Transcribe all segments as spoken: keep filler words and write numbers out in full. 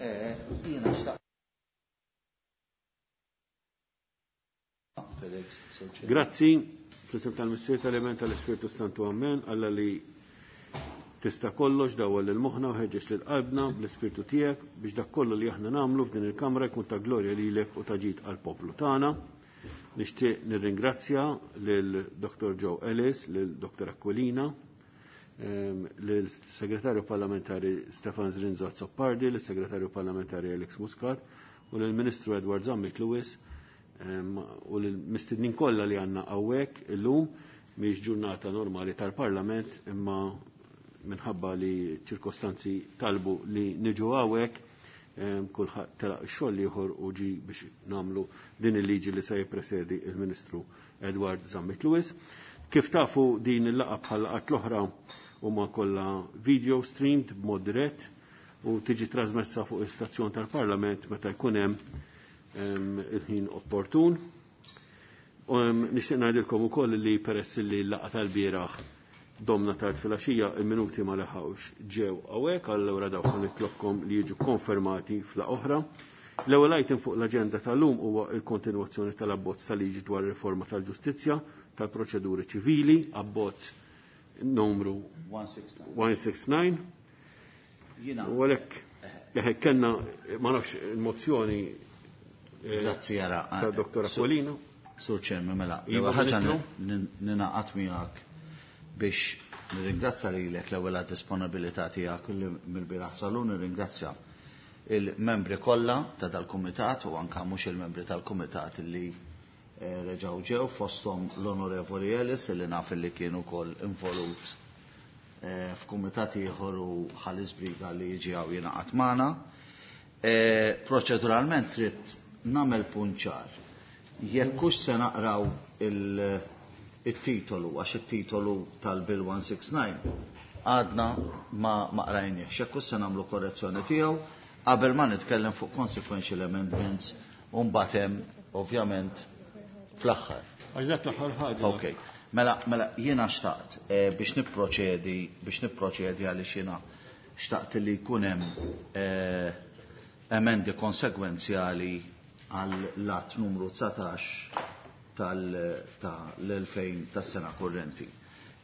Jiena xtaqt. Grazzi, fl-isem tal-Missier tal-Iben tal-Ispirtu Santu Amen, Alla li tista' kollox dawwal lil moħħna u ħeġġeġ lil qalbna bl-Ispirtu tiegħek biex dak kollu li aħna nagħmlu f'din il-kamra jkun ta' glorja lilek u ta' ġid għall-poplu tagħna. Nixtieq nirringrazzja lil Dottor Joe Ellis, lil Dottor Aquilina, lil Segretarju Parlamentari Stefan Zrinzo Azzopardi, lil Segretarju Parlamentari Alex Muscat u lil Ministru Edward Zammit Lewis u lil mistednin kollha li għandna hawnhekk illum. Mhix ġurnata normali tal-Parlament imma minħabba li ċirkostanzi talbu li niġu hawnhekk, kulħadd telaq ix-xogħol ieħor u ġi biex nagħmlu din il-liġi li se jippresedi il-Ministru Edward Zammit Lewis. Kif tafu din il-laqgħa bħal laqgħat l-oħra huma kollha video streamed b'mod dirett u tiġi trasmessa fuq is-stazzjon tal-Parlament meta jkun hemm il-ħin opportun. Nixtieq ngħidilkom ukoll li peress li l-laqgħa tal-bieraħ domna tard filgħaxija, il-minuti ma leħawx ġew hawnhekk, allura dawk nitlobkom li jiġu konfermati fla oħra. L-ewwel item fuq l-aġenda tal-lum huwa l-kontinwazzjoni tal-abbozz tal-liġi dwar riforma tal-ġustizzja tal-proċeduri ċivili, abbozz numru one six nine. U għalhekk kellna ma nafx il-mozzjoni Grazzi jara. ta' Dottor Aquilina. Sur Chairman, mela, Iva, l-ewwel ħaġa Ministru. ninaqat miegħek biex nirringrazzja lilek l-ewwel għad-disponibilità tiegħek li mill-bieraħ salun, nirringrazzja il-membri kollha ta' dal-kumitat u anke mhux il-membri tal-kumitat li, eh, reġgħu ġew fosthom l-Onorevoli Ellis li naf li kien ukoll involut, eh, f'kumitat ieħor u ħalli żbriga li jiġi hawn jingħaqad magħna. Eh, proċeduralment trid nagħmel punt ċar. Jekk hux se naqraw il-, it-titolu, għax it-titolu tal-Bill one six nine għadna ma, ma qrajniex. Jekk hux se nagħmlu korrezzjoni tiegħu qabel ma nitkellem fuq consequential amendments u mbagħad hemm ovvjament fl-aħħar. Għax dak l-aħħar ħaġa. Ok. Mela, mela jiena xtaqt, eh, biex nipproċedi, biex nipproċedi għaliex jiena xtaqt li jkun hemm, eh, emendi konsegwenzjali għal lat numru dsatax tal-, tal-elfejn tas-sena kurrenti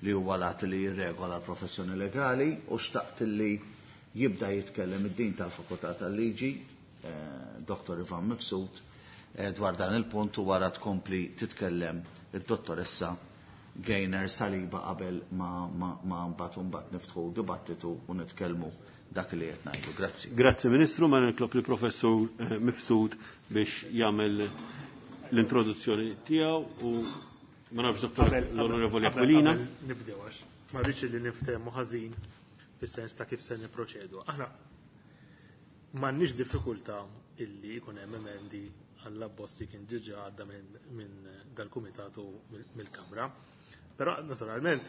li huwa lat li jirregola l-professjoni legali u xtaqt li jibda jitkellem id-din tal-Fakultà tal-Liġi, eh, Dottor Ivan Mifsud, eh, dwar dan il-punt u wara tkompli titkellem id-dottoressa Gaynor Saliba qabel ma, ma, ma mbagħad mbagħad niftħu dibattitu u nitkellmu dak li qed ngħidu. Grazzi. Grazzi Ministru, ma nitlob li Professur, eh, Mifsud biex jagħmel l-introduzzjoni tiegħu u ma nafx Dottor Qabel, l-Onorevoli qabel, Aquilina. qabel nibdew għax ma rridx li niftehmu ħażin fis-sens ta' kif se nipproċedu. Aħna m'għandniex diffikultà illi jkun hemm emendi għall-abbozz li kien diġà għadda minn, minn dal-kumitat u mill-, mill-Kamra. Però naturalment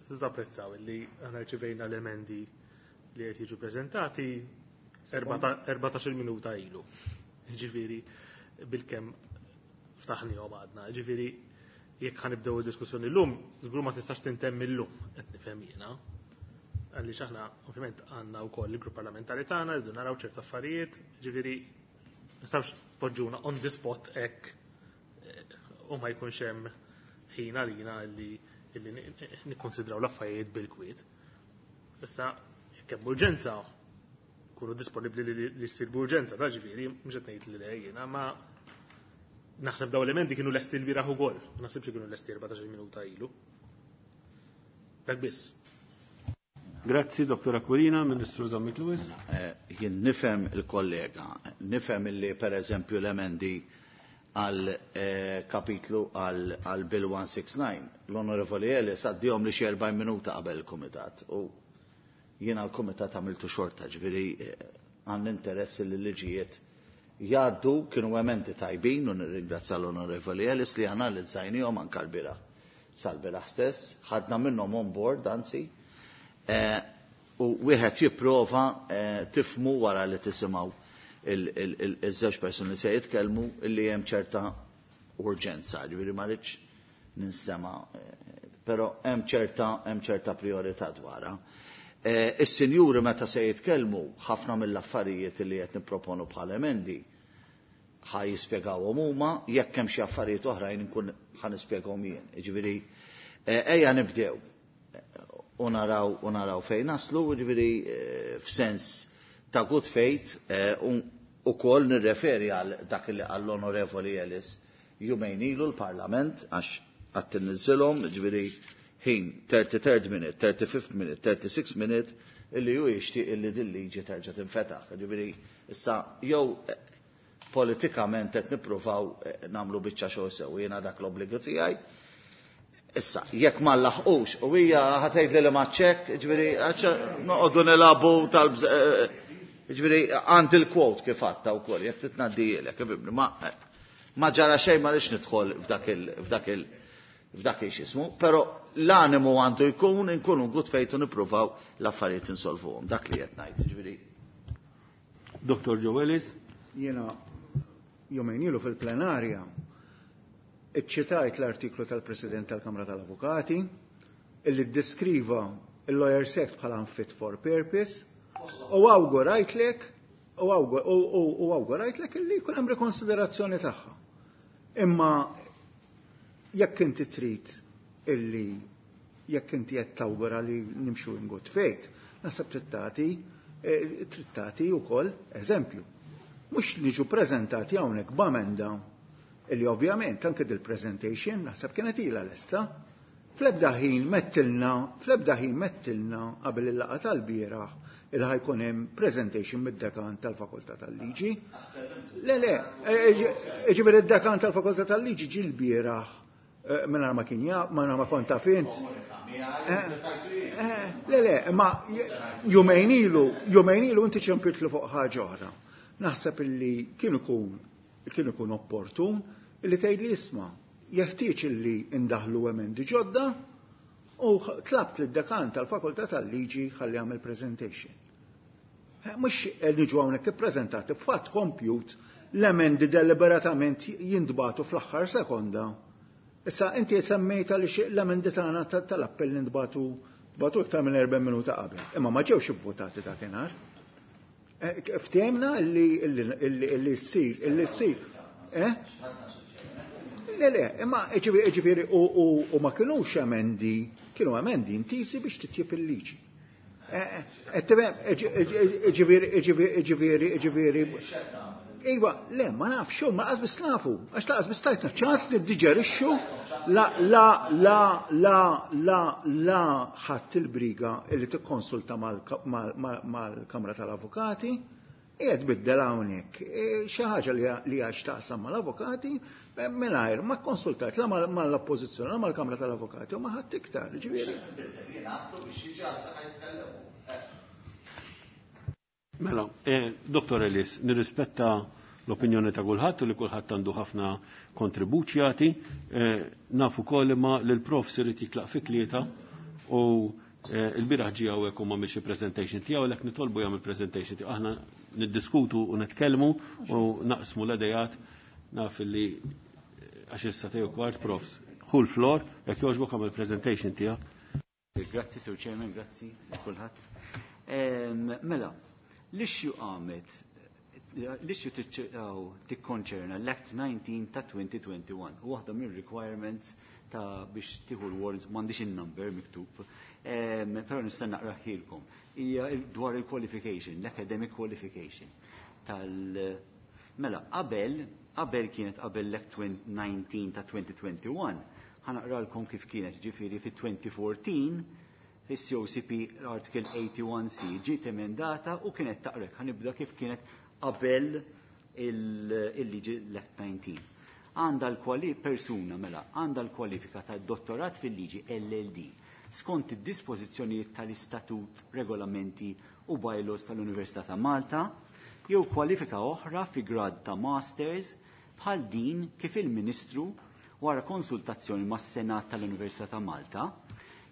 tista' tapprezzaw illi aħna rċivejna l-emendi li qed jiġu preżentati erbata-, erbatax-il minuta ilu. Ġifieri bilkemm ftaħnihom għadna. Ġifieri jekk ħanibdew id-diskussjoni llum, żgur ma tistax tintemm illum, qed nifhem jiena. Għaliex aħna ovvjament għandna wkoll il-grupp parlamentari tagħna, rridu naraw ċerti affarijiet, ġifieri ma nistgħux tpoġġuna on the spot hekk, eh, u ma jkunx hemm ħin għalina li, li nikkonsidraw l-affarijiet bil-kwiet. Issa jekk hemm urġenza, kunu disponibbli li, li, li ssir b'urġenza, ta' ġifieri, mhux qed ngħid li le jiena, ma naħseb daw l-emendi kienu lesti l-bieraħ ukoll, ma naħsibx li kienu lesti erbatax-il minuta ilu. Dak biss. Grazzi, Dottor Aquilina, Ministru Zammit Lewis. Eh, jien nifhem il-kollega, nifhem illi per eżempju l-emendi għal, eh, kapitlu għal, għal Bill one six nine, l-Onorevoli Ellis għaddihom li xi erbgħin minuta qabel il-Kumitat. U jiena l-Kumitat għamiltu xorta, ġifieri, eh, għand interess li l-liġijiet jgħaddu, kienu emendi tajbin u nirringrazzja l-Onorevoli Ellis li analizzajnihom anke l-bieraħ. Sal-bieraħ stess, ħadna minnhom on board, anzi, eh, u wieħed jipprova, eh, tifmu wara li tisimgħu il-, il-, il-, iż-żewġ persuni li se jitkellmu illi hemm ċerta urġenza, ġifieri ma rridx ninstema', eh, però hemm ċerta, hemm ċerta priorità dwarha. Is-sinjuri meta se jitkellmu ħafna mill-affarijiet li qed nipproponu bħala emendi ħa jispjegawhom huma, jekk hemm xi affarijiet oħrajn inkun ħa nispjegahom jien. Jiġifieri ejja nibdew u naraw u naraw fejn naslu, jiġifieri f'sens ta' good faith ukoll nirreferi għal dak li qal l-Onorevoli Ellis jumejn ilu l-Parlament għax qatt inniżżilhom, jiġifieri ħin thirty-third minute, thirty-fifth minute, thirty-sixth minute illi ju jixtieq illi din liġi terġa' tinfetaħ. Jiġifieri issa jew politikament qed nippruvaw nagħmlu biċċa xogħol sew, jiena dak l-obbligu tiegħi. Issa, jekk ma nlaħqux, u hija ħatgħid li ma ċekk, jiġifieri noqogħdu nilagħbu tal jiġifieri għand il-quote kif għadta wkoll, jekk titnaddijielek, ifhimni, ma ma ġara xejn ma rridx nidħol f'dak il f'dak il f'dak il-xismu, però l-animu għandu jkun inkunu good faith u nippruvaw l-affarijiet insolvuhom. Dak li qed ngħid, jiġifieri. Doktor Joe Ellis. Jiena jumejn ilu fil-plenarja iċċitajt l-artiklu tal-President tal-Kamra tal-Avukati illi ddeskriva il-Lawyers Act bħala unfit for purpose u awgurajtlek u awgurajtlek illi jkun hemm rikonsiderazzjoni tagħha. Imma jekk inti trid illi jekk inti qed tawgura li nimxu in good faith, naħseb trid tagħti trid tagħti wkoll eżempju. Mhux niġu preżentati hawnhekk b'amenda illi ovvjament anke dil-presentation naħseb kienet ilha lesta. Fl-ebda ħin mettilna, fl-ebda ħin mettilna qabel il-laqgħa tal-bieraħ il ħajkun hemm presentation mid-dekan tal-Fakultà tal-Liġi. Le, le, ġifieri id-dekan tal-Fakultà tal-Liġi ġie l-bieraħ mingħajr ma kien jaf, mingħajr ma kont taf int. Le, le, ma jumejn ilu, jumejn ilu inti ċempiltlu fuq ħaġa oħra. Naħseb illi kien ikun kien ikun opportun illi tgħid li isma' jeħtieġ illi indaħlu emendi ġodda u tlabt lid-dekan tal-Fakultà tal-Liġi ħalli jagħmel presentation. Mhux niġu hawnhekk ippreżentati b'fatt kompjut l-emendi deliberatament jintbagħtu fl-aħħar sekonda. Issa inti semmejta li l-emendi tagħna tal-appell intbagħtu batu iktar minn erba' minuta qabel. Imma ma ġewx ivvotati dakinhar. Ftehimna illi ssir, illi ssir. Eh? Le, le, imma ġifieri u ma kinux emendi, kienu emendi intisi biex titjib il-liġi. Ġifieri, ġifieri, ġifieri. Iva, le, ma nafx, ma qas biss nafu, għax laqas biss tajtna ċans niddiġerixxu la, la, la, la, la, la ħadd il-briga illi tikkonsulta mal-Kamra tal-Avukati, qiegħed biddel hawnhekk xi ħaġa li għax taqsam mal-avukati mingħajr ma kkonsultajt la mal-Oppożizzjoni, la mal-Kamra tal-Avukati u ma ħadd iktar, ġifieri. Mela, Doktor Ellis, nirrispetta l-opinjoni ta' kulħadd u li kulħadd għandu ħafna kontribut jagħti. Nafu wkoll imma li l-prof irid jitlaq fi tlieta u l-bieraħ ġie hawnhekk u m'għamilx presentation tiegħu, għalhekk nitolbu jagħmel presentation tiegħu. Aħna niddiskutu u nitkellmu u naqsmu l-idejat, naf li għax issa tiegħu kwart profs. Ħu l-flor, jekk jogħġbok għamel presentation tiegħek. Grazzi, Sir Chairman, grazzi kulħadd. Mela, l-issue qamet, l-issue tikkonċerna l-Act nineteen ta' twenty twenty-one, u waħda mir-requirements ta' biex tieħu l-warrants, m'għandix in-number miktub, però nista' naqraħilkom. Hija dwar il-qualification, l-academic qualification tal mela qabel qabel kienet qabel l-Act nineteen ta' twenty twenty-one, ħanaqralkom kif kienet, ġifieri fi twenty fourteen fis-C O C P Article eighty-one C ġiet emendata u kienet taqrek, ħanibda kif kienet qabel il-liġi l-Act nineteen. Għandha l-kwali persuna mela għandha l-kwalifika ta' dottorat fil-liġi L L D skont id-dispożizzjonijiet tal-istatut, regolamenti u bylaws tal-Università ta' Malta jew kwalifika oħra fi grad ta' masters bħal din kif il-Ministru wara konsultazzjoni mas-Senat tal-Università ta' Malta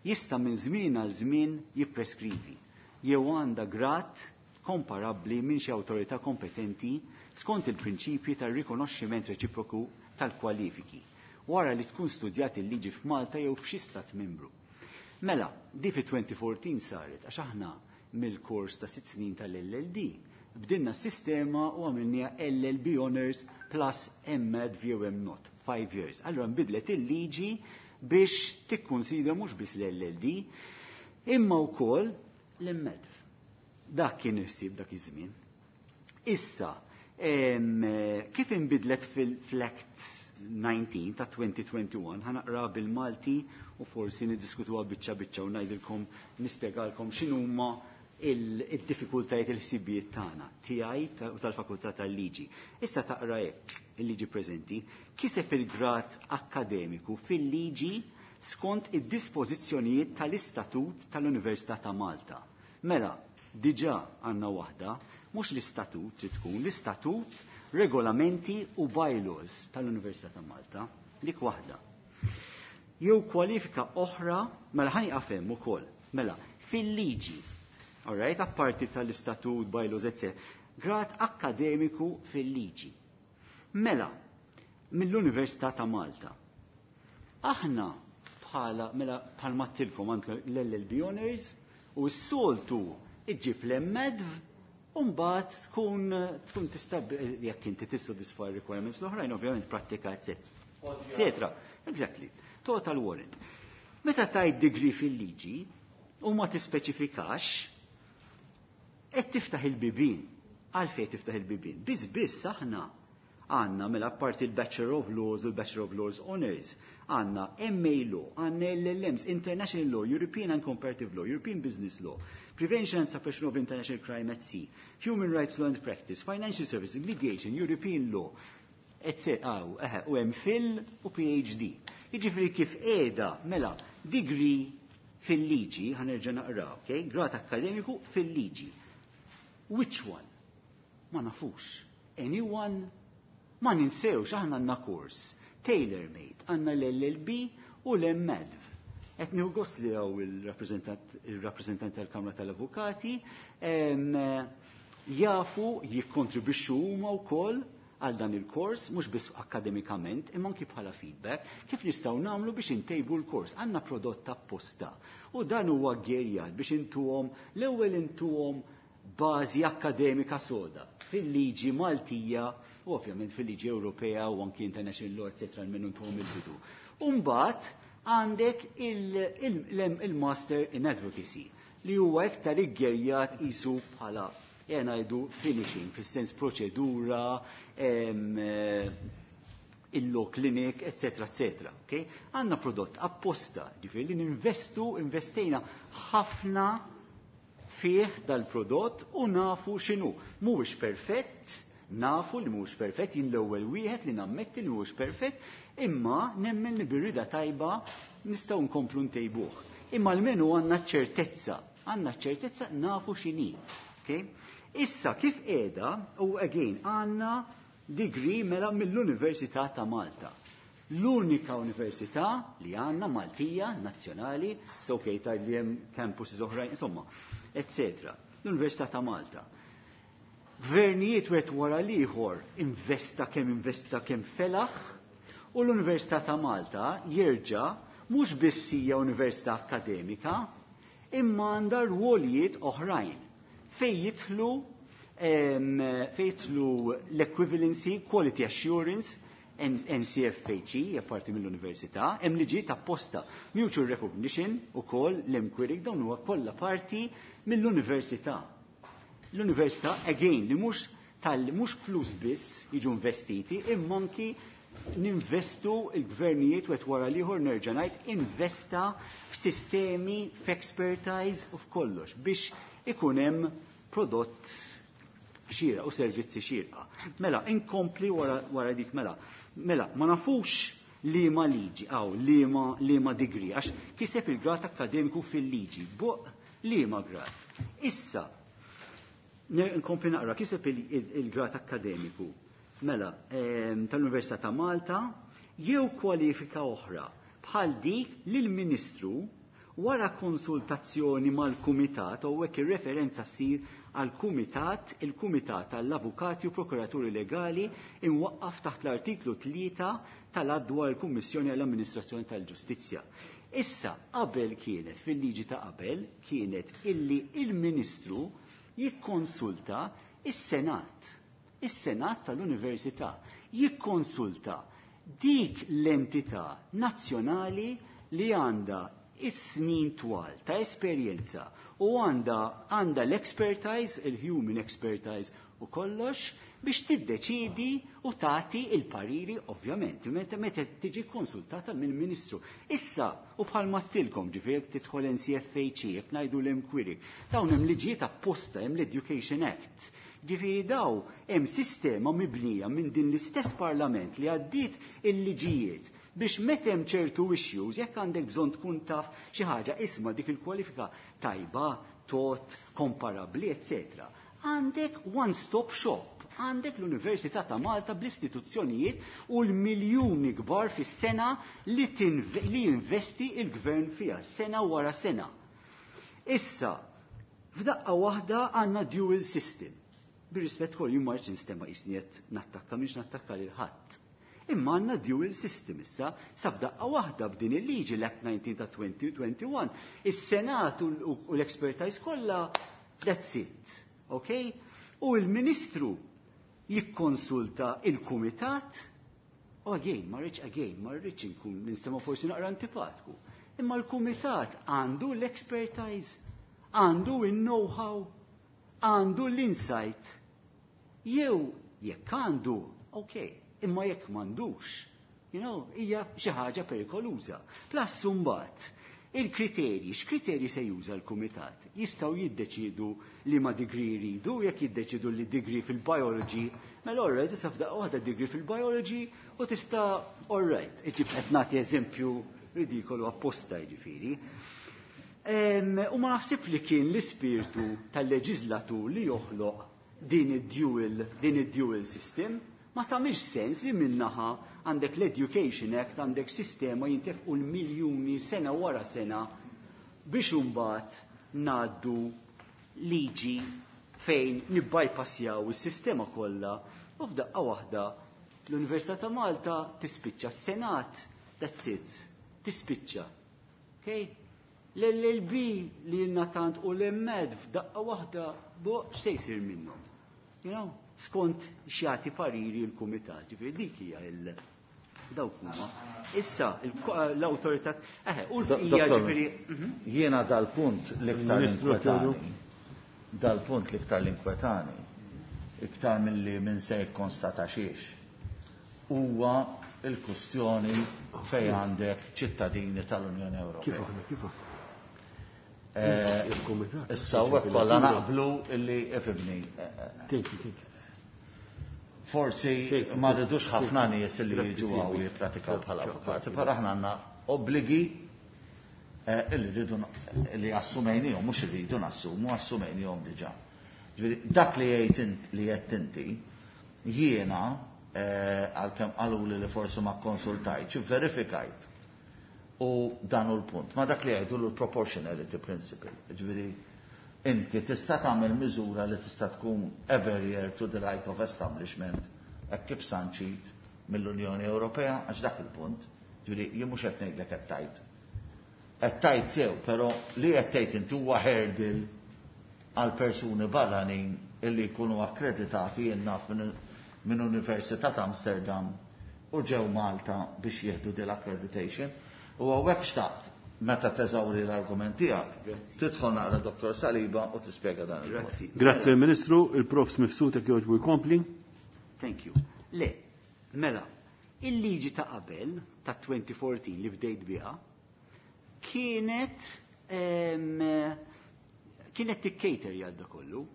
jista' minn żmien għal żmien jippreskrivi jew għandha grad komparabbli minn xi awtorità kompetenti skont il-prinċipji tar-rikonoxximent reċiproku tal-kwalifiki wara li tkun studjat il-liġi f'Malta jew f'xi stat membru. Mela, di fi twenty fourteen saret, għax aħna mill-kors ta' sitt snin tal-L L D bdinna s-sistema u għamilniha L L B Honors plus M Adv jew M Not, five years. Allora nbidlet il-liġi biex tikkonsidra mhux biss l-L L D, imma wkoll l-M Adv. Dak kien il-ħsieb dak iż-żmien. Issa, em, kif inbidlet fil-Act nineteen ta' twenty twenty-one, ħa naqra bil-Malti u forsi niddiskutuha biċċa biċċa u ngħidilkom, nispjegalkom x'inhuma il-diffikultajiet, il-ħsibijiet tagħna, tiegħi u tal-Fakultà tal-Liġi. Issa taqra hekk il-liġi preżenti: kiseb il-grad akkademiku fil-liġi skont id-dispożizzjonijiet tal-Istatut tal-Università ta' Malta. Mela, diġà għandna waħda, mhux l-istatut trid tkun, l-istatut, regolamenti u bylaws tal-Università ta' Malta, dik waħda. Jew kwalifika oħra, mela ħa nieqaf hemm ukoll. Mela, fil-liġi, alright, apparti tal-istatut, bylaws, et cetera, grad akkademiku fil-liġi. Mela, mill-Università ta' Malta. Aħna bħala, mela, bħalma għedtilkom, għandek l-L L B Honors u s-soltu iġġib l-M Adv u mbagħad tkun tkun tista', jekk inti tissodisfa requirements l-oħrajn, ovvjament prattika, etc. Exactly. Total warrant. Meta tajt degree fil-liġi u ma tispeċifikax, qed tiftaħ il-bibin. Għalfejn tiftaħ il-bibin? Biss biss aħna għandna, mela, apparti il-Bachelor of Laws u l-Bachelor of Laws Honors, għandna M A Law, għandna L L Ms, International Law, European and Comparative Law, European Business Law, Prevention and Suppression of International Crime at Sea, Human Rights Law and Practice, Financial Services, Mediation, European Law, et cetera. U M Phil u P H D. Jiġifieri kif qiegħda, mela, degree fil-liġi, ħa nerġa' naqra, okay? Grad akkademiku fil-liġi. Which one? Ma nafux. Anyone? Ma ninsewx, aħna għandna kors tailor-made, għandna l-L L B u l-M Adv. Qed nieħu gost li hawn il-rappresentant tal-Kamra tal-Avukati, jafu jikkontribwixxu huma wkoll għal dan il-kors, mhux biss akademikament, imma anki bħala feedback, kif nistgħu nagħmlu biex intejbu l-kors. Għandna prodott apposta. U dan huwa geared biex intuhom, l-ewwel intuhom bażi akademika soda fil-liġi Maltija u ovvjament fil-liġi Ewropea u anki international law, et cetera minnu intuhom il-bidu. Umbagħad għandek il-Master in Advocacy li huwa iktar iggerjat isu bħala, ngħidu, finishing, fis-sens proċedura, il-law clinic, et cetera et cetera. Okay? Għandna prodott apposta, ġifieri li ninvestu, investejna ħafna fih dal-prodott u nafu x'inhu. Mhuwiex perfett, nafu li mhuwiex perfett, jien l-ewwel wieħed li nammetti li mhuwiex perfett, imma nemmen li bir-rieda tajba nistgħu nkomplu ntejbuh. Imma almenu għandna ċertezza, għandna ċertezza, nafu x'inhi. Okay? Issa kif qiegħda, u again għandna degree, mela, mill-Università ta' Malta. L-unika università li għandna Maltija, nazzjonali, so okay, ta' li hemm campuses oħrajn, insomma, et cetera. L-Università ta' Malta. Gvernijiet wieħed wara l-ieħor investa kemm investa, kemm felaħ, u l-Università ta' Malta jerġa' mhux biss hija università akademika, imma għandha rwolijiet oħrajn fej jidħlu fejn jidħlu l-equivalency, quality assurance, N C F H E, parti mill-università, hemm liġi apposta, mutual recognition ukoll l-MQuery, dawn huwa kollha parti mill-università. L-università, again, li mhux tal mhux flus biss jiġu investiti, imma anki ninvestu, il-gvernijiet wieħed wara l-ieħor, nerġa' ngħid, investa f'sistemi, f'expertise u f'kollox biex ikun hemm prodott xieraq u servizzi xierqa. Mela, inkompli wara, wara dik, mela. Mela, ma nafux li ma liġi, għaw, li ma, li ma degree, għax kiseb il-grad akademiku fil-liġi, buq li ma grad. Issa, nkompli naqra, kiseb il-grad akademiku, mela, tal-Università ta' Malta, jew kwalifika oħra, bħal dik li l-Ministru Wara konsultazzjoni mal-Kumitat, u hekk ir-referenza ssir għall-Kumitat, il-Kumitat għall-Avukati u Prokuraturi Legali imwaqqaf taħt l-artiklu tlieta tal-Att dwar il-Kummissjoni għall-Amministrazzjoni tal-Ġustizzja. Issa, qabel kienet, fil-liġi ta' qabel, kienet illi il-Ministru jikkonsulta is-Senat, is-Senat tal-Università, jikkonsulta dik l-entità nazzjonali li għandha is-snin twal ta' esperjenza u għandha għandha l-expertise, il-human expertise u kollox biex tiddeċidi u tagħti il-pariri ovvjament meta meta tiġi konsultata mill-Ministru. Issa u bħal mattilkom ġifieri jekk tidħol N C F H E, jekk ngħidu l-inquiry, dawn hemm liġijiet apposta, hemm l-Education Act. Ġifieri daw hemm sistema mibnija minn din l-istess Parlament li għaddiet il-liġijiet biex meta hemm ċertu issues, jekk għandek bżonn tkun taf xi ħaġa isma' dik il-kwalifika tajba, tot, komparabbli, eccetera. Għandek one-stop shop, għandek l-Università ta' Malta bl-istituzzjonijiet u l-miljuni kbar fis-sena li tinve-, li jinvesti il-gvern fiha, sena wara sena. Issa, f'daqqa waħda għandna dual system. Bir-rispett kollu jien ma rridx nistema' qisni qed nattakka, mhix nattakka lil ħadd. Imma għandna dual system issa, sa f'daqqa waħda b'din il-liġi l-Act nineteen ta' twenty twenty-one, is-Senat u l-, u l-expertise kollha, that's it. Ok? U l-Ministru jikkonsulta il-Kumitat, u again, ma rridx again, ma rridx inkun nistema' forsi naqra antipatku. Imma l-Kumitat għandu l-expertise, għandu il-know-how, għandu l-insight. Jew jekk għandu, ok, imma jekk m'għandux, you know, hija xi ħaġa perikoluża. Plus imbagħad, il-kriterji, x'kriterji se juża l-Kumitat? Jistgħu jiddeċidu li ma degree jridu, jekk jiddeċidu li degree fil-biology, mela all right, tista' f'daqqa waħda degree fil-biology u tista' all right. Iġib qed nagħti eżempju ridikolu apposta jiġifieri. Em, u ma naħsib li kien l-ispirtu tal-leġislatur li joħloq din id-dual, din id-dual system. Ma tagħmilx sens li minnaħa għandek l-Education Act, għandek sistema jintefqu l-miljuni sena wara sena biex imbagħad ngħaddu liġi fejn nibbypassjaw is-sistema kollha u f'daqqa waħda l-Università ta' Malta tispiċċa, s-Senat, that's it, tispiċċa. Okay? L-L L B li jenna tant u l-M E D f'daqqa waħda, bo, x'se jsir minnhom? You know? Skont x'jagħti pariri l-kumitat, ġifieri dik hija il dawk huma. Issa l-awtorità, eħe, u l-bqija Dottor, ġifieri, mhm. Jiena dal-punt l-iktar Ministru inkwetani, Teodu. dal-punt l-iktar l-inkwetani, iktar milli minn se jikkonstata xiex, huwa il-kwestjoni fejn għandek ċittadini tal-Unjoni Ewropea. Kif aħna, kif aħna? Eh, Il-Kumitat. Issa u hekk kollha naqblu illi ifibni. Thank you, thank you. Forsi Thank you. ma rridux ħafna nies li Grazzi, jiġu Silvi. hawn jippratikaw bħala Ciao, avukati, ciao. però aħna għandna obbligi, eh, illi rridu n-, li assumejnihom, mhux irridu nassumu, assumejnihom diġà. Ġifieri dak li jgħid int, li qed inti, jiena, eh, għalkemm qaluli li forsi ma kkonsultajtx, verifikajt. U dan hu l-punt. Ma dak li jgħidu l-proportionality principle. Ġifieri inti tista' tagħmel miżura li tista' tkun a barrier to the right of establishment hekk kif sanċit mill-Unjoni Ewropea, għax dak il-punt. Ġifieri jien mhux qed ngħidlek qed tajt. Qed tajt sew, però li qed tgħid inti huwa hurdle għal persuni barranin illi jkunu akkreditati jien naf minn, minn Università ta' Amsterdam u ġew Malta biex jieħdu din l-accreditation. U hawnhekk xtaqt meta teżawri l-argument tiegħek, Grazzi. tidħol naqra Dottor Saliba u tispjega dan il-punt. Grazzi. Grazzi Ministru, il-Profs Mifsud jekk jogħġbu jkompli. Thank you. Le, mela, il-liġi ta' qabel ta' twenty fourteen li bdejt biha kienet, em, kienet tikkater jgħadda kollu.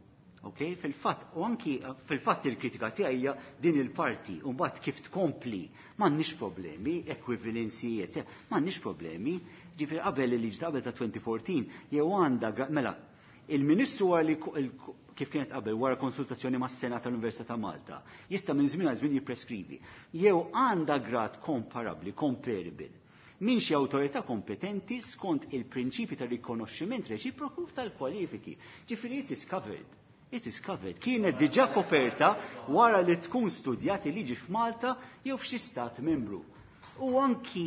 Ok, fil-fatt, u anki fil-fatt il-kritika tiegħi hija din il-parti, u mbagħad kif tkompli, m'għandniex problemi, equivalency, eccetera, m'għandniex problemi. Ġifieri qabel il-liġi ta' qabel ta' twenty fourteen, jew għandha gra-, mela, il-Ministru wara li ko-, il-, kif kienet qabel wara konsultazzjoni mas-Senat tal-Università ta' Malta, jista' minn żmien għal żmien jippreskrivi. Jew għandha grad komparabbli, comparable, minn xi awtorità kompetenti skont il-prinċipi ta' rikonoxximent reċiproku tal-kwalifiki. Ġifieri it is covered. It is covered. Kienet diġà koperta wara li tkun studjat il-liġi f'Malta jew f'xi stat membru. U anki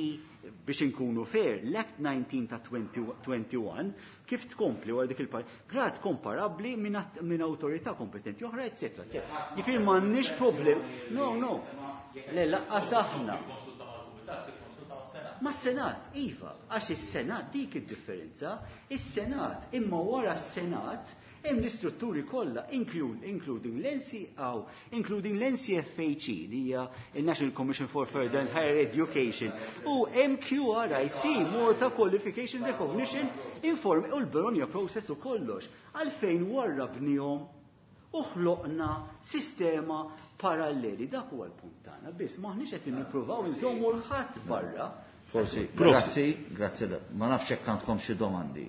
biex inkunu fair, l-Act nineteen ta' twenty twenty-one kif tkompli wara dik il-part, grad komparabbli minn min awtorità kompetenti oħra, eccetera, eccetera. Ġifieri m'għandniex problem. No, no. Le, lanqas aħna. Ma s-Senat, iva, għax is-Senat dik id-differenza, is-Senat, imma wara s-Senat hemm l-istrutturi kollha, including l-N C O, including l-N C F H E li hija il-National Commission for Further and Higher Education u M Q R I C, Malta Qualification Recognition Inform, u l-Bologna Process u kollox. Għalfejn warrabnihom u ħloqna sistema paralleli? Dak huwa l-punt tagħna biss, m'aħniex qed nippruvaw nżommu 'l ħadd barra. Forsi, grazzi, grazzi. Ma nafx hekk għandkom xi domandi.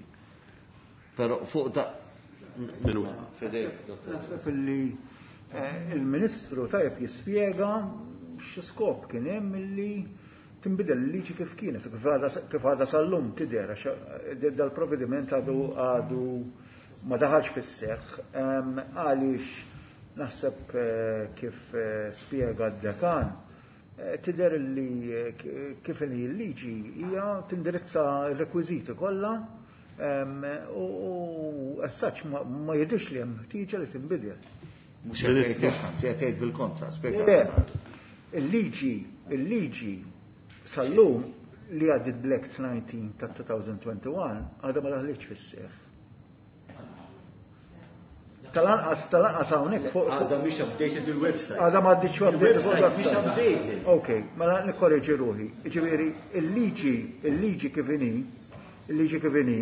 Però fuq da Minuta. Fidejk, dottor. Naħseb illi eh, il-Ministru tajjeb jispjega x'skop kien hemm illi tinbidel il-liġi kif kienet, kif għadha kif għadha sal-lum tidher, għax eh, dal-provvediment għadu għadu ma daħalx fis-seħħ, Em, għaliex naħseb eh, kif eh, spjega d-dekan, eh, tidher li eh, k- kif inhi l-liġi hija tindirizza r-rekwiżiti kollha em, u u as such ma ma jidhirx li hemm ħtieġa li tinbidel. Mhux qed tgħid hekk, anzi qed tgħid bil-kontra, spjega. Le, il-liġi, il-liġi sal-lum li għaddit bl-Act nineteen ta' elfejn u wieħed u għoxrin għadha ma daħlitx fis-seħħ. Tal-anqas, tal-anqas hawnhekk fuq Għadha mhix updated il-website. Għadha ma għadditx updated fuq Il-website mhix il-website. updated. Ok, mela nikkorreġi ruħi. Ġifieri, il-liġi, il-liġi kif inhi, il-liġi kif inhi,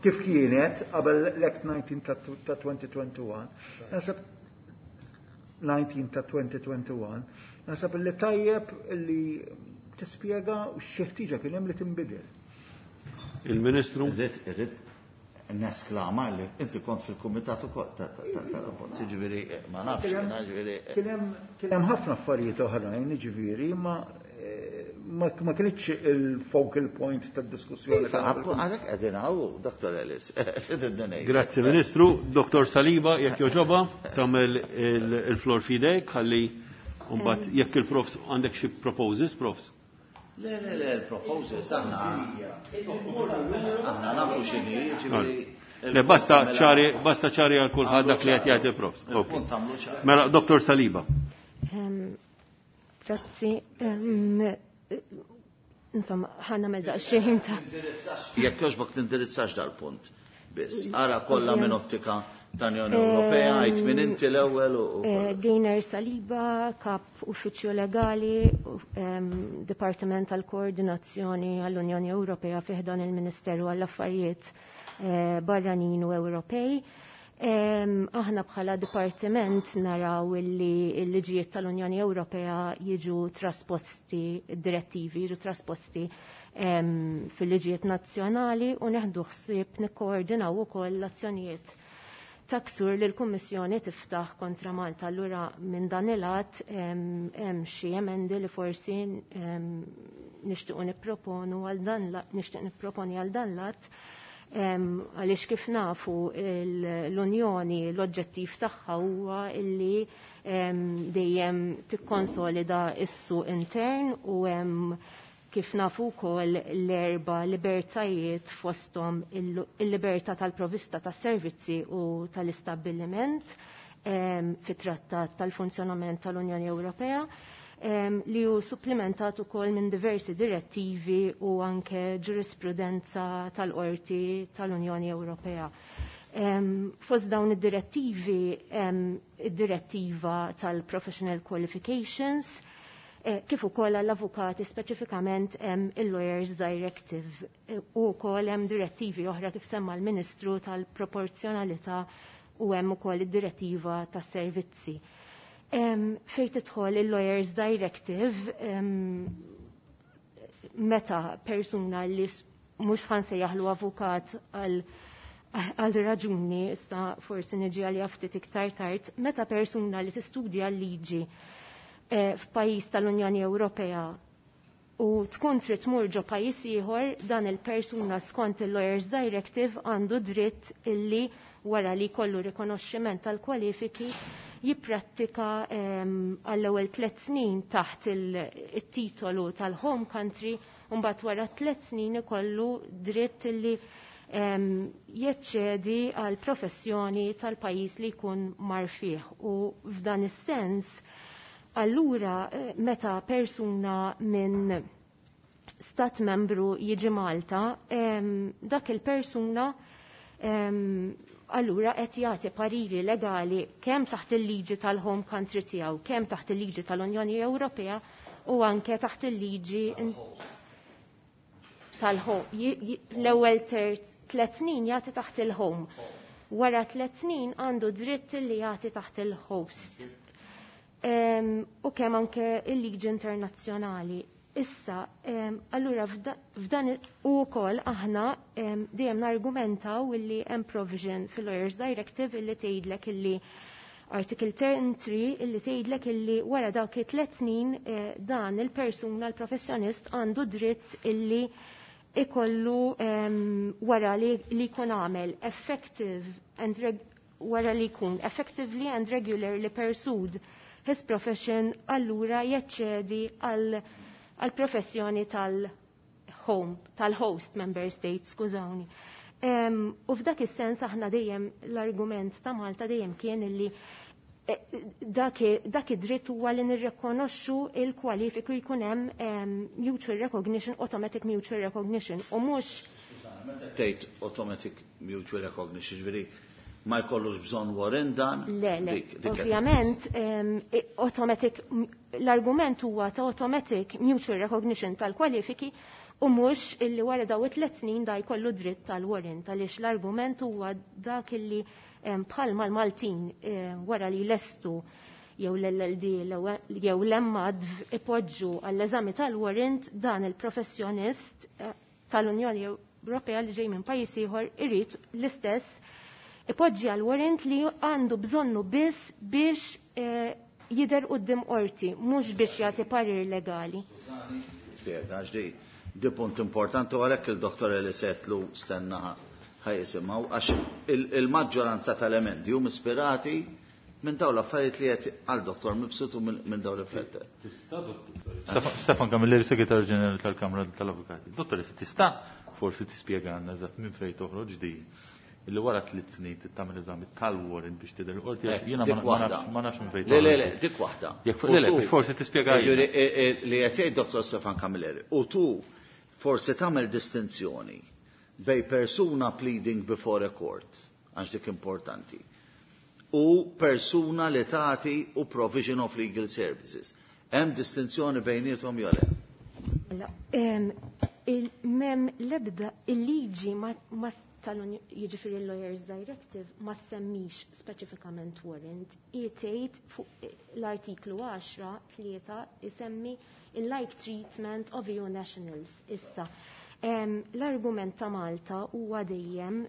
kif kienet qabel l-Act nineteen ta' ta' elfejn u wieħed u għoxrin, naħseb nineteen ta' elfejn u wieħed u għoxrin, naħseb li tajjeb li tispjega xi ħtieġa kien hemm li tinbidel. Il-Ministru. Irrid irrid nesklama li inti kont fil-kumitat ukoll ta' ta' ta' tal-abbozz, ġifieri ma nafx, jiena ġifieri. Kien hemm kien hemm ħafna affarijiet oħrajn, ġifieri, ma eh, ma ma kienx il-focal point tad-diskussjoni. Iva, għalhekk qegħdin hawn, Dottor Ellis. Grazzi, Ministru. Dottor Saliba, jekk jogħġobha, tagħmel il- il-flor f'idejk, ħalli mbagħad jekk il-profs għandek xi proposals, profs. Le, le, le, il-proposals, aħna aħna nafu x'inhi, ġifieri. Le, basta ċari, basta ċari għal kulħadd dak li qed jgħid il-profs. Ok. Il-punt għamlu ċari. Mela, Dottor Saliba. Em, Grazzi. Em, Insomma, ħa nagħmel daqsxejn ta' Jekk jogħġbok tindirizzax dal-punt. Biss, ara kollha minn ottika tal-Unjoni Ewropea, għid minn inti l-ewwel u u Eh, Gaynor Saliba, kap uffiċċju legali, u- em, Dipartiment tal-Koordinazzjoni għall-Unjoni Ewropea fi ħdan il-Ministeru għall-Affarijiet eh, Barranin u Ewropej. Em, Aħna bħala dipartiment naraw illi l-liġijiet tal-Unjoni Ewropea jiġu trasposti, direttivi jiġu trasposti em, fil-liġijiet nazzjonali u neħdu ħsieb nikkoordinaw ukoll l-azzjonijiet ta' ksur li l-Kummissjoni tiftaħ kontra Malta. Allura minn dan il-att hemm hemm xi emendi li forsi em, nixtiequ nipproponu għal dan la- nixtieq nipproponi għal dan l-att em, għaliex kif nafu il- l-Unjoni l-oġġettiv tagħha huwa illi em, dejjem tikkonsolida is-suq intern u hemm kif nafu wkoll l-erba libertajiet, fosthom il- il-libertà tal-provista tas-servizzi u tal-istabbiliment em, fit-trattat tal-funzjonament tal-Unjoni Ewropea em, li hu supplementat ukoll minn diversi direttivi u anke ġurisprudenza tal-Qorti tal-Unjoni Ewropea. Em, Fost dawn id-direttivi, em, id-direttiva tal-Professional Qualifications, eh, kif ukoll għall-avukati speċifikament hemm il-Lawyers Directive eh, u wkoll hemm direttivi oħra kif semma l-Ministru tal-proporzjonalità u hemm ukoll id-direttiva tas-servizzi. Em, Fejn tidħol il-Lawyers Directive, em, meta persuna li s- mhux ħa nsejjaħlu avukat għal għal raġuni, issa forsi niġi għalija ftit iktar tard, meta persuna li tistudja l-liġi eh, f'pajjiż tal-Unjoni Ewropea u tkun trid tmur ġo pajjiż ieħor, dan il-persuna skont il-Lawyers Directive għandu dritt illi wara li jkollu rikonoxximent tal-kwalifiki jipprattika għall-ewwel tliet snin taħt il-titolu tal-home country u mbagħad wara tliet snin ikollu dritt illi jeċċedi għal professjoni tal-pajjiż li jkun mar fih. U f'dan is-sens allura meta persuna minn stat membru jiġi Malta, dak il-persuna allura qed jagħti pariri legali kemm taħt il-liġi tal-home country tiegħu, kemm taħt il-liġi tal-Unjoni Ewropea u anke taħt il-liġi tal-home. L-ewwel tliet snin jagħti taħt il-home. Wara tliet snin għandu dritt li jagħti taħt il-host. U kemm anke il-liġi internazzjonali. Issa, allura f'dan u wkoll aħna dejjem nargumentaw illi hemm provision fil-Lawyers Directive illi tgħidlek illi Article ten three illi tgħidlek illi wara dawk it-tliet snin dan il-persuna l-professjonist għandu dritt illi ikollu wara li jkun għamel effective and wara li jkun effectively and regularly pursued his profession, allura jaċċedi għal għal professjoni tal-home, tal-host member state, skużawni. Um, u f'dak is-sens aħna dejjem l-argument ta' Malta dejjem kien illi dak, dak id-dritt huwa li nirrikonoxxu il-kwalifiku jkun hemm um, mutual recognition, automatic mutual recognition, u mhux tgħid automatic mutual recognition, ġifieri ma jkollux bżonn warrant dan? Le, le, ovvjament, automatic, l-argument huwa ta' automatic mutual recognition tal-kwalifiki u mhux illi wara daw it-tliet snin da jkollu dritt tal-warrant, għaliex l-argument huwa dak illi bħalma l-Maltin wara li lestu jew l-L L D jew l-M A D V ipoġġu għall-eżami tal-warrant, dan il-professjonist tal-Unjoni Ewropea li ġej minn pajjiż ieħor irid l-istess ipoġġi għal warrant li għandu bżonnu biss biex jidher quddiem qorti, mhux biex jagħti parir legali. Spjega, għax di, di punt importanti u għalhekk il-doktor li setlu stenna ħajjisimgħu, għax il-maġġoranza tal-emendi hum ispirati minn dawn l-affarijiet li qed għal doktor Mifsud u minn dawn l-effetti. Tista' doktor, Stefan Camilleri, Segretarju Ġenerali tal-Kamra tal-Avukati. Dottor, tista' forsi tispjegana eżatt minn fejn toħroġ di illi wara tliet snin tagħmel eżami tal-warrant biex tidher il-qorti, għax jiena ma nafx minn fejn. Le, le, le, dik waħda. Le, le, forsi tispjega. Li qed jgħid Dottor Stefan Camilleri, u tu forsi tagħmel distinzjoni bej persuna pleading before a court, għax dik importanti, u persuna li tagħti u provision of legal services. Hemm distinzjoni bejniethom jew le? Mem l-ebda il-liġi ma tal-jiġifieri il-Lawyers Directive ma semmix speċifikament warrant, tgħid fuq l-artiklu għaxra tlieta isemmi il-like treatment of E U nationals. Issa, l-argument ta' Malta huwa dejjem,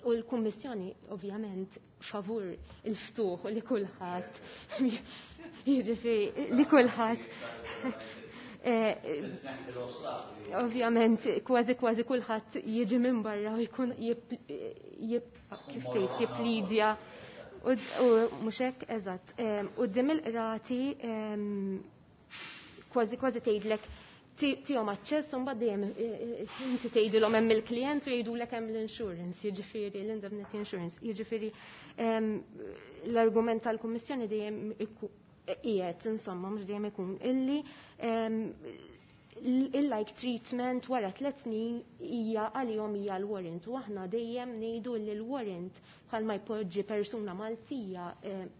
u l-Kummissjoni ovvjament favur il-ftuħ u li kulħadd, jiġifieri li kulħadd ovvjament kważi kważi kulħadd jiġi minn barra u jkun kif tgħid jipplidja u mhux hekk eżatt. Quddiem il-qrati kważi kważi tgħidlek tihom aċċess u mbagħad dejjem inti tgħidilhom hemm il-klijent u jgħidulek hemm l-insurance, jiġifieri l-indemnity insurance, jiġifieri l-argument tal-Kummissjoni dejjem qiegħed insomma mhux dejjem ikun illi il-like treatment wara tliet snin hija għalihom hija l-warrant u aħna dejjem ngħidu li l-warrant bħalma jpoġġi persuna Maltija,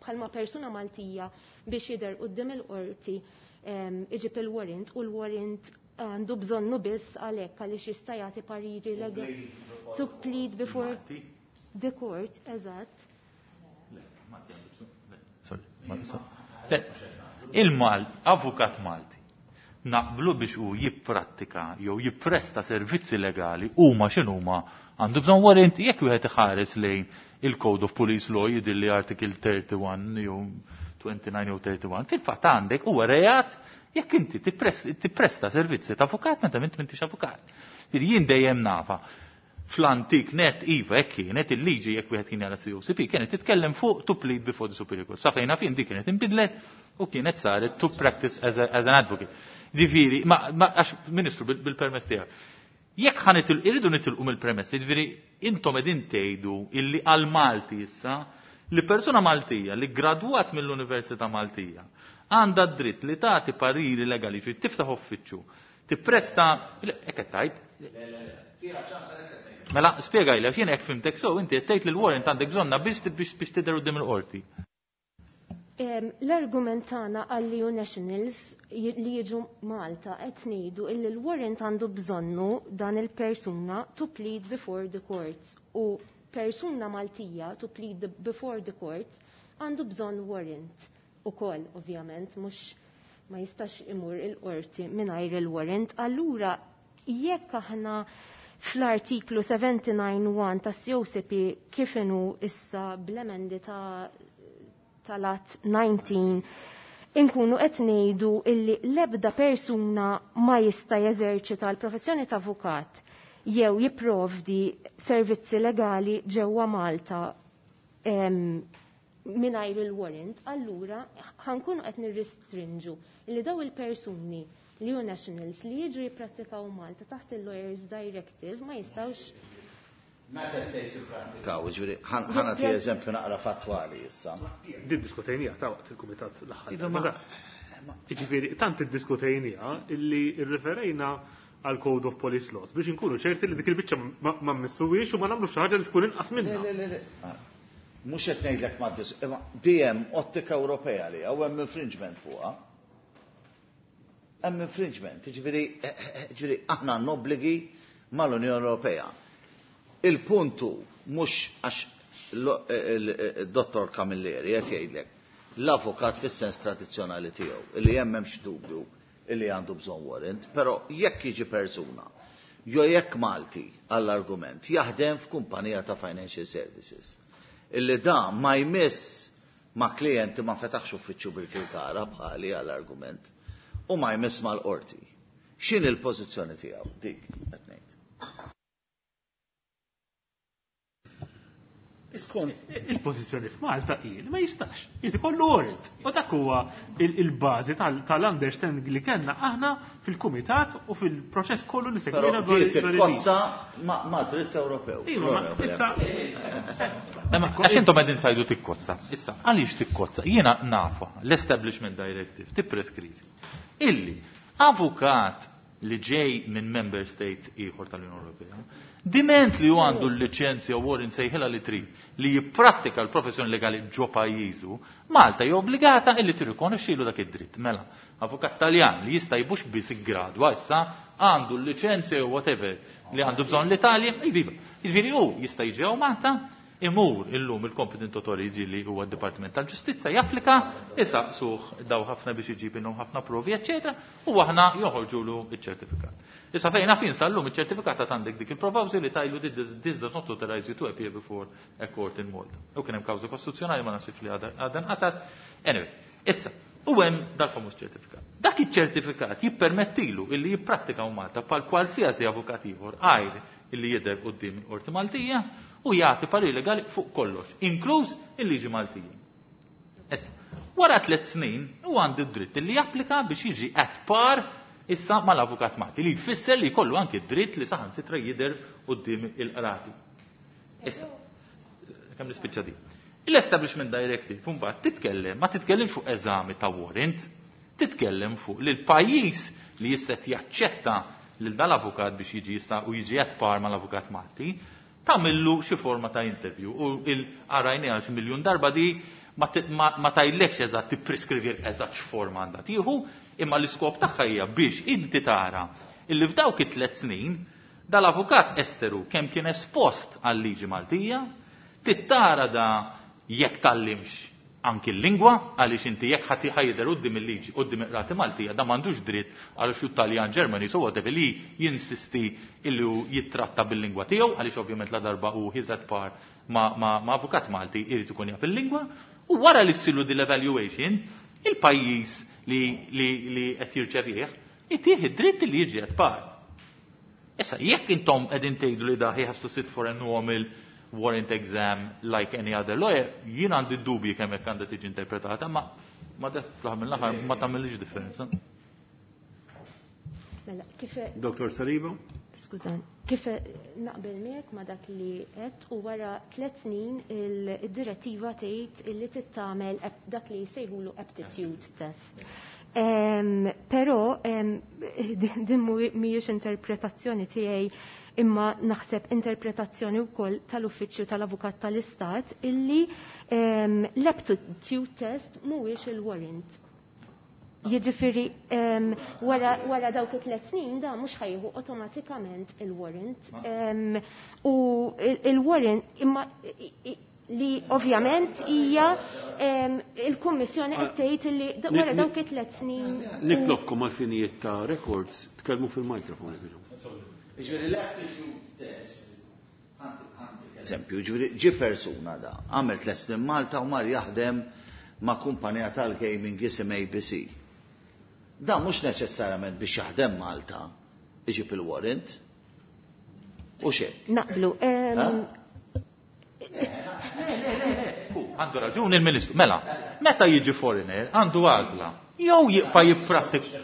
bħalma persuna Maltija biex jidher quddiem il-qorti iġib il-warrant u l-warrant għandu bżonnu biss għalhekk għaliex jista' jagħti pariri legali to plead before the court, eżatt. Il-Malt, avukat Malti, naqblu biex u jipprattika jew jippresta servizzi legali huma x'inhuma għandu bżonn warrant jekk wieħed iħares lejn il-Code of Police Law jidilli Article thirty-one jew twenty-nine jew thirty-one, fil-fatt għandek huwa reat Jekk inti tippresta servizzi ta' avukat meta int m'intix avukat. Jien dejjem nafa fl-antik net iva hekk kienet il-liġi jekk wieħed kien jara C O C P kienet titkellem fuq to plead before the superior court. Sa fejna fin dik kienet inbidlet u kienet saret to practice as, a, as an advocate. Ġifieri, ma, ma għax Ministru bil-permess tiegħek. Jekk ħa nitil irridu nitilqu mill-premess, jiġifieri intom qegħdin tgħidu illi għal Malti issa li persuna Maltija li gradwat mill-Università Maltija għandha d-dritt li tagħti pariri legali, ġifieri tiftaħ uffiċċju, tippresta, hekk qed tgħid? Mela, spjegajli, għax jien hekk fimtek sew, inti qed tgħid li l-warrant għandek bżonna biss biex tidher quddiem il-qorti. L-argument tagħna għall E U Nationals li jiġu Malta qed ngħidu illi l-warrant għandu bżonnu dan il-persuna to plead before the court u persuna Maltija to plead before the court għandu bżonn warrant ukoll ovvjament mhux ma jistax imur il-qorti mingħajr il-warrant. Allura jekk aħna fl-artiklu seventy-nine one ta' C O C P kif inhu issa bl-emendi ta' tal-att nineteen inkunu qed ngħidu illi l-ebda persuna ma jista' jeżerċita l-professjoni ta' avukat jew jipprovdi servizzi legali ġewwa Malta mingħajr il-warrant, allura ħankunu qed nirrestrinġu illi daw il-persuni li hu nationals li jiġu jipprattikaw Malta taħt il-Lawyers Directive ma jistgħux. Meta tgħid jipprattikaw, ġifieri ħa nagħti eżempju naqra fattwali issa. Din diskutejnija ta' waqt il-kumitat l-aħħar. Iva, ma Jiġifieri tant iddiskutejnija illi rreferejna għal Code of Police Laws biex inkunu ċerti li dik il-biċċa ma mmissuwiex u ma nagħmlux xi ħaġa li tkun inqas minnha. Le, le, le, le. Mhux qed ngħidlek ma dis-, imma dejjem ottika Ewropea li hawn hemm infringement fuqha. Hemm infringement, jiġifieri, jiġifieri aħna għandna obbligi mal-Unjoni Ewropea. Il-puntu mhux għax il-Dottor Camilleri qed jgħidlek l-avukat fis-sens tradizzjonali tiegħu illi hemm m'hemmx dubju illi għandu bżonn warrant, però jekk jiġi persuna jew jekk Malti għall-argument jaħdem f'kumpanija ta' financial services illi da ma jmiss ma' klijenti ma fetaħx uffiċċju bil-Kirkara bħali għall-argument u ma jmiss mal-qorti. X'in il-pożizzjoni tiegħu dik qed ngħid? Skont. Il-pożizzjoni f'Malta hi li ma jistax. Jrid ikollu warrant. U dak huwa il-bażi tal-understanding li kellna aħna fil-kumitat u fil-proċess kollu li segwina Però dwar dik il- il-kozza ma' dritt Ewropew. Iva, ma issa Ma għax intom qegħdin tgħidu tikkozza. Issa, għaliex tikkozza? Jiena nafa l-Establishment Directive tippreskrivi illi avukat li ġej minn member state ieħor tal-Unjoni Ewropea, diment li hu għandu l-liċenzja u warrant sejħilha li trid li jipprattika l-professjoni legali ġo pajjiżu, Malta hija obbligata illi tirrikonoxxilu dak id-dritt. Mela, avukat Taljan li jista' jbux biss iggradwa issa għandu l-liċenzja u whatever li għandu bżonn l-Italja, iva. Jiġifieri hu jista' jiġi hawn Malta, imur illum il-competent authority li huwa d-Dipartiment tal-Ġustizzja japplika, isaqsuh daw ħafna biex iġib innhom ħafna provi, eċċetera, u aħna joħorġulu iċ-ċertifikat. Issa fejn naf sal-lum iċ-ċertifikat għad għandek dik il-provawżi li tajlu this does not authorize you to appear before a court in Malta. U kien hemm kawża kostituzzjonali ma nafx li għadha nqatat. Anyway, issa, u hemm dal-famuż ċertifikat. Dak iċ-ċertifikat jippermettilu illi jipprattika Malta bħal kwalsiasi avukat ieħor għajr illi jidher quddiem il-Qorti Maltija u jagħti parir legali fuq kollox, inkluż il-liġi Maltija. Issa, wara tliet snin u għandu d-dritt li japplika biex jiġi at par issa mal-avukat Malti, li jfisser li jkollu anki d-dritt li saħansitra jidher quddiem il-qrati. Issa, kemm nispiċċa di. L-Establishment Directive mbagħad titkellem, ma titkellimx fuq eżami ta' warrant, titkellem fuq li l-pajjiż li jista' jaċċetta lil dal-avukat biex jiġi jista' u jiġi at par mal-avukat Malti, tagħmillu xi forma ta' interview. U il-arajni għal xi miljun darba di ma ti-, ma, ma tajlekx eżatt tippreskrivi eżatt x'forma għandha tieħu, imma l-iskop tagħha hija biex inti tara illi f'dawk it-tliet snin dal-avukat esteru kemm kien espost għal-liġi Maltija, tittara da jekk tallimx anki l-lingwa, għaliex inti jekk ħadd ħajder quddiem il-liġi, quddiem il-qrati Maltija, da m'għandux dritt għal xi Taljan, Ġermani, so whatever li jinsisti illi hu jittratta bil-lingwa tiegħu, għaliex ovvjament la darba hu he's at par ma, ma, ma avukat Malti jrid ikun jaf il-lingwa, u wara li ssilu din l-evaluation, Il-pajjiż li li li qed jirċevih itih id-dritt li jiġi at par. Issa jekk intom qegħdin tgħidu li da he has to sit for a normal warrant exam like any other lawyer, jien għandi dubji kemm hekk għandha tiġi interpretata, ma ma dak fl-aħħar mill-aħħar ma tagħmilx differenza. Mela, kif Dottor Saliba? Skużani, kif naqbel miegħek ma dak li qed u wara tliet snin il-direttiva tgħid illi tittamel dak li jsejħulu aptitude test. Um, però um, din mhijiex interpretazzjoni tiegħi imma naħseb interpretazzjoni wkoll tal-Uffiċċju tal-Avukat tal-Istat illi um, l-aptitude test mhuwiex il-warrant. Jiġifieri um, wara, wara dawk it-tliet snin da mhux ħajħu awtomatikament il-warrant. Um, u il-warrant imma li ovvjament hija il-Kummissjoni qed tgħid li wara dawk it-tliet snin. Nitlobkom għal finijiet ta' records tkellmu fil-mikrofon. Ġifieri l-aptitude test, eżempju, ġifieri ġi persuna da, għamel tliet snin Malta u mar jaħdem ma' kumpanija tal-gaming jisim A B C. Da mhux neċessarjament biex jaħdem Malta iġib il-warrant. U xejn. Naqblu. Għandu raġun il-Ministru. Mela, meta jiġi foreigner għandu għażla. Jew jibqa' jipprattika.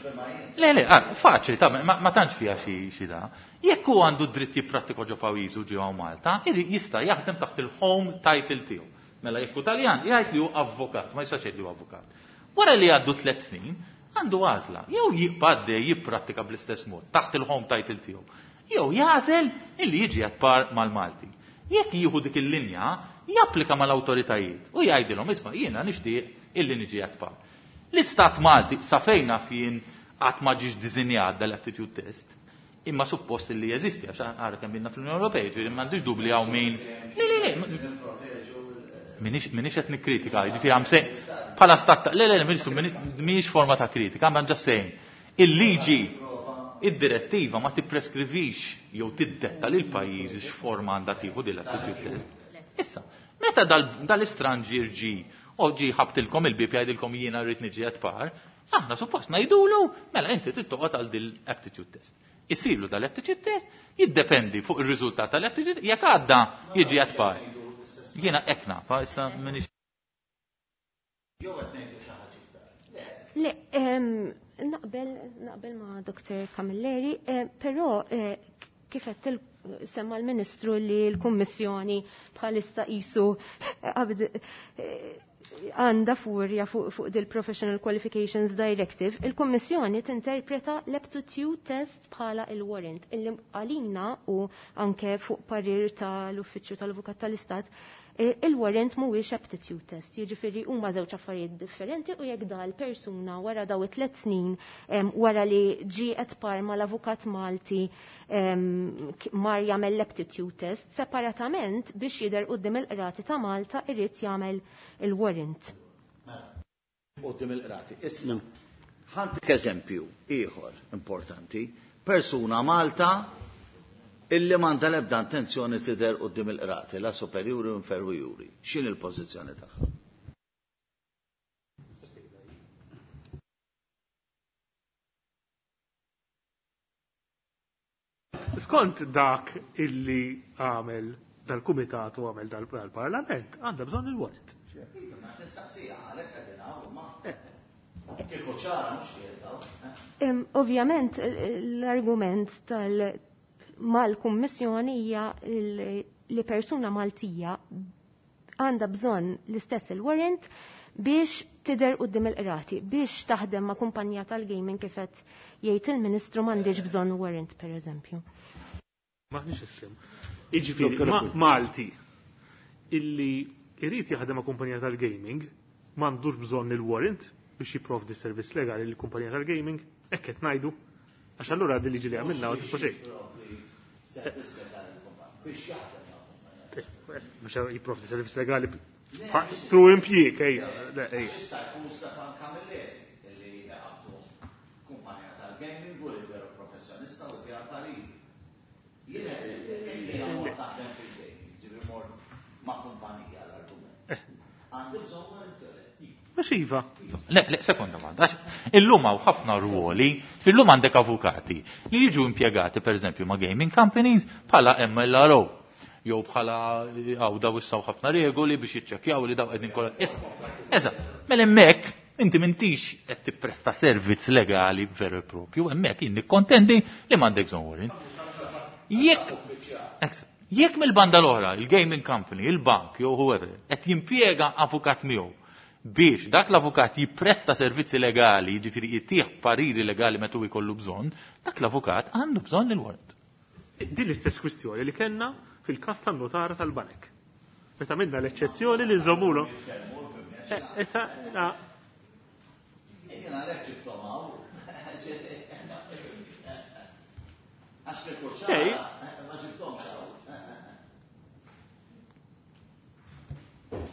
Le, le, faċli, ta' ma tantx fiha xi da. Jekk hu għandu dritt jipprattika ġo pajjiżu ġewwa Malta, jista' jaħdem taħt il-home title tiegħu. Mela jekk hu Taljan, jgħid li hu avvokat, ma jistax jgħid li hu avukat. Wara li għaddu tliet snin, għandu għażla. Jew jibqa' għaddej jipprattika bl-istess mod taħt il-home title tiegħu. Jew jagħżel illi jiġi at par mal-Malti. Jekk jieħu dik il-linja, japplika mal-awtoritajiet u jgħidilhom isma' jiena nixtieq illi niġi at par. L-Istat Malti sa fejn naf jien qatt ma ġiex diżinjat dal-aptitude test, imma suppost illi jeżisti għax ara kemm ilna fl-Unjoni Ewropea, ġifieri m'għandix dubli hawn min. Le, le, le, minix qed nikkritika, jiġifieri għam se bħala stat le, le, Ministru, mhijiex forma ta' kritika, I'm just saying. Il-liġi, id-direttiva ma tippreskrivix jew tiddetta lil pajjiżi x'forma għandha tieħu din l-aptitude test. Issa, meta dal-istranġier ġi u ġi ħabtilkom il-bib jgħidilkom jiena rrid niġi at par, aħna suppost ngħidulu mela inti trid toqgħod għal din l-aptitude test. Isiru dal-aptitude test jiddependi fuq ir-riżultat tal-aptitude jekk għadda jiġi at par. Jiena hekk nafa, issa minix. Jew qed ngħidu xi ħaġa iktar. Le, naqbel naqbel ma' Doktor Camilleri, però kif qed semma l-Ministru li l-Kummissjoni bħalissa qisu għandha furja fuq fuq dil Professional Qualifications Directive, il-Kummissjoni tinterpreta l-aptitude test bħala il-warrant illi għalina u anke fuq parir tal-Uffiċċju tal-Avukat tal-Istat il-warrant mhuwiex aptitude test, jiġifieri huma żewġ affarijiet differenti u jekk dal persuna wara daw it-tliet snin wara li ġie qed par mal-avukat Malti mar jagħmel l-aptitude test separatament biex jidher quddiem il-qrati ta' Malta irid jagħmel il-warrant. Quddiem il-qrati. Issa ħantik eżempju ieħor importanti, persuna Malta illi m'għandha l-ebda intenzjoni tidher quddiem il-qrati, la superjuri u inferjuri. X'inhi l-pożizzjoni tagħha? Skont dak illi għamel dal-Kumitat u għamel dal-Parlament, għandha bżonn il-warrant. Ovvjament l-argument tal mal-Kummissjoni hija li persuna Maltija għandha bżonn l-istess il-warrant biex tidher quddiem il-qrati, biex taħdem ma' kumpanija tal-gaming kif qed jgħid il-Ministru m'għandix bżonn warrant pereżempju. Maħniex issim. Jiġifieri Malti illi irid jaħdem ma' kumpanija tal-gaming m'għandux bżonn il-warrant biex jipprovdi servizz legali lill-kumpanija tal-gaming, hekk qed ngħidu. Għax allura din liġi li għamilna u tiswa xejn. Biex jipprovdi servizz legali through impjieg, ejja, le, ejja. Jista' jkun Stefan Camilleri li għabdu kumpanija tal-gaming u li veru professjonista u tiegħu parir. Jiena jiena mort naħdem fil-gaming, ġifieri mort ma' kumpanija l-argument. Għandi bżonn warrant jew le? Mhux iva. Le, le, sekonda waħda. Illum hawn ħafna ruoli, illum għandek avukati li jiġu impjegati pereżempju ma' gaming companies bħala M L R O. Jew bħala għaw daw issaw ħafna regoli biex jiċċekkjaw li daw qegħdin kollha. Eżatt, mela hemmhekk inti m'intix qed tippresta servizz legali veru e propju, hemmhekk jien nikkontendi li m'għandek bżonn warrant. Jekk jekk mill-banda l-oħra, il-gaming company, il-bank jew whoever, qed jimpjega avukat miegħu biex dak l-avukat jippresta servizzi legali, jiġifieri jittieħ pariri legali meta hu jkollu bżonn, dak l-avukat għandu bżonn il-warrant. Din l-istess kwistjoni li kellna fil-każ tan-notara tal-banek. Meta minna l-eċċezzjoni li nżommulu. Issa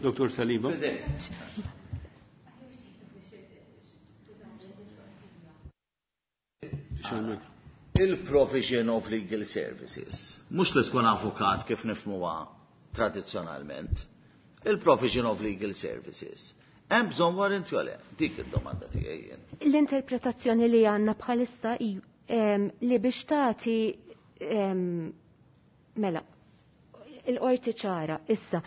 Dottor Saliba. Il-provision of legal services, mhux li tkun avukat kif nifhmuha tradizzjonalment, il-provision of legal services. Hemm bżonn warrant jew le? Dik id-domanda tiegħi jien. L-interpretazzjoni li għandna bħalissa li biex tagħti mela il-qorti ċara issa.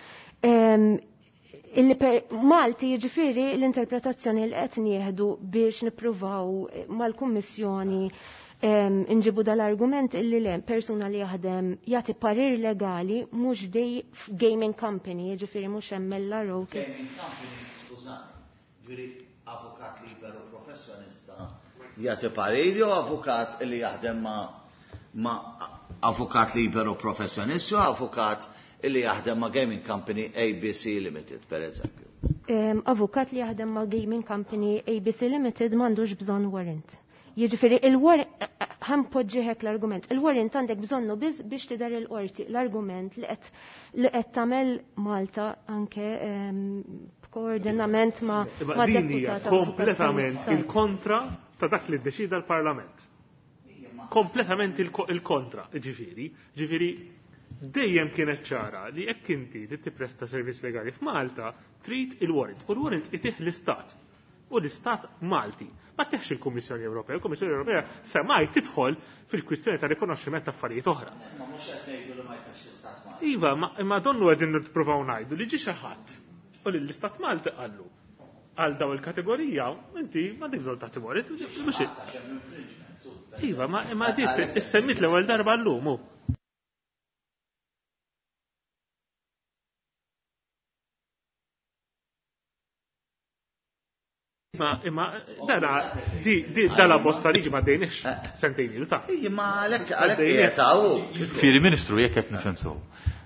Malti jiġifieri l-interpretazzjoni li qed nieħdu biex nippruvaw mal-Kummissjoni nġibu dal-argument illi le persuna li jaħdem jagħti parir legali mhux dej gaming company, jiġifieri mhux M L R O. Gaming company, skużani, ġifieri avukat liberu professjonista jagħti parir jew avukat li jaħdem ma' ma' avukat liberu professjonista jew avukat li jaħdem ma' gaming company A B C Limited, per eżempju. Avukat li jaħdem ma' gaming company A B C Limited m'għandux bżonn warrant. Jiġifieri il-warrant ħanpoġġiħek l-argument. Il-warrant għandek bżonnu biss biex tidher il-qorti l-argument li qed li qed tagħmel Malta anke b'koordinament ma' ma' deputata. Kompletament il-kontra ta' dak li ddeċida l-Parlament. Kompletament il-kontra, ġifieri, ġifieri dejjem kienet ċara li jekk inti tippresta servizz legali f'Malta trid il-warrant. U l-warrant itih l-Istat. U l-Istat Malti. Ma teħx il-Kummissjoni Ewropea. Il-Kummissjoni Ewropea semmai tidħol fil-kwistjoni ta' rikonoxximent ta' affarijiet oħra. Ma mhux qed ngħidu li ma jteħx l-Istat Malti. Iva, ma donnu qegħdin nippruvaw ngħidu li ġie xi ħadd u li l-Istat Malti qallu għal daw il-kategorija inti ma dik bżonn tagħti warrant. Iva, ma di issemmit l-ewwel darba llum. Ma imma dana di di dala bosta liġi ma dejniex sentejn ilu ta'. Imma għalhekk għalhekk qiegħed hawn. Fieri Ministru jekk qed nifhem sew.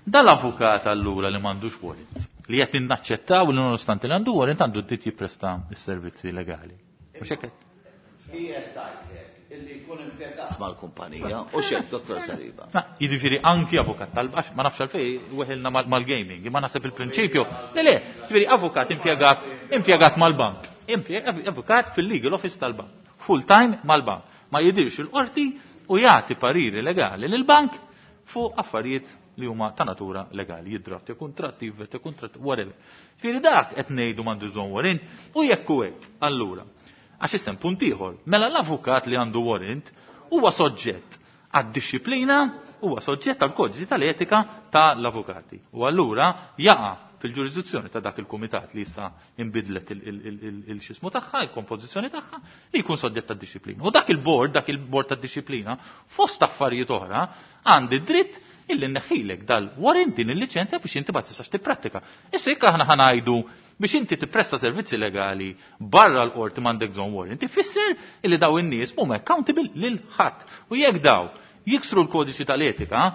Dal-avukat allura li m'għandux warrant li qed innaċċettaw li nonostante li għandu warrant għandu d-dritt jippresta s-servizzi legali. Mhux hekk qed? Qiegħed tgħidlek illi jkun impjegat mal-kumpanija u xejn Dottor Saliba. Ma jiġifieri anki avukat tal-bax ma nafx għalfejn weħilna mal-gaming, imma naħseb il-prinċipju. Le le, jiġifieri avukat impjegat impjegat mal-bank. Avukat fil-legal office tal-bank, full time mal-bank. Ma jidirx il-qorti u jagħti pariri legali lill-bank fuq affarijiet li huma ta' natura legali, jiddrafti kontratti, jivveti kontratti, whatever. Fieri dak qed ngħidu m'għandu bżonn warrant u jekk hu hekk, allura. Għax issem punt ieħor, mela l-avukat li għandu warrant huwa soġġett għad-disciplina, huwa soġġett għall-kodiċi tal-etika tal-avukati. U allura jaqa' fil-ġurisdizzjoni ta' dak il-kumitat li jista' inbidlet il-xismu tagħha, il-kompożizzjoni tagħha, li jkun soġġett tad-disciplina. U dak il-bord, dak il-bord tad-disciplina, fost affarijiet oħra, għandi dritt illi nneħħilek dal-warrant din il-liċenzja biex inti ma tistax tipprattika. Issa jekk aħna ħanajdu biex inti tippresta servizzi legali barra l-qorti m'għandek bżonn warrant, ifisser illi daw in-nies huma accountable lil ħadd. U jekk daw jiksru l-kodiċi tal-etika,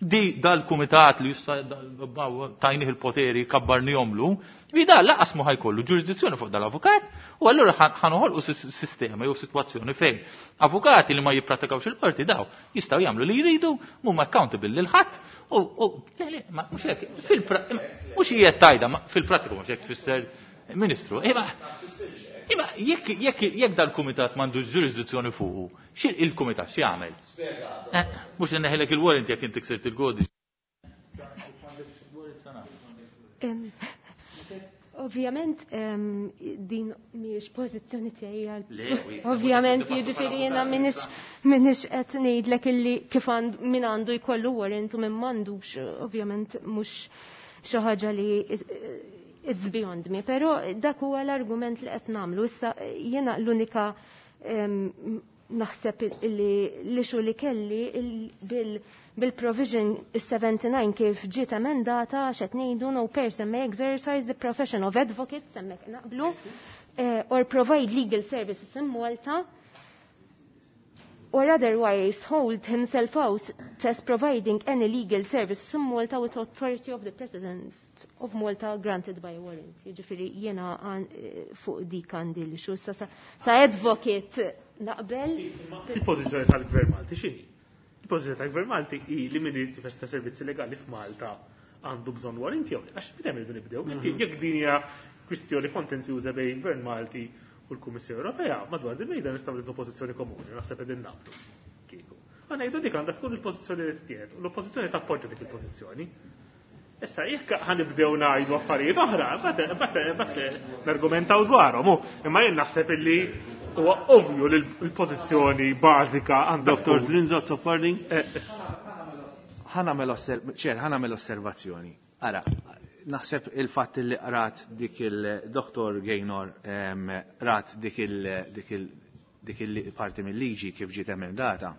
di dal-kumitat li jista' tajnih il-poteri kabbarnihomlu, li da laqas mu ħajkollu ġurisdizzjoni fuq dal-avukat, u allura ħanoħolqu sistema jew sitwazzjoni fejn avukati li ma jippratikawx il-qorti daw jistgħu jagħmlu li jridu, mhuma accountable lil ħadd, u le le, ma mhux hekk, mhux hija tajda, fil-prattika mhux hekk tfisser Ministru. Imma imma jekk jekk jekk dal-kumitat m'għandux ġurisdizzjoni fuqu, xi il-kumitat x'jagħmel? Mhux li neħelek il-warrant jekk inti ksirt il-kodiċi. Ovvjament din mhijiex pożizzjoni tiegħi. Ovvjament jiġifieri jiena m'iniex m'iniex qed ngħidlek illi kif min għandu jkollu warrant u min m'għandux, ovvjament mhux xi ħaġa li it's beyond me, però dak huwa l-argument li qed nagħmlu. Issa jiena l-unika naħseb li l-issue li kelli bil-provision seventy-nine kif ġiet emendata għax qed ngħidu no person may exercise the profession of advocate, hemmhekk naqblu, or provide legal services in Malta or otherwise hold himself out as providing any legal services in Malta with authority of the President of Malta granted by warrant. Jiġifieri jiena fuq dik għandi l-issue. Sa, sa advocate naqbel. Il-pożizzjoni tal-Gvern Malti x'inhi? Il-pożizzjoni tal-Gvern Malti hi li min irid jifesta servizzi legali f'Malta għandu bżonn warrant jew għax bidem irridu nibdew. Jekk din hija kwistjoni kontenzjuża bejn il-Gvern Malti u l-Kummissjoni Ewropea, madwar din mejda nistgħu nieħdu pożizzjoni komuni, naħseb qegħdin naqblu. Kieku. Ma ngħidu dik għandha tkun il-pożizzjoni li tittieħed u l-oppożizzjoni tappoġġa dik il-pożizzjoni. Issa jekk ħanibdew ngħidu affarijiet oħra, bat nargumentaw dwarhom, imma jien naħseb illi huwa ovvju li l-pożizzjoni bażika għandha. Doktor Zrinzo Azzopardi. Ħa nagħmel osservazzjoni. Ara, naħseb il-fatt li qrat dik il-Doktor Gaynor rat dik il dik il-parti mill-liġi kif ġiet emendata.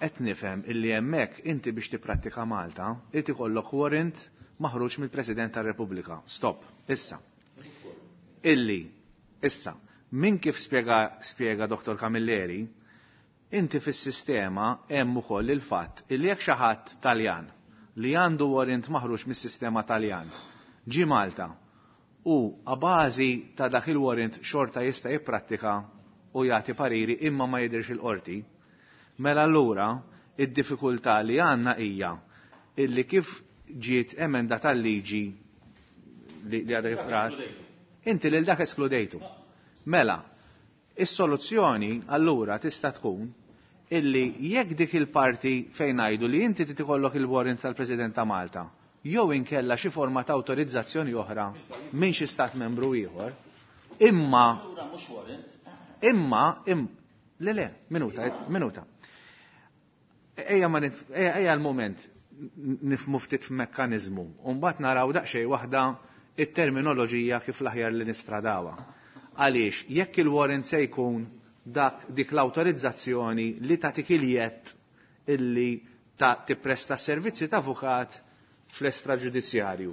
Qed nifhem illi hemmhekk inti biex tipprattika Malta, inti ikollok warrant maħruġ mill-President tar-Repubblika. Stop. Issa. Illi, issa, min kif spjega spjega Doktor Camilleri, inti fis-sistema hemm ukoll il-fatt illi jekk xi ħadd Taljan li għandu warrant maħruġ mis-sistema Taljan ġi Malta u a bażi ta' dak il-warrant xorta jista' jipprattika u jagħti pariri imma ma jidhirx il-qorti, mela allura id-diffikultà li għandna hija illi kif ġiet emenda tal-liġi li għadha kif qrat, inti lil dak eskludejtu. Mela, is-soluzzjoni allura tista' tkun illi jekk dik il-parti fejn ngħidu li inti trid ikollok il-warrant tal-President ta' Malta, jew inkella xi forma ta' awtorizzazzjoni oħra minn xi stat membru ieħor, imma imma im, le le, minuta, minuta. Ejja ma ejja l-moment nifmu ftit f'mekkaniżmu, u mbagħad naraw daqsxejn waħda it-terminoloġija kif l-aħjar li nistradawha. Għaliex jekk il-warrant se jkun dak dik l-awtorizzazzjoni li tagħtik il-jett illi ta' tippresta servizzi ta' avukat fl-estraġudizzjarju.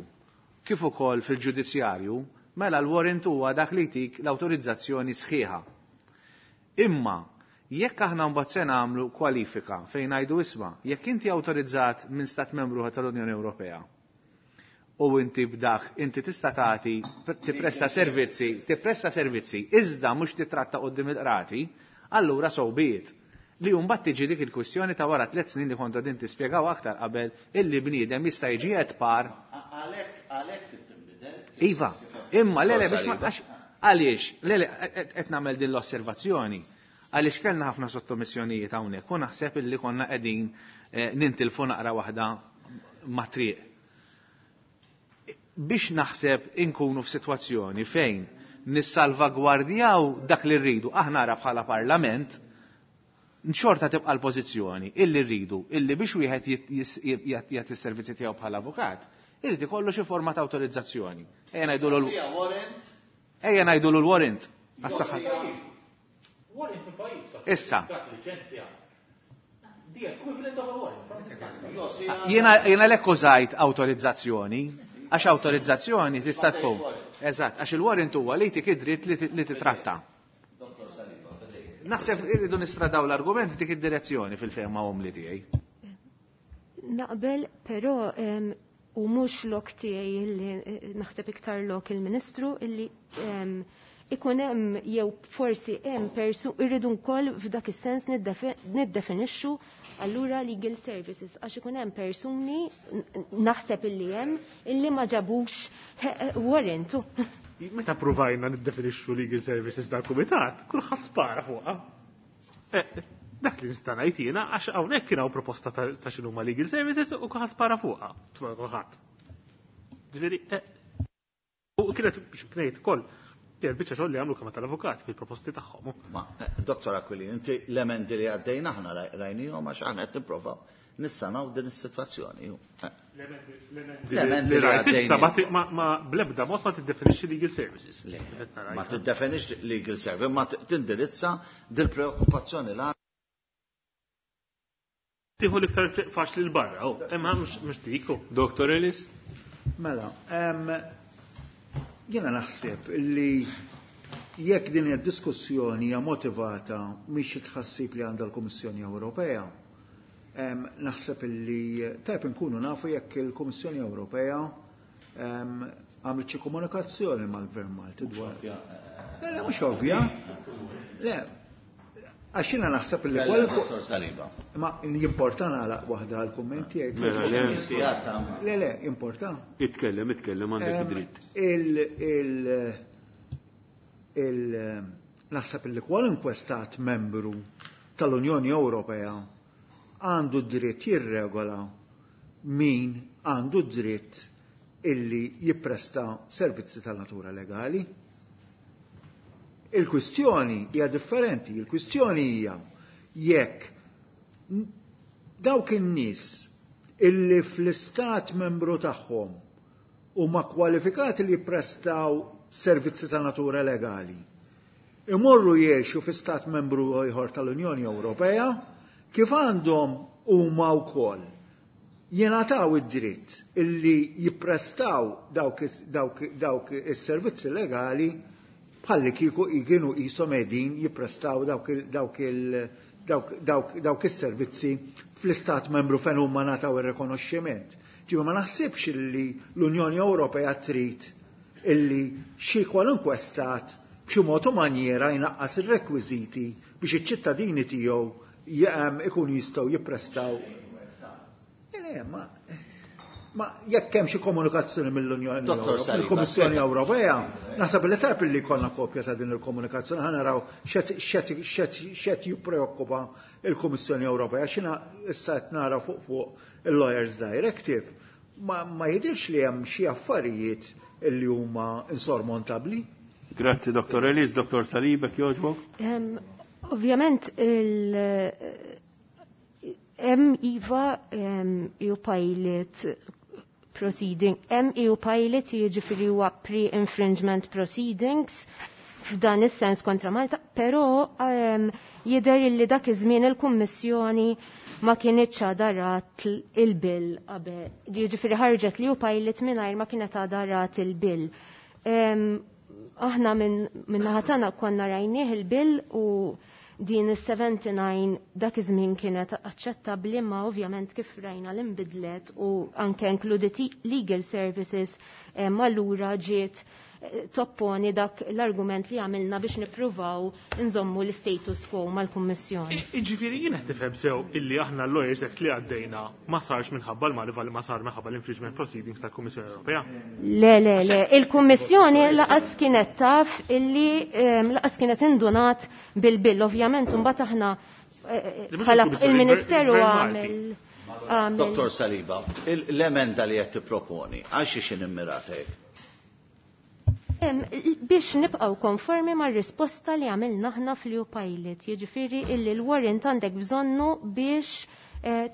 Kif ukoll fil-ġudizzjarju, mela l-warrant huwa dak li jtik l-awtorizzazzjoni sħiħa. Imma jekk aħna mbagħad se nagħmlu kwalifika fejn ngħidu isma' jekk inti awtorizzat minn stat membru tal-Unjoni Ewropea u inti b'dak inti tista' tagħti tippresta servizzi, tippresta servizzi iżda mhux titratta quddiem il-qrati, allura so be it. Li mbagħad tiġi dik il-kwistjoni ta' wara tliet snin li konta din tispjegaw aktar qabel illi bniedem jista' jiġi qed par. Għalhekk għalhekk tinbidel. Iva, imma le le biex ma għaliex, le le qed nagħmel din l-osservazzjoni. Għaliex kellna ħafna sottomissjonijiet hawnhekk u naħseb illi konna qegħdin nintilfu naqra waħda ma' triq. Biex naħseb inkunu f'sitwazzjoni fejn nissalvagwardjaw dak li rridu, aħna ara bħala parlament, xorta tibqa' l-pożizzjoni illi rridu, illi biex wieħed jagħti s-servizzi tiegħu bħala avukat, irid ikollu xi forma ta' awtorizzazzjoni. Ejja ngħidulu Ejja ngħidulu l-warrant. Għas-saħħa. Issa. Jiena jiena lek użajt awtorizzazzjoni, għax awtorizzazzjoni tista' tkun. Eżatt, għax il-warrant huwa li jtik id-dritt li titratta. Naħseb irridu nistradaw l-argument dik id-direzzjoni fil-fehma umli tiegħi. Naqbel, però u mhux lok tiegħi illi naħseb iktar lok il-Ministru illi ikun hemm jew forsi hemm persu irridu wkoll f'dak is-sens niddefinixxu allura legal services għax ikun hemm persuni naħseb illi hemm illi ma ġabux warrant. Meta provajna niddefinixxu legal services dal-kumitat, kulħadd spara fuqha. Dak li nista' ngħid jiena għax hawnhekk kien hawn proposta ta' x'inhuma legal services u kulħadd spara fuqha. Kulħadd. Ġifieri U kienet biex ngħid ukoll kienet biċċa xogħol li għamlu Kamra tal-Avukati fil-proposti tagħhom. Ma, Dottor Aquilin, inti l-emendi li għaddejna aħna rajnihom għax aħna qed nipprovaw nissanaw din is-sitwazzjoni. L-emendi li għaddejna. Ma bl-ebda mod ma tiddefinixxi legal services. Ma tiddefinixxi legal services, ma tindirizza dil-preokkupazzjoni l Tieħu l-iktar faċli l-barra, imma mhux dik. Dottor Ellis? Mela, jiena naħseb li jekk din id-diskussjoni hija motivata mhix xi tħassib li għandha l-Kummissjoni Ewropea, naħseb li tajb inkunu nafu jekk il-Kummissjoni Ewropea għamlet xi komunikazzjoni mal-Gvern Malti dwar. Le, le, mhux ovvja. Le, għax jiena naħseb li Dottor Saliba. Ma jimporta nagħlaq waħda għall-kumment tiegħek. Le, le, jimporta. Itkellem, itkellem, għandek dritt. Il, il, il, naħseb li kwalunkwe stat membru tal-Unjoni Ewropea għandu dritt jirregola min għandu dritt illi jippresta servizzi ta' natura legali. Il-kwistjoni hija differenti, il-kwistjoni hija jekk dawk in-nies illi fl-istat membru tagħhom huma kwalifikati li jipprestaw servizzi ta' natura legali imorru jgħixu fi stat membru ieħor tal-Unjoni Ewropea kif għandhom huma wkoll jingħataw id-dritt illi jipprestaw dawk, dawk, dawk is-servizzi legali bħalli kieku kienu qishom qegħdin jipprestaw dawk dawk dawk dawk dawk is-servizzi fl-istat membru fejn huma ngħataw ir-rikonoxximent. Ġifieri ma naħsibx illi l-Unjoni Ewropea trid illi xi kwalunkwe stat b'xi mod u manjera jnaqqas ir-rekwiżiti biex iċ-ċittadini tiegħu ikunu jistgħu jipprestaw. Le, ma ma jekk hemm xi komunikazzjoni mill-Unjoni Ewropea, mill-Kummissjoni Ewropea, naħseb li tajb li jkollna kopja ta' din il-komunikazzjoni, ħa naraw x'qed jippreokkupa il-Kummissjoni Ewropea. X'ina issa qed nara fuq fuq il-Lawyers Directive, ma, ma jidhirx li hemm xi affarijiet li huma insormontabbli. Grazzi, Dottor Ellis. Dottor Saliba, jogħġbok? Ovvjament il hemm iva E U pilot proceeding, hemm E U pilot jiġifieri huwa pre-infringement proceedings f'dan is-sens kontra Malta, però jidher li dak iż-żmien il-Kummissjoni ma kienitx għadarat il-bill qabel. Jiġifieri ħarġet li E U pilot mingħajr ma kienet għadarat il-bill. Aħna minn naħa tagħna konna rajnieh il-bill u din is-seventy-nine dak iż-żmien kienet aċċettabbli, ma ovvjament kif rajna l-inbidlet u anke inkluditi legal services, ma allura ġiet topponi dak l-argument li għamilna biex nippruvaw nżommu l-status quo mal-Kummissjoni. Jiġifieri jien qed nifhem sew illi aħna l-Lawyers Act li għaddejna ma sarx minħabba l-Marva li ma sar minħabba l-infringement proceedings tal-Kummissjoni Ewropea. Le, le, le, il-Kummissjoni laqas kienet taf illi laqas kienet indunat bil-bill, ovvjament imbagħad aħna bħala il-Ministeru għamel. Dottor Saliba, l-emenda li qed tipproponi għal xi xi immirata hekk? Biex nibqgħu konformi mar-risposta li għamilna aħna fl-E U pilot, jiġifieri illi l-warrant għandek bżonnu biex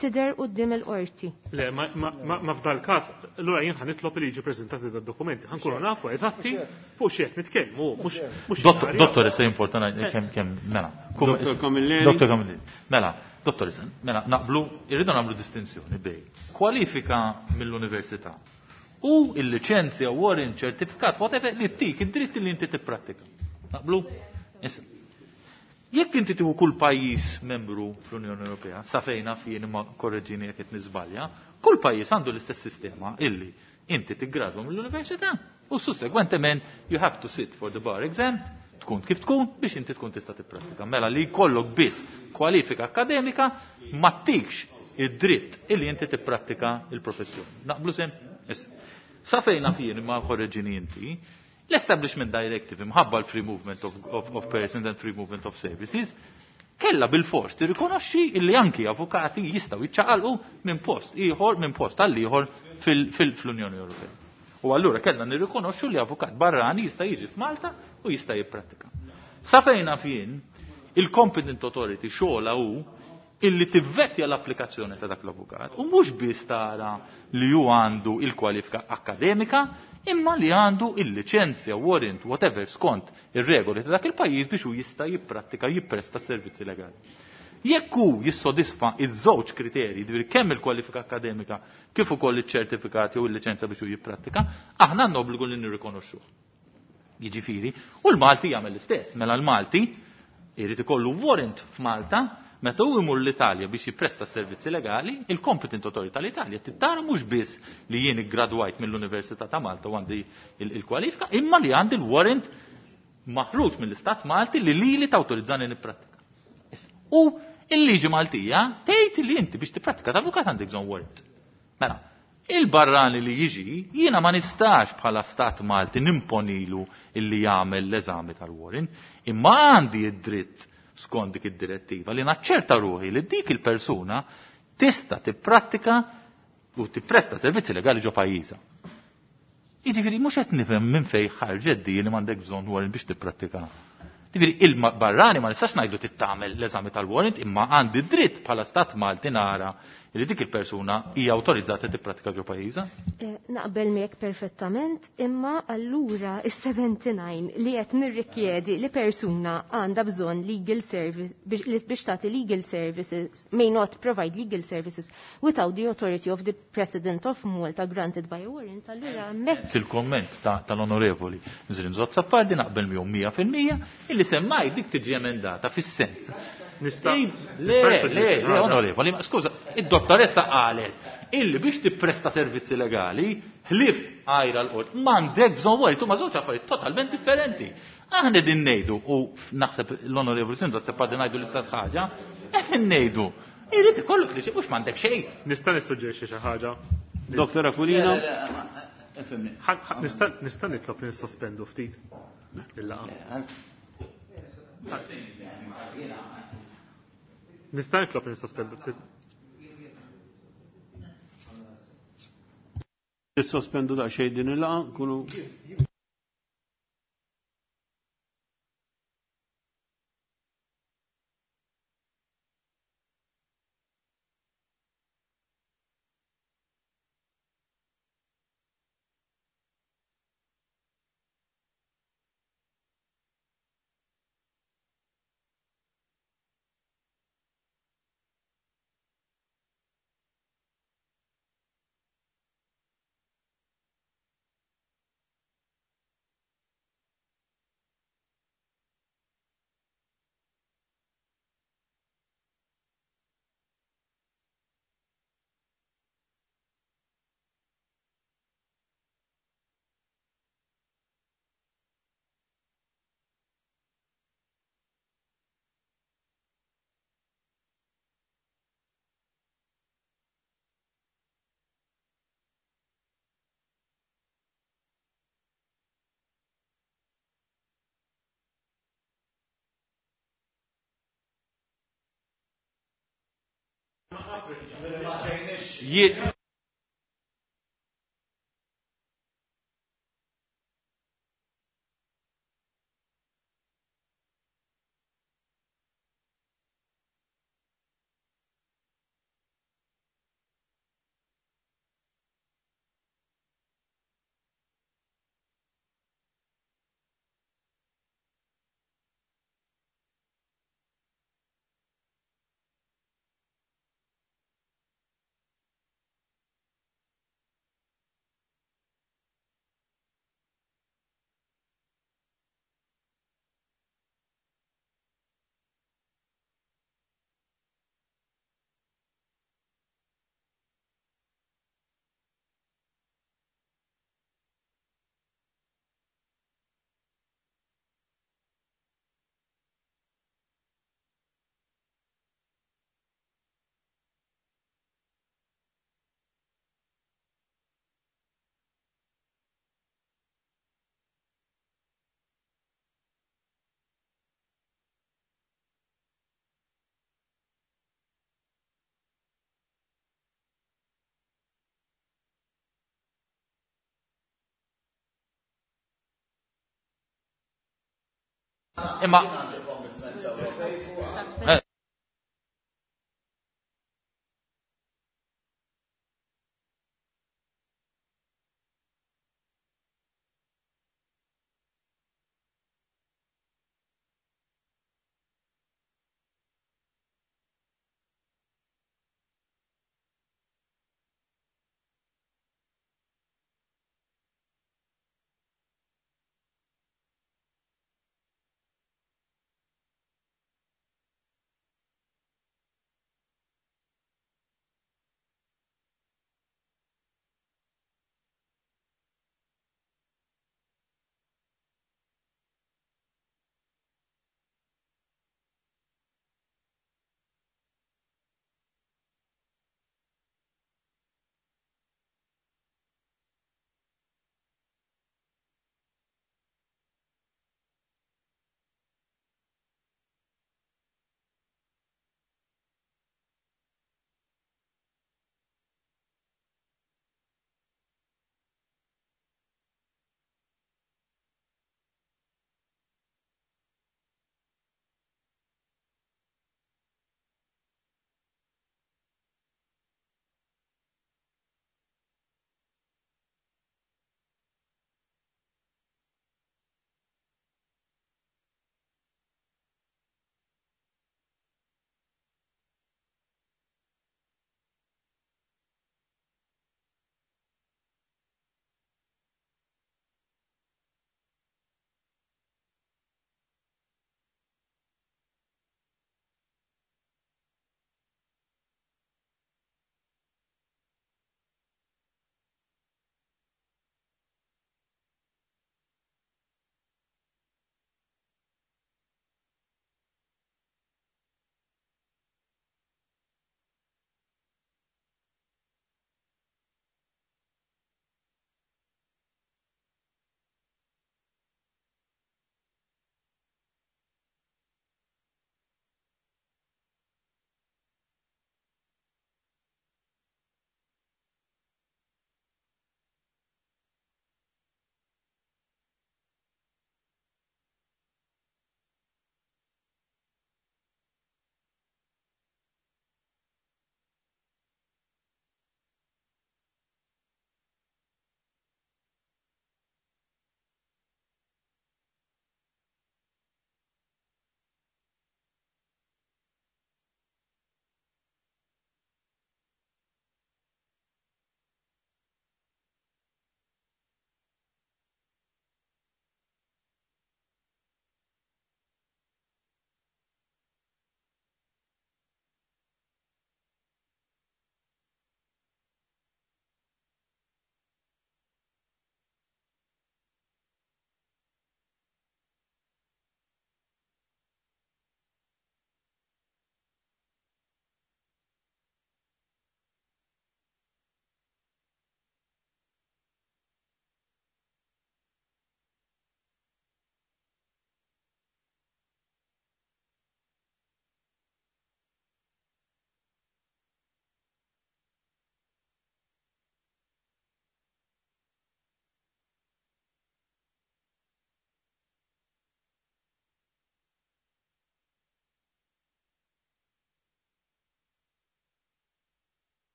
tidher quddiem il-qorti. Le, ma f'dal każ, allura jien ħa nitlob li jiġi preżentati dad-dokumenti, ħankunu nafu eżatti fuq xi qed nitkellmu, mhux Dottor, issa importanti ngħid kemm kemm mela. Dottor Camilleri. Dottor Camilleri. Mela, dottor, mela naqblu, irridu nagħmlu distinzjoni bejn kwalifika mill-università u il-licenzja, warrant, ċertifikat, whatever, li tik id-dritt li inti tipprattika. Naqblu? Issa. Jekk inti tieħu kull pajjiż membru fl-Unjoni Ewropea, sa fejn naf jien imma korreġini jekk qed niżbalja, kull pajjiż għandu l-istess sistema illi inti tiggradwa mill-università u sussegwentement you have to sit for the bar exam, tkun kif tkun biex inti tkun tista' tipprattika. Mela li jkollok biss kwalifika akademika ma tikx id-dritt illi inti tipprattika il-professjoni. Naqblu sem? Issa. Sa fejn naf jien imma korreġini inti, l-Establishment Directive imħabba l-Free Movement of, of, of Persons and Free Movement of Services kella bil-fors tirrikonoxxi illi anki avukati jistgħu jiċċaqalqu minn post ieħor, minn post għal ieħor fil-, fil-, fl-Unjoni Ewropea. U allura kellna nirrikonoxxu li avukat barrani jista' jiġi f'Malta u jista' jipprattika. Sa fejn naf jien, il-competent authority xogħla hu illi tivvettja l-applikazzjoni ta' dak l-avukat u mhux biss tara li hu għandu il-kwalifika akkademika imma li għandu il-liċenzja, warrant, whatever, skont ir-regoli ta' dak il-pajjiż biex hu jista' jipprattika, jippresta servizzi legali. Jekk hu jissodisfa iż-żewġ kriterji, ġifieri kemm il-kwalifika akkademika kif ukoll iċ-ċertifikat jew il-liċenzja biex hu jipprattika, aħna għandna obbligu li nirrikonoxxuh. Jiġifieri, u l-Malti jagħmel l-istess, mela l-Malti jrid ikollu warrant f'Malta meta hu jmur l-Italja biex jippresta servizzi legali, il-competent authority tal-Italja tittara mhux biss li jien iggradwajt mill-Università ta' Malta u għandi il-kwalifika, imma li għandi l-warrant maħruġ mill-Istat Malti li lili tawtorizzani nipprattika. U il-liġi Maltija tgħid li inti biex tipprattika ta' avukat għandek bżonn warrant. Mela, il-barrani li jiġi, jiena ma nistax bħala Stat Malti nimponilu illi jagħmel l-eżami tal-warrant, imma għandi id-dritt skont dik id-direttiva li naċċerta ruħi li dik il-persuna tista' tipprattika u tippresta servizzi legali ġo pajjiżha. Jiġifieri mhux qed nifhem minn fejn ħarġet di li m'għandek bżonn warrant biex tipprattika. Jiġifieri il-barrani ma nistax ngħidu tittamel l-eżami tal-warrant imma għandi dritt bħala Stat Malti nara li dik il-persuna hija awtorizzata tippratika ġo pajjiżha. Naqbel miegħek perfettament, imma allura is-seventy-nine li qed nirrikjedi li persuna għandha bżonn legal service biex tagħti legal services may not provide legal services without the authority of the President of Malta granted by a warrant, allura hemmhekk. Il-komment tal-Onorevoli Zrinzo Azzopardi naqbel miegħu mija fil-mija illi semmaj dik tiġi emendata fis-sens. Nista' Le, le, le, onorevoli, ma skuża, id-dottoressa qalet illi biex tippresta servizzi legali, ħlif għajra l-qort, m'għandek bżonn warrant, huma żewġ affarijiet totalment differenti. Aħna din ngħidu, u naħseb l-onorevoli Zrinzo Azzopardi ngħidu l-istess ħaġa, qed ngħidu, irid ikollok li mhux m'għandek xejn. Nista' nissuġġerixxi xi ħaġa. Doktor Aquilina. Nista' nitlob li nissospendu ftit il-laqgħa. Nista' nitlob li nissospendu ftit. Nissospendu daqsxejn din il-laqgħa, nkunu Jien imma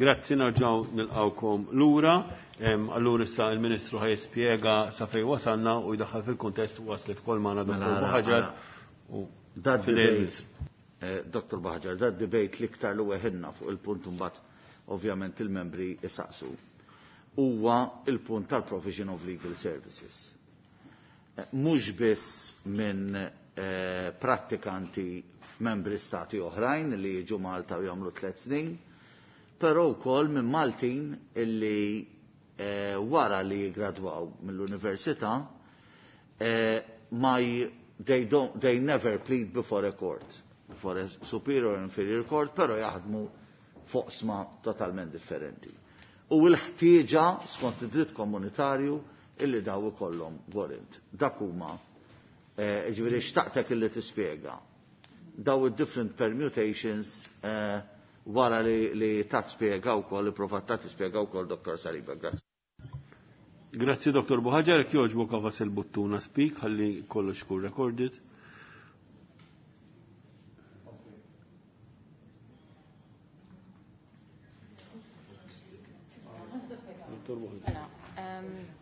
Grazzi, narġaw nilqawkom lura. Allura issa il-Ministru ħaj jispjega sa fejn wasalna u jdaħħal fil-kuntest waslet kol magħna Dottor Buhaġar. Dat debate, Dottor Buhaġar, dat debate l-iktar li weħilna fuq il-punt imbagħad ovvjament il-membri isaqsu. Huwa il-punt tal-provision of legal services. Mhux biss minn prattikanti f'membri stati oħrajn li jiġu Malta u jagħmlu tliet snin, però wkoll minn Maltin illi eh, wara li jigradwaw mill-università eh, ma they don't they never plead before a court, before a superior or inferior court, però jaħdmu foqsma totalment differenti. U l-ħtieġa skont id-dritt komunitarju illi daw ikollhom warrant. Dak huma eh, ġifieri xtaqtek illi tispjega daw id-different permutations eh, wara li, li ta' spjega wkoll, li provat ta' tispjega wkoll Dottor Saliba. Grazzi. Grazzi Dottor Buhaġar, jekk jogħġbok għafas il-buttuna speak ħalli kollox ikun recorded.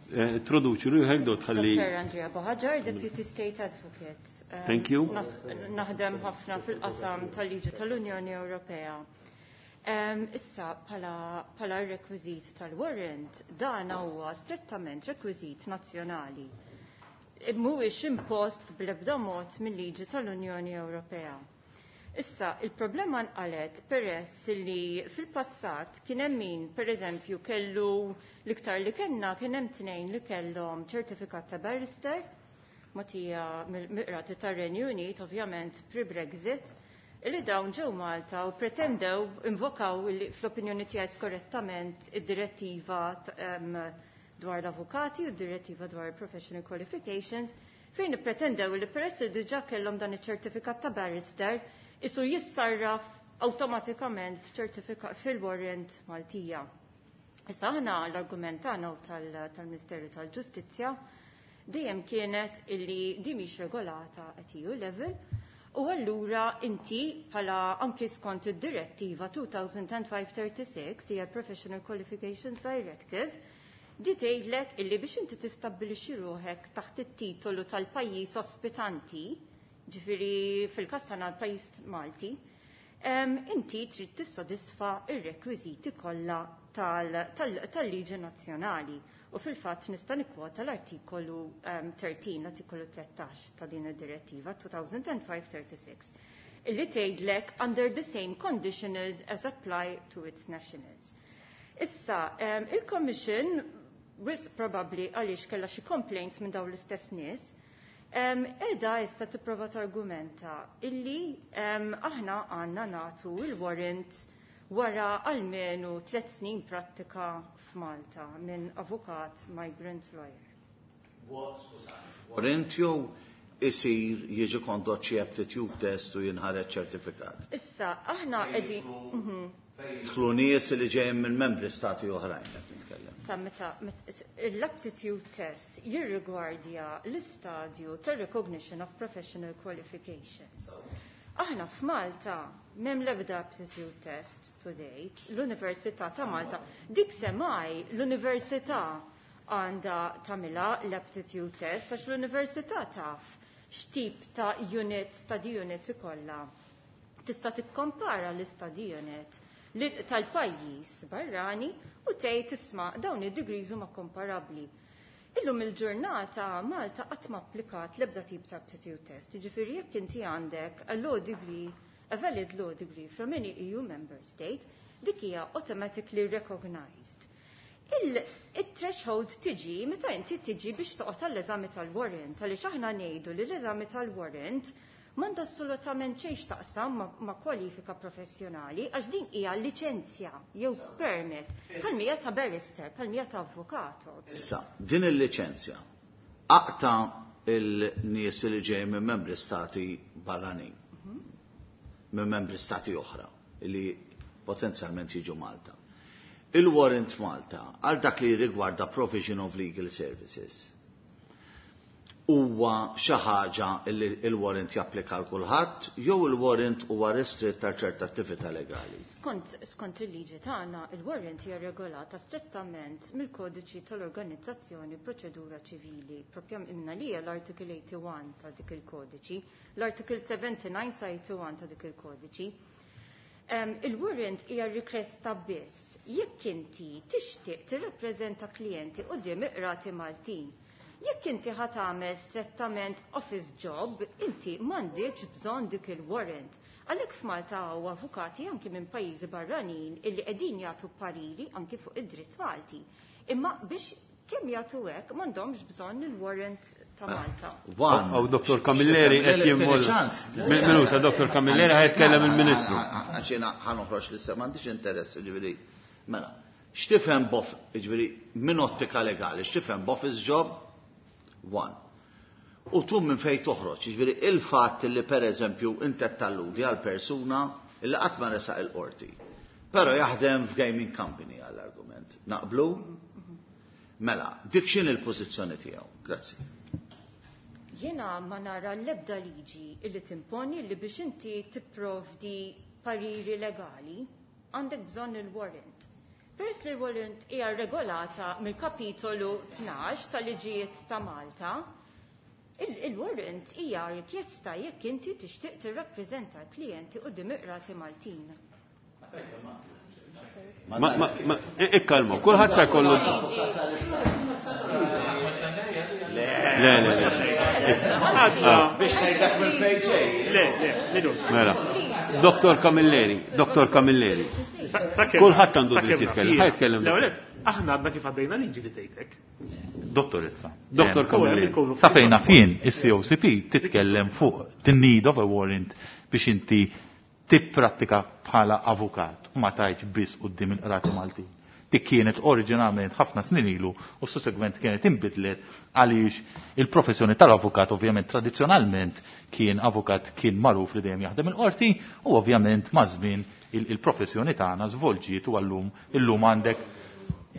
Introduċi ruħek dot ħalli. Dottor Andrea Buhaġar, Deputy State Advocate. Um, Thank you. Naħdem ħafna fil-qasam tal-liġi tal-Unjoni Ewropea. Um, issa, pala rekwiżit tal-warrant, dan huwa strettament rekwiżit nazzjonali. Mhuwiex impost bl-ebda mod mill-liġi tal-Unjoni Ewropea. Issa, il-problema nqalet peress li fil-passat kien hemm min, pereżempju, kellu l-iktar li kellna kien hemm tnejn li kellhom ċertifikat ta' barrister, mogħtija mill-qrati tar-Renju Unit, ovvjament pre-Brexit, li dawn ġew Malta u pretendew, invokaw li fl-opinjoni tiegħi skorrettament id-direttiva dwar l-avukati u d-direttiva dwar professional qualifications, fejn ippretendew li peress li diġà kellhom dan iċ-ċertifikat ta' barrister, isu jissarraf awtomatikament f'ċertifikat fil-warrant Maltija. Issa aħna l-argument tagħna tal-Ministeru tal-Ġustizzja dejjem kienet illi di mhix regolata at E U level u allura inti bħala anki skont id-direttiva two thousand and five thirty-six hija Professional Qualifications Directive di tgħidlek illi biex inti tistabbilixxi ruħek taħt it-titolu tal-pajjiż ospitanti, ġifieri fil-każ tagħna l-pajjiż Malti, inti trid tissodisfa r-rekwiżiti kollha tal-liġi nazzjonali. U fil-fatt nista' nikkwota l-artikolu thirteen, l-artikolu tlettax ta' din id-direttiva two thousand and five thirty-six, illi tgħidlek under the same conditionals as apply to its nationals. Issa, il-Commission, wisq probabbli għaliex kellha xi complaints minn dawn l-istess nies, edha issa tipprova targumenta illi aħna għandna nagħtu il-warrant wara almenu tliet snin prattika f'Malta minn avukat migrant lawyer. Warrant jew isir jiġi kondott xi aptitude test u jinħareġ ċertifikat. Issa, aħna qegħdin Jidħlu nies li ġejjin minn membri stati oħrajn qed nitkellem. Sa meta l-aptitude test jirrigwardja l-istadju tar-recognition of professional qualifications. Aħna f'Malta m'hemm l-ebda aptitude test to date, l-Università ta' Malta, dik semmaj l-Università għandha tagħmilha l-aptitude test għax l-Università taf x'tip ta' units, study units ikollha. Tista' tikkompara l-study unit tal-pajjiż barrani u tgħid isma' dawn id-degrees huma komparabbli. Illum il-ġurnata Malta qatt ma applikat l-ebda tip ta' aptitude test, jiġifieri jekk inti għandek a law degree, a valid law degree from any E U member state, dik hija automatically recognized. Il-threshold tiġi meta inti tiġi biex toqgħod għall-eżami tal-warrant, għaliex aħna ngħidu li l-eżami tal-warrant m'għandha assolutament xejn x'taqsam ma, ma kwalifika professjonali, għax din hija liċenzja jew permit bħalmija ta' barrister, bħalmija ta' avvukato. Issa, din il-liċenzja aqta il-nies li ġej minn membri stati barranin, minn membri stati oħra li potenzjalment jiġu Malta. Il-warrant Malta għal dak li rigwarda provision of legal services. Huwa xi ħaġa li il-warrant japplika għal kulħadd jew il-warrant huwa restritt għal ċerta attività legali? Skont, skont il-liġi tagħna, il-warrant hija regolata strettament mill-kodiċi tal-Organizzazzjoni Proċedura Ċivili, propja imna li hija l-Article eighty-one ta' dik il-kodiċi, l-Article seventy-nine sa eighty-one ta' dik il-kodiċi. Um, il-warrant hija rikjesta biss jekk inti tixtieq tirrappreżenta klijenti quddiem iqrati Maltin. Jekk inti ħa tagħmel strettament office job, inti m'għandix bżonn dik il-warrant. Għalhekk f'Malta hawn avukati anki minn pajjiżi barranin illi qegħdin jagħtu pariri anki fuq id-dritt Malti. Imma biex kemm jagħtu hekk m'għandhomx bżonn il-warrant ta' Malta. One. Aw Dottor Camilleri qed jimmol. Minuta, Dottor Camilleri ħa jitkellem il-Ministru. Għax jiena ħa noħroġ l-issa m'għandix interess, ġifieri. Mela, x'tifhem bof, ġifieri minn ottika legali, x'tifhem b'office job? One. U tu minn fejn toħroġ, ġifieri il-fatt li per eżempju inti talludi għal persuna li qatt ma resaq il-qorti. Però jaħdem f'gaming company għall-argument. Naqblu? Mela, dik x'in il-pożizzjoni tiegħu? Grazzi. Jiena ma nara l-ebda liġi illi timponi li biex inti tipprovdi pariri legali għandek bżonn il-warrant. Peress li l-warrant hija regolata mill-kapitolu tnax tal-liġijiet ta' Malta, il-warrant hija rikjesta jekk inti tixtieq tirrappreżenta l-klijenti quddiem iqrati Maltin. Ma, ma, ma, ikkalmu, kulħadd sa jkollu. Le, le, le. Biex ngħidlek minn fejn ġej. Le, le, minut. Mela. Dottor Camilleri, Dottor Camilleri. Kulħadd għandu dritt jitkellem, ħa jitkellem. Le, le, aħna għadna kif għaddejna liġi li tgħidlek. Dottoressa. Dottor Camilleri. Sa fejna fien is-C O C P titkellem fuq the need of a warrant biex inti tipprattika bħala avukat u ma tajtx biss quddiem il-qrati Maltin. Dik kienet oriġinalment ħafna snin ilu u sussegwent kienet inbidlet għaliex il-professjoni tal-avukat ovvjament tradizzjonalment kien avukat kien magħruf li dejjem jaħdem il-qorti u ovvjament ma' żmien il-professjoni tagħna żvolġiet u għallum illum għandek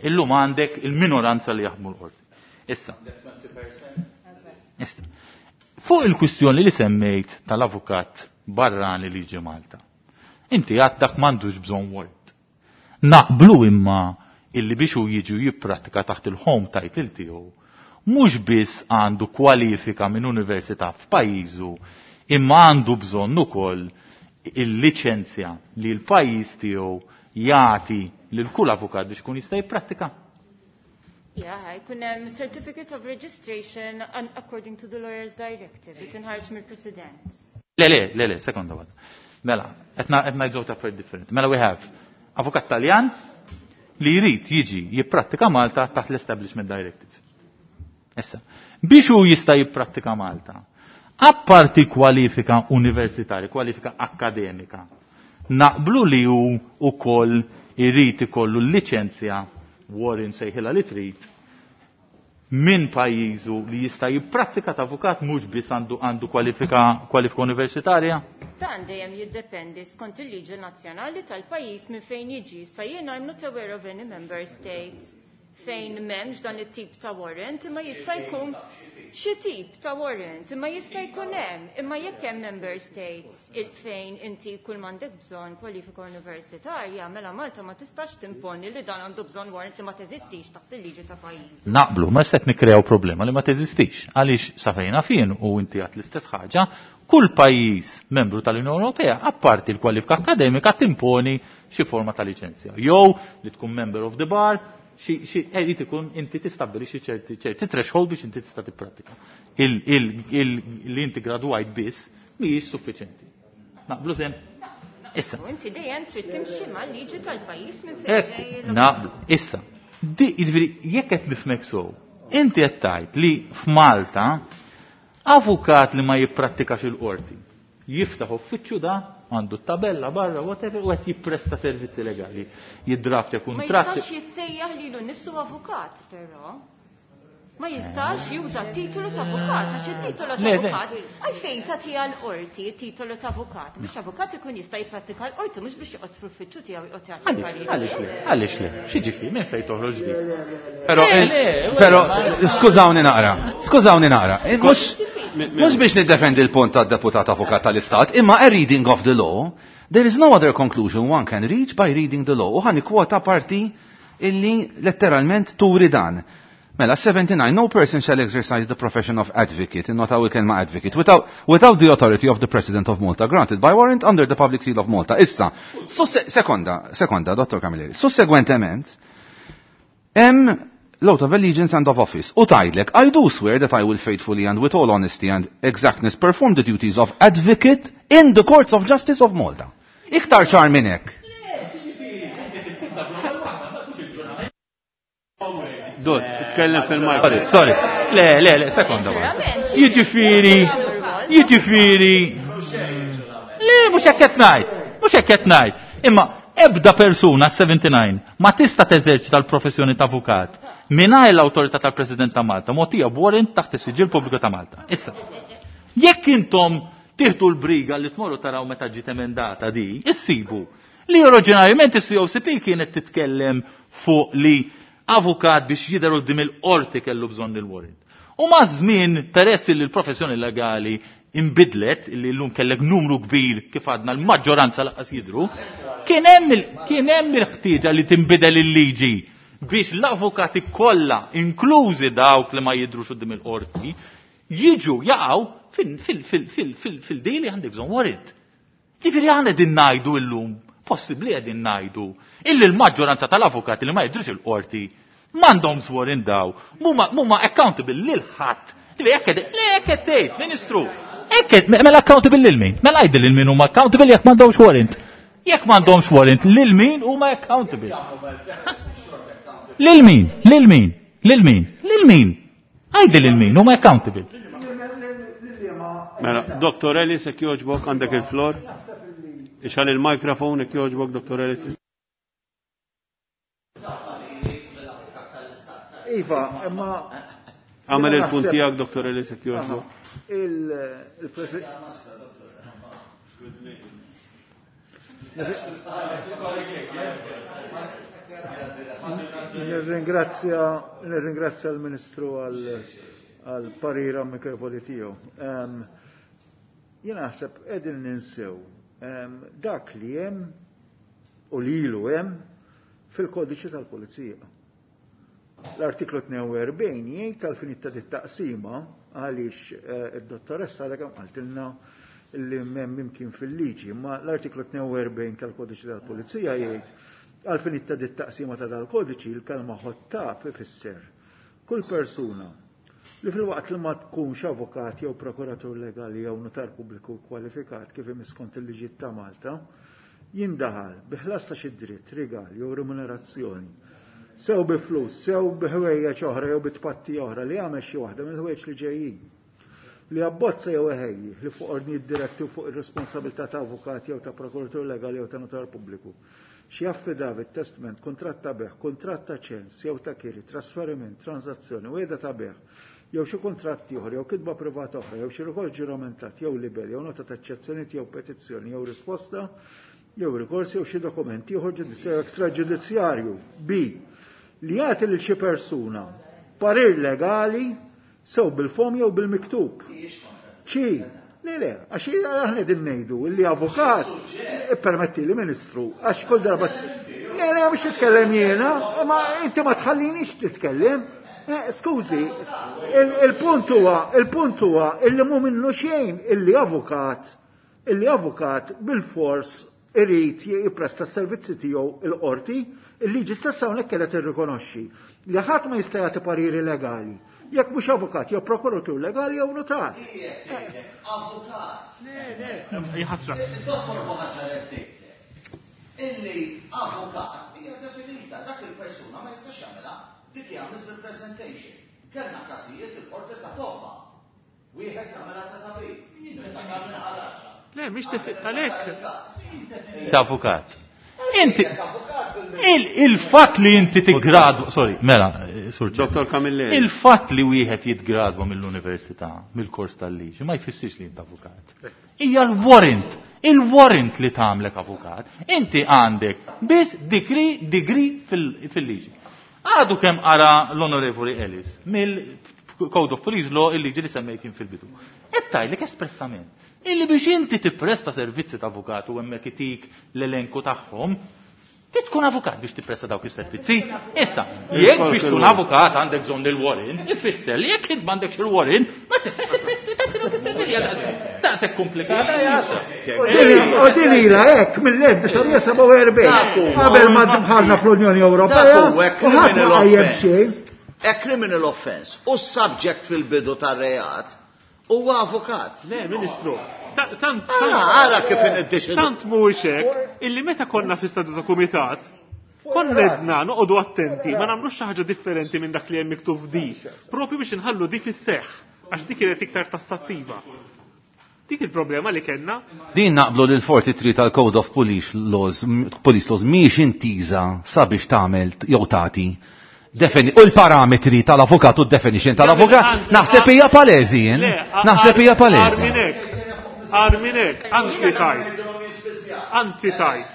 illum għandek il-minoranza li jaħdmu l-qorti. Issa. Issa. Fuq il-kwistjoni li semmejt tal-avukat barrani li ġi Malta. Inti għad dak m'għandux bżonn warrant. Naqblu imma illi biex hu jiġu jipprattika taħt il-home title tiegħu, mhux biss għandu kwalifika minn università f'pajjiżu, imma għandu bżonn ukoll il-liċenzja li l-pajjiż tiegħu jagħti lil kull avukat biex ikun jista' jipprattika. Yeah, jkun hemm certificate of registration according to the Lawyers Directive, li tinħarġ mill-President. Le, le, le, le, sekonda waħda. Mela, qed ngħidu ta' affarijiet differenti. Mela we have avukat Taljan li jrid jiġi jipprattika Malta taħt l-Establishment Directive. Issa, biex hu jista' jipprattika Malta, apparti kwalifika universitarja, kwalifika akademika, naqblu li hu ukoll irid ikollu l-liċenzja warrant sejħilha li trid minn pajjiżu li jista' jipprattika ta' avukat mhux biss għandu, għandu kwalifika, kwalifika universitarja? Dan dejjem jiddependi skont il-liġi nazzjonali tal-pajjiż minn fejn jiġi. Sa jiena I'm not aware of any member state fejn m'hemmx dan it-tip ta' warrant, imma jista' jkun xi tip ta' warrant, imma jista' jkun hemm, imma jekk hemm member states fejn inti kull m'għandek bżonn kwalifika universitarja, mela Malta ma tistax timponi li dan għandu bżonn warrant li ma teżistix taħt il-liġi ta' pajjiż. Naqblu, ma se nikkreaw problema li ma teżistix. Għaliex sa fejna fien u inti għat l-istess ħaġa, kull pajjiż membru tal-Unjoni Ewropea, apparti l-kwalifika akademika, timponi xi forma ta' liċenzja. Jew li tkun member of the bar, xi, xi, irid ikun inti tistabbilixxi ċerti, ċerti threshold biex inti tista' tipprattika. Il, il, il, li inti gradwajt biss mhijiex suffiċenti. Naqblu sem? Issa. U inti dejjem trid timxi mal-liġi tal-pajjiż minn fejn Ekku, ġej l- naqblu. Issa. Di, jiġifieri, jekk qed nifhmek sew, inti qed tgħid li f'Malta avukat li ma jipprattikax il-qorti jiftaħ uffiċċju da għandu tabella barra, whatever, u qed jippresta servizzi legali. Jiddraftja Ma kuntratti. jistax jissejjaħ lilu nnifsu avukat, però. Ma jistax juża t-titolu ta' avukat, għax it-titolu ta' avukat għalfejn tagħtiha l-qorti t-titolu ta' avukat biex avukat ikun jista' jipprattika l-qorti mhux biex joqgħod fl-uffiċċju tiegħu joqgħod jagħti parir. Għaliex le? Għaliex le? X'jiġifieri minn fejn toħroġ di? Però però skużawni naqra, skużawni naqra. Mhux mhux biex niddefendi l-punt tad-deputat avukat tal-Istat, imma a reading of the law, there is no other conclusion one can reach by reading the law. U ħa nikkwota parti illi letteralment turi dan. Mela, seventy-nine, no person shall exercise the profession of advocate, innotaw il-kelma advocate, without, without the authority of the President of Malta, granted by warrant under the public seal of Malta. Issa, sekonda, sekonda, Dottor Camilleri, sussegwentement, hemm l-oath of allegiance and of office, u tgħidlek, I do swear that I will faithfully and with all honesty and exactness perform the duties of advocate in the courts of justice of Malta. Iktar ċar minn hekk. Dot, tkellem fil-mic. Sorry, sorry. Le, le, le, sekonda. Jiġifieri, jiġifieri. Le, mhux hekk qed ngħid, mhux hekk qed ngħid. Imma ebda persuna seventy-nine ma tista' teżerċita l-professjoni ta' avukat mingħajr l-awtorità tal-President ta' Malta mogħtija b'warrant taħt is-Siġill Pubbliku ta' Malta. Issa, jekk intom tieħdu l-briga li tmorru taraw meta ġiet emendata di, issibu li oriġinarjament is-C O C P kienet titkellem fuq li avukat biex jidher quddiem il-qorti kellu bżonn il-warrant. U ma' żmien peress li l-professjoni legali imbidlet, li llum kellek numru kbir kif għadna l-maġġoranza lanqas jidhru, kien hemm il-, kien hemm il-ħtieġa li tinbidel il-liġi biex l-avukati kollha, inklużi dawk li ma jidhrux quddiem il-qorti, jiġu jaqgħu fil-dili għandek bżonn warrant. Jiġifieri aħna qegħdin ngħidu llum, possibbli qegħdin ngħidu illi l-maġġoranza tal-avukati li ma jidhrux il-qorti m'għandhomx warrant daw, mhuma accountable lil ħadd. Ġifieri hekk qed, le hekk qed tgħid, Ministru. Hekk qed, mela accountable lil min? Mela għidli lil min huma accountable jekk m'għandhomx warrant. Jekk m'għandhomx warrant lil min huma accountable. Lil min? Lil min? Lil min? Lil min? Għidli lil min huma accountable. Mela, Doktor Ellis, jekk jogħġbok għandek il-flor. Ixgħal il-mikrofon jekk jogħġbok, Doktor Ellis. Iva, imma Għamel il-punt tiegħek, Doktor Ellis, jekk jogħġbok. Il-President Nirringrazzja, nirringrazzja l-Ministru għal parir amikevoli tiegħu. Jien naħseb qegħdin ninsew dak li hemm u li ilu hemm fil-kodiċi tal-Pulizija. L-artiklu tnejn u erbgħin jgħid tal-finit ta' dit-taqsima għaliex id-dottoressa għadha kemm qaltilna li m'hemm imkien fil-liġi, ma l-artiklu tnejn u erbgħin tal-kodiċi tal-Pulizija jgħid għal-finit ta' dit-taqsima ta' dal-kodiċi l-kelma ħottab ifisser kull persuna li fil-waqt li ma tkunx avukat jew prokuratur legali jew notar pubbliku kwalifikat kif imiss skont il-liġijiet ta' Malta jindaħal bi ħlas ta' xi dritt, rigal jew remunerazzjoni, sew bi flus, sew bi ħwejjeġ oħra jew bi tpatti oħra li jagħmel xi waħda mill-ħwejjeġ li ġejjin. Li abbozza jew iħejji li fuq ordnijiet diretti u fuq ir-responsabilità ta' avukat jew ta' prokuratur legali jew ta' notar pubbliku. Xi affidavit, testament, kuntratt ta' bejgħ, kuntratt ta' ċens jew ta' kiri, trasferiment, transazzjoni, wegħda ta' bejgħ, jew xi kuntratt ieħor jew kitba privata oħra jew xi rikors ġuramentat jew libel jew nota ta' eċċezzjonijiet jew petizzjoni jew risposta jew rikors jew xi dokument ieħor ġudizzjarju ekstraġudizzjarju. B. Li jagħti lil xi persuna parir legali sew bil-fom jew bil-miktub. C. Le, le, għax aħna qegħdin ngħidu li avukat ippermetti li Ministru, għax kull darba le, le, mhux titkellem jiena, ma inti ma tħallinix titkellem. Skużi, il-punt huwa, il-punt huwa illi mhu minnu xejn illi avukat, illi avukat bil-fors irid jippresta s-servizzi tiegħu il-qorti, il-liġi stessa hawnhekk qiegħda tirrikonoxxi li ħadd ma jista' jagħti pariri legali jekk mhux avukat jew prokuratur legali jew notar. Avukat. Le, le, jħassra. Dottor Buhaġar illi avukat hija definita dak il-persuna ma jistax jagħmilha dik hija misrepresentation. Kellna każijiet il-qorti ta' tobba. Wieħed jagħmilha ta' tabib. Le, mhix għalhekk. Ta' avukat. Inti il-fatt li inti tigradwa, sorry, mela, Sur Dottor Camilleri. Il-fatt li wieħed jitgradwa mill-università, mill-kors tal-liġi, ma jfissirx li int avukat. Hija l-warrant, il-warrant li tagħmlek avukat. Inti għandek biss degree, degree fil-liġi. Għadu kemm qara l-Onorevoli Ellis mill-Code of Police Law il-liġi li semmejt jien fil-bidu. Qed tgħidlek espressament illi biex inti tippresta servizzi ta' avukat u hemmhekk itik l-elenku tagħhom, trid tkun avukat biex tippresta dawk is-servizzi. Issa, jekk biex tkun avukat għandek bżonn il-warrant, ifisser li jekk int m'għandekx il-warrant, ma tistax tippresta dawk is-servizzi. Daqshekk komplikata jasa. U din ilha hekk mill-elf disa' sebgħa u erbgħin qabel ma dħalna fl-Unjoni Ewropea u ħadd ma qajjem xejn. A criminal offense u subject fil-bidu tar-reat huwa avukat. Le, Ministru, tant ara kif iniddeċidu. Tant mhuwiex hekk illi meta konna fi stadju ta' kumitat, konna edna noqogħdu attenti, ma nagħmlux xi ħaġa differenti minn dak li hemm miktub f'di, propju biex inħallu di fis-seħħ għax dik kienet iktar tassattiva. Dik il-problema li kellna. Din naqblu lil forty-three tal-Code of Police Laws, Police Laws mhijiex intiża sabiex tagħmel jew tagħti Defini, u l-parametri tal-avukat u d-definition tal-avukat, naħseb hija palezi, naħseb hija palezi. Arminek, arminek, anzi tajt, anzi tajt.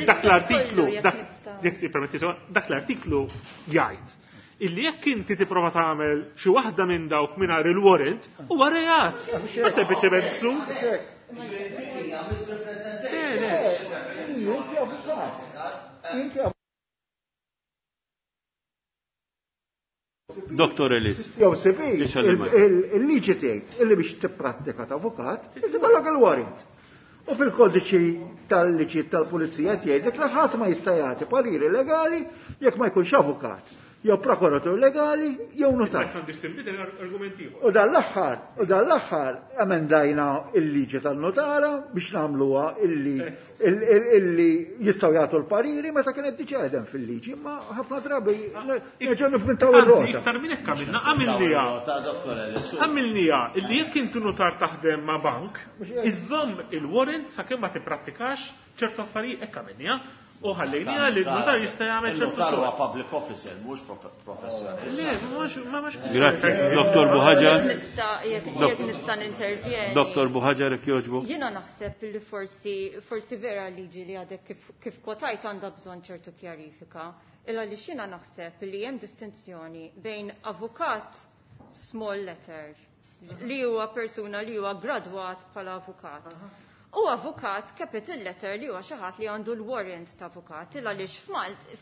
Dak l-artiklu, dak l-artiklu jgħid illi jekk inti tipprova tagħmel xi waħda minn dawk mingħajr il-warrant, huwa reat. Ma sempliċement ksur. Inti avukat. Inti Dottor Ellis. Jew C P, il-liġi tgħid illi biex tipprattika ta' avukat, inti kollok il-warrant. U fil-kodiċi tal-liġi tal-pulizija tgħidlek li ħadd ma jista' jagħti pariri legali jekk ma jkunx avukat, jew prokuratur legali, jew notar. U dan l-aħħar, u dan l-aħħar emendajna il-liġi tan-notara biex nagħmluha illi illi jistgħu jagħtu l-pariri meta kienet diġà qegħdem fil-liġi, imma ħafna drabi nerġgħu nivvintaw ir-rota. Iktar minn hekk għamilna, għamilniha. Għamilniha illi jekk inti notar taħdem ma' bank, iżżomm il-warrant sakemm ma tipprattikax ċertu affarijiet, hekk għamilniha. U ħallejniha li l-notar jista' jagħmel ċertu Il-notar huwa xogħol. public officer, mhux professjonist. Le, mhux ma mhux. Grazzi, Dottor Buhaġar. Nista' jekk jekk nista' nintervjeni. Dottor Buhaġar, jekk jogħġbu. Jiena naħseb li forsi forsi vera liġi li għadek kif, kif kwotajt għandha bżonn ċertu kjarifika. Illa li xina naħseb li hemm distinzjoni bejn avukat small letter li huwa persuna li huwa gradwat bħala avukat. U avukat capital letter li huwa xi ħadd li għandu l-warrant ta' avukat, illa għaliex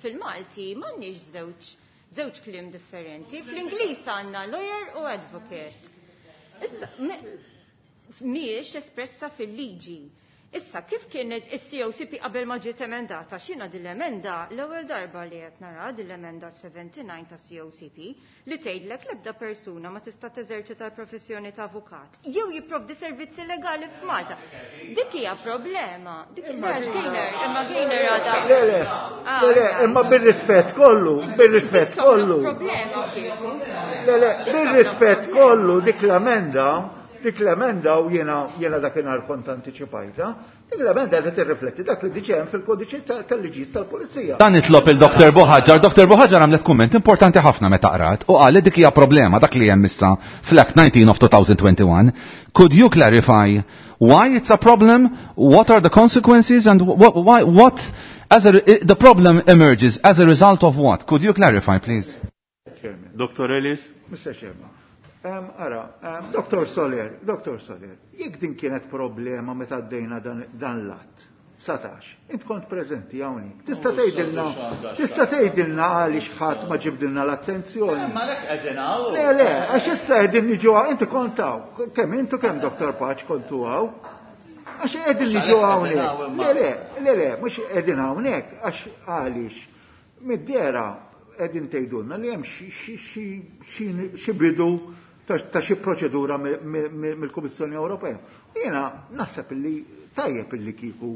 fil-Malti m'għandniex żewġ żewġ kliem differenti. Fl-Ingliż għandna lawyer u advocate. Issa, mhijiex espressa fil-liġi. Issa, kif kienet is-C O C P qabel ma ġiet emendata? X'jiena din l-emenda l-ewwel darba li qed nara din l-emenda sebgħa u sebgħin ta' C O C P li tgħidlek l-ebda persuna ma tista' teżerċita l-professjoni ta' avukat jew jipprovdi servizzi legali f'Malta. Dik hija problema. Dik għax Gaynor, imma Gaynor għadha. Le, le, le, le, imma bir-rispett kollu, bir-rispett kollu. Problema kieku. Le, le, bir-rispett kollu dik l-emenda, dik l-emenda u jiena jiena dakinhar kont antiċipajta, dik l-emenda qed tirrifletti dak li diġà hemm fil-kodiċi tal-liġijiet tal-pulizija. Dan nitlob il-Doktor Buhaġar. Doktor Buhaġar għamlet kumment importanti ħafna meta qrat u qal li dik hija problema dak li hemm issa fl-Act nineteen of twenty twenty-one. Could you clarify why it's a problem, what are the consequences and what, why, what as a, the problem emerges as a result of what? Could you clarify, please? Chairman. Doktor Ellis. Mister Chairman. Um, ara, um, Doktor Soler, Doktor Soler, jekk din kienet problema meta għaddejna dan, dan l-att, satax, int kont preżenti hawnhekk. Tista' tgħidilna, tista' tgħidilna għaliex ħadd ma ġibdilna l-attenzjoni. Ma lek qegħdin hawn. Le, le, għax issa qegħdin niġu hawn, inti kont hawn, kemm intu kemm Doktor Pace kontu hawn. Għax qegħdin niġu hawnhekk. Le, le, le, le, mhux qegħdin hawnhekk għax għaliex mid-dera qegħdin tgħidulna li hemm xi bidu ta' xi proċedura mill-Kummissjoni Ewropea. Jiena naħseb illi tajjeb illi kieku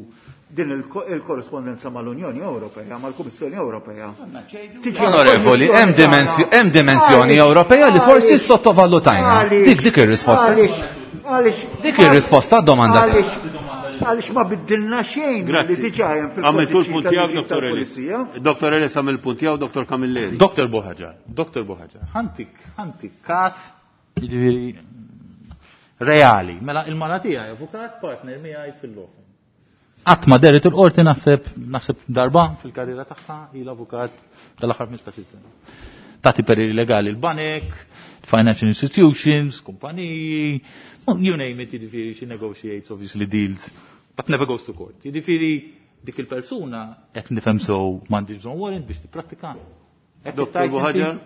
din il-korrespondenza mal-Unjoni Ewropea, mal-Kummissjoni Ewropea. Onorevoli, hemm dimensjoni Ewropea li forsi sottovalutajna. Dik dik ir-risposta. Dik ir-risposta domanda. Għaliex Għaliex ma biddilna xejn li diġà hemm fil-Għamiltu l-punt tiegħek, Dottor Ellis. Dottor Ellis għamel il-punt tiegħu, Dottor Camilleri. Dottor Buhaġar, Dottor Buhaġar, ħantik, ħantik każ jiġifieri reali. Mela il-mara tiegħi avukat partner miegħi fil-law. Qatt ma deret il-qorti naħseb naħseb darba fil-karriera tagħha hi l-avukat tal-aħħar ħmistax-il sena. Tagħti pariri legali l-banek, financial institutions, kumpaniji, you name it, jiġifieri she negotiates obviously deals, but never goes to court. Jiġifieri dik il-persuna qed nifhem sew m'għandix bżonn warrant biex tipprattika. Dottor Buhaġar?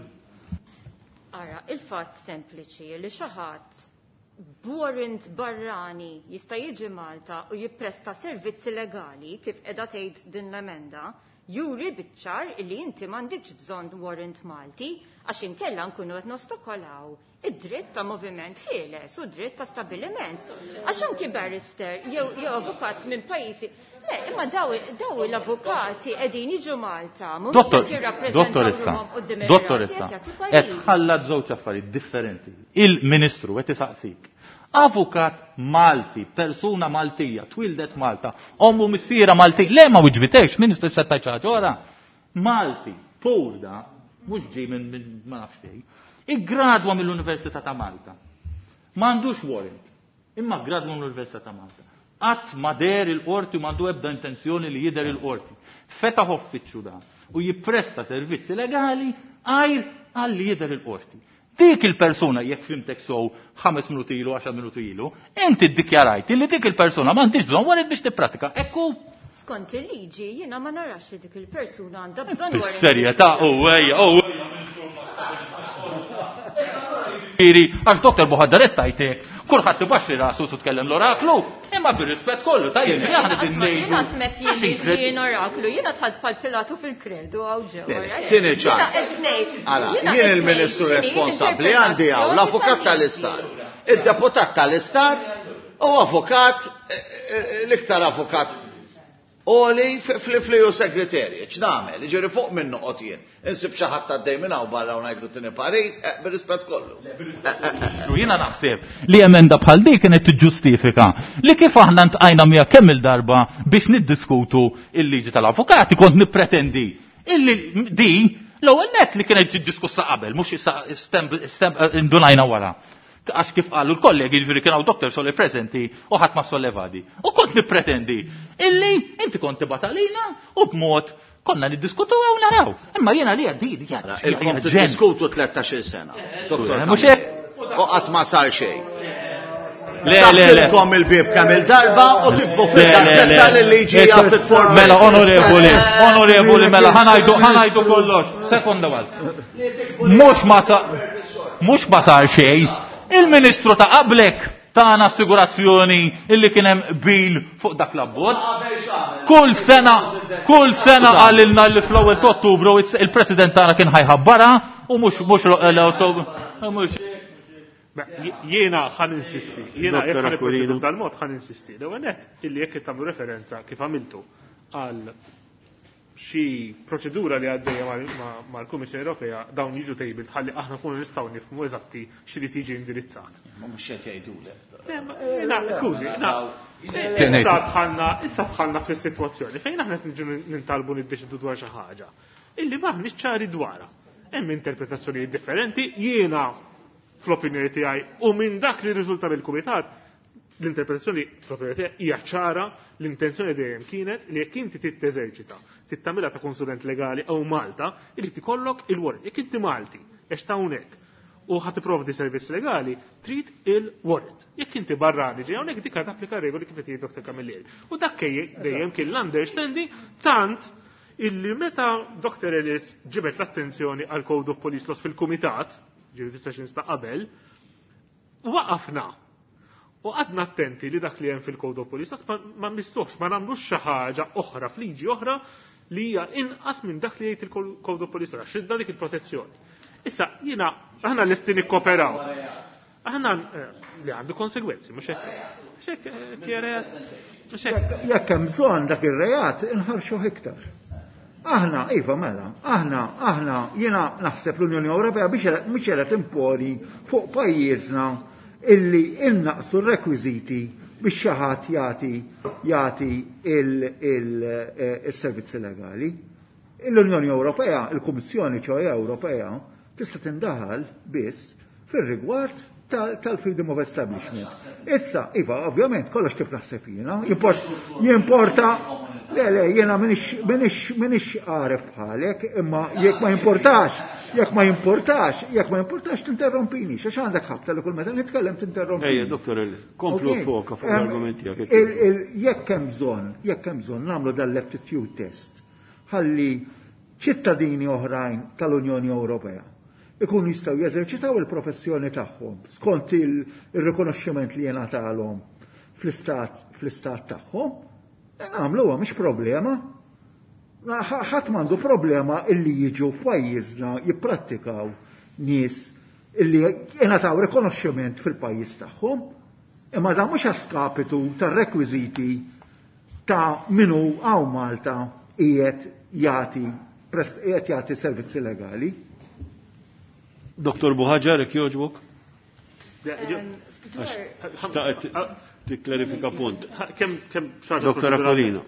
Ara, il-fatt sempliċi li xi ħadd b'warrant barrani jista' jiġi Malta u jippresta servizzi legali kif qiegħda tgħid din l-emenda, juri biċ-ċar li inti m'għandikx bżonn warrant Malti għax inkella nkunu qed nostokolaw id-dritt ta' moviment ħieles u dritt ta' stabiliment. Għax anki barrister jew jew avukat minn pajjiżi. Le, imma daw daw l-avukati qegħdin jiġu Malta, mhumiex qed jirrappreżentaw Dottoressa, ruħhom quddiem dottoressa, il-qrati, qed jagħtu qed pariri. tħallat żewġ affarijiet differenti. Il-Ministru qed isaqsik. Avukat Malti, persuna Maltija, twildet Malta, ommu missiera Malti, le ma wiġbitekx, Ministru se tgħid xi ħaġa oħra. Malti, pur da, mhux ġej minn min, ma nafx fejn, iggradwa mill-Università ta' Malta. M'għandux warrant, imma gradwa mill-Università ta' Malta. Qatt ma deher il-qorti u m'għandu ebda intenzjoni li jidher il-qorti. Fetaħ uffiċċju da u jippresta servizzi legali għajr għalli jidher il-qorti. Dik il-persuna, jekk fhimtek sew ħames minuti ilu, għaxar minuti ilu, inti ddikjarajt li dik il-persuna m'għandix bżonn warrant biex tippratika. Ekku. Skont il-liġi, jiena ma narax li dik il-persuna għandha bżonn warrant. Bis-serjetà, u ejja, u ejja. Għax Dottor Buhaġar tajtek, kulħadd ibaxxi rasu u tkellem l-oraklu, imma bir-rispett kollu, tajjeb, Jiena aħna qatt ma- din jiena qatt met jien Għax li inkred- jien oraklu, jiena tħadd bħal Pilatu fil-kredu għaw ġew. Tieni, tieni ċans. Jiena qed ngħid, Ara, jiena jien qed il-Ministru ngħid x'inhi responsabbli għandi hawn l-avukat tal-Istat, id-deputat tal-Istat u avukat, eh, eh, l-iktar avukat Oli fl-E U Secretariat, x'nagħmel? Jiġifieri fuq minn noqgħod jien. Insib xi ħadd għaddej minn hawn barra u ngħidlu tieni parir, eh, bir-rispett kollu. Ministru, jiena naħseb li emenda bħal dik kienet tiġġustifika li kif aħna ntqajna miegħek kemm il-darba biex niddiskutu il-liġi tal-avukati, kont nippretendi illi di l-ewwel net li kienet ġiet diskussa qabel, mhux issa stem-, stem-, indunajna wara. Għax kif qalu l-kollegi, jiġifieri kien hawn Doktor Soli preżenti u ħadd ma sollevadi. U kont nippretendi illi inti kont tibgħat għalina u b'mod konna niddiskutu u naraw. Imma jiena li għaddi, hija Ilkom ġen. tiddiskutu tlettax-il sena. Doktor Eh, mhux Camilleri. hekk? U qatt ma sar xejn. Le, le, le. Taftilkom il-bieb kemm il-darba u tibbu Le, le, fil-gazzetta le. li liġi hija fit for Mela, onorevoli, onorevoli, mela, ħa ngħidu, ħa ngħidu kollox. Sekonda għal. Mhux ma sa-, mhux ma sar xejn. Il-ministru ta' qablek tana assigurazzjoni illi kien hemm bil fuq dak l-abbozz. Kull sena, kull sena qalilna li fl-ewwel ta' Ottubru il-President tagħna kien ħajħabbarha u mhux mhux l-Ottubru, mhux. Beh, jiena ħa ninsisti, jiena jekk Dottor ħan Aquilino. nipproċedu b'dal-mod ħa ninsisti. L-ewwel nett illi jekk tagħmlu referenza kif għamiltu għal xi proċedura li għaddejja mal-, ma-, mal-Kummissjoni Ewropea dawn jiġu tabled ħalli aħna nkunu nistgħu nifhmu eżatti x'irid jiġi indirizzat. Ma mhux qed jgħidulek. Le, ma, na, skużi, na, Tieni. issa dħalna, issa dħalna fis-sitwazzjoni fejn aħna qed niġu nintalbu niddeċidu dwar xi ħaġa illi m'aħniex ċari dwarha. Hemm interpretazzjonijiet differenti, jiena fl-opinjoni tiegħi u minn dak li riżulta mill-kumitat l-interpretazzjoni fl-opinjoni tiegħi hija ċara, l-intenzjoni dejjem kienet li jekk inti trid teżerċita, trid tagħmilha ta' konsulent legali hawn Malta, irid ikollok il-warrant. Jekk inti Malti, għex ta' hawnhekk, u ħa tipprovdi servizz legali, trid il-warrant. Jekk inti barrani ġej hawnhekk dik tapplika regoli kif qed Doktor Camilleri. U dak dejjem kien l-understanding tant illi meta Doktor Ellis ġibet l-attenzjoni għal Code of Police Laws fil-Kumitat, ġifieri fis-sessions ta' qabel, waqafna. U għadna attenti li dak li hemm fil-Code of Police Laws ma, ma mistuħx, ma nagħmlux xi ħaġa oħra f'liġi oħra li hija inqas minn dak li jgħid il-Code of Police Laws, xidda dik il-protezzjoni. Issa, jiena, aħna lesti nikkoperaw. Aħna, eh, li għandu konsegwenzi, mhux hekk. Mhux hekk, eh, kieret, mhux hekk. Jekk hemm bżonn dak ir-reat inħarxuh iktar. Aħna, iva mela, aħna, aħna, jiena naħseb l-Unjoni Ewropea biex mhux qiegħda timponi fuq pajjiżna illi innaqsu r-rekwiżiti biex xi ħadd jagħti jagħti il-servizzi legali. L-Unjoni Ewropea, il-Kummissjoni ċoħe Ewropea, tista' tindaħal biss fir-rigward tal-freedom of establishment. Issa, iva, ovvjament, kollox kif naħseb jiena, jimporta, le, le, jiena minix għaref bħalek, imma jekk ma jimportax, jekk ma jimportax, jekk ma jimportax tinterrompini, xax għandek ħabta li kull meta nitkellem tinterrompini. Ejja, doktor Ellis, komplu foka fuq l-argument tiegħek. Jekk hemm bżonn, jekk hemm bżonn nagħmlu dal-aptitude test, ħalli ċittadini oħrajn tal-Unjoni Ewropea ikunu jistgħu jeżerċitaw il-professjoni tagħhom skont il-rikonoxximent li jingħatalhom fl-istat fl-istat tagħhom, nagħmluha mhix problema. Ħadd m'għandu problema illi jiġu f'pajjiżna jipprattikaw nies illi jingħataw rikonoxximent fil-pajjiż tagħhom, imma dan mhux għaskapitu tar-rekwiżiti ta' minu hawn Malta qiegħed jagħti qiegħed jagħti servizzi legali. Doktor Buhaġar, jekk jogħġbok? Tikklarifika punt. Doktor Aquilina.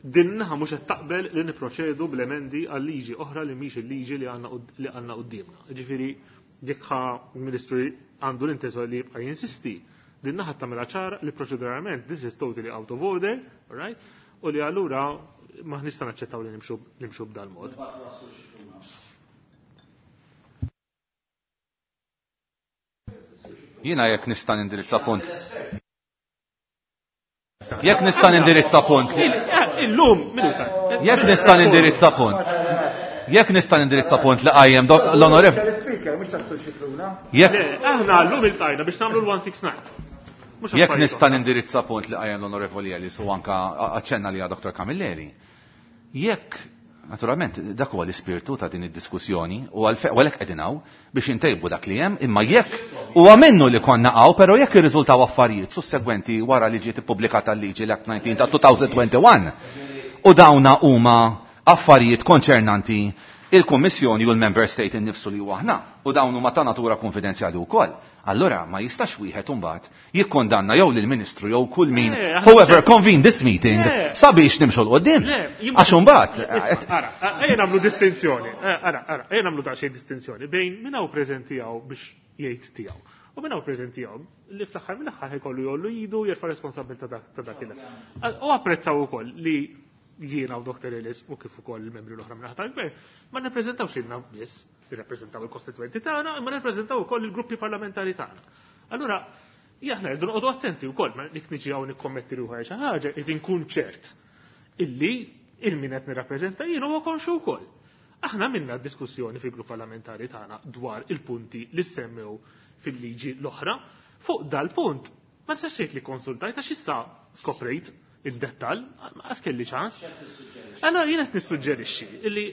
Din naħa mhux qed taqbel li nipproċedu bl-emendi għal liġi oħra li mhix il-liġi li għandna quddiemna. Ġifieri jekk il-Ministru għandu l-intenzjoni li jibqa' jinsisti, din naħa tagħmilha ċara li proċeduralment this is totally out of order, right? U li allura ma nista' naċċettaw li nimxu b'dal-mod. Jiena jekk nista' nindirizza punt. Jekk nista' nindirizza punt. Illum, minuta. Jekk nista' nindirizza punt. Jekk nista' nindirizza punt li qajjem l-onorev. Jekk aħna llum iltajna biex nagħmlu l-one six nine. Jekk nista' nindirizza punt li qajjem l-onorevoli Ellis u anka aċċenna li Doktor Camilleri. Jekk naturalment, dak huwa l-ispirtu ta' din id-diskussjoni u għalhekk qegħdin hawn biex intejbu dak li hemm, imma jekk huwa minnu li konna hawn, però jekk irriżultaw affarijiet sussegwenti wara li ġiet ippubblikata l-liġi l-Act nineteen ta' two twenty-one u dawna huma affarijiet konċernanti il-Kummissjoni u l-Member State innifsu li huwa aħna u dawn huma ta' natura konfidenzjali wkoll. Allora ma jistax wieħed imbagħad jikkondanna jew lill-Ministru jew kull min whoever convened this meeting sabiex nimxu l qudiem. Għax imbagħad ara, ejja nagħmlu distinzjoni. Ara, ara, ejja nagħmlu daqsxejn distinzjoni bejn min hawn preżenti hawn biex jgħid tiegħu. U min hawn preżenti hawn li fl-aħħar mill-aħħar ħajkollu jollu idu jerfa' responsabilità ta' dak il. U apprezzaw ukoll li jiena u Doktor Ellis u kif ukoll il-membri l-oħra minn tal-gvern ma nippreżentawx lilna biss, nirrappreżentaw il-kostitwenti tagħna, imma nirrappreżentaw ukoll il-gruppi parlamentari tagħna. Allura, aħna rridu noqogħdu attenti wkoll ma nik niġi hawn nikkommetti ruħi xi ħaġa, qed inkun ċert illi il-min qed nirrappreżenta jien huwa konxu wkoll. Aħna minna diskussjoni fil-grupp parlamentari tagħna dwar il-punti li semmew fil-liġi l-oħra, fuq dal-punt ma tistax tgħid li konsultajt għax issa skoprejt id-dettal, ma kelli ċans. Allora jien qed nissuġġerixxi illi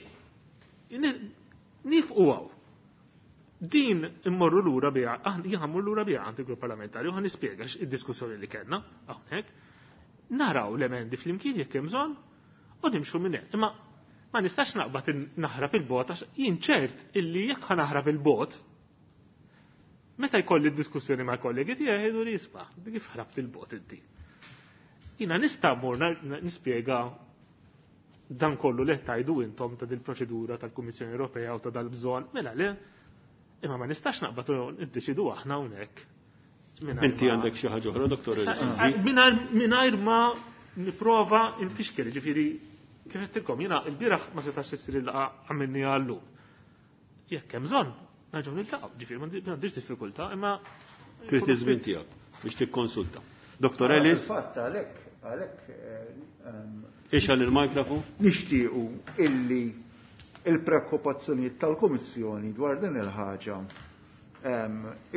nifqu hawn. Din immorru lura biha, jien ħammur lura biha għand il-grupp parlamentari u ħa nispjega id-diskussjoni li kellna hawnhekk. Naraw l-emendi flimkien jekk hemm bżonn u nimxu minn hemm. Imma ma nistax naqbad naħrab il-bot għax jien ċert illi jekk ħa naħrab il-bot meta jkolli d-diskussjoni mal-kollegi tiegħi jgħidu li isma' kif ħrabt il-bot inti. Jina nista' mmur nispjega dan kollu li tajdu intom ta' dil-proċedura tal-Kummissjoni Ewropea u ta' dal-bżonn, mela le, imma ma nistax naqbad niddeċidu aħna hawnhekk. Inti għandek xi ħaġa oħra, Doktor Ellis? Mingħajr ma nipprova nfixkel, ġifieri kif qedtilkom jiena l-bieraħ ma setax issir il-laqgħa għamilni għallum. Jekk hemm bżonn, nerġgħu niltaqgħu, ġifieri m'għandix diffikultà, imma trid iż-żmien tiegħek biex tikkonsulta. Doktor Ellis? Fatt għalhekk għalhekk ixgħal il-mikrofon. Nixtiequ illi il-preokkupazzjonijiet tal-Kummissjoni dwar din il-ħaġa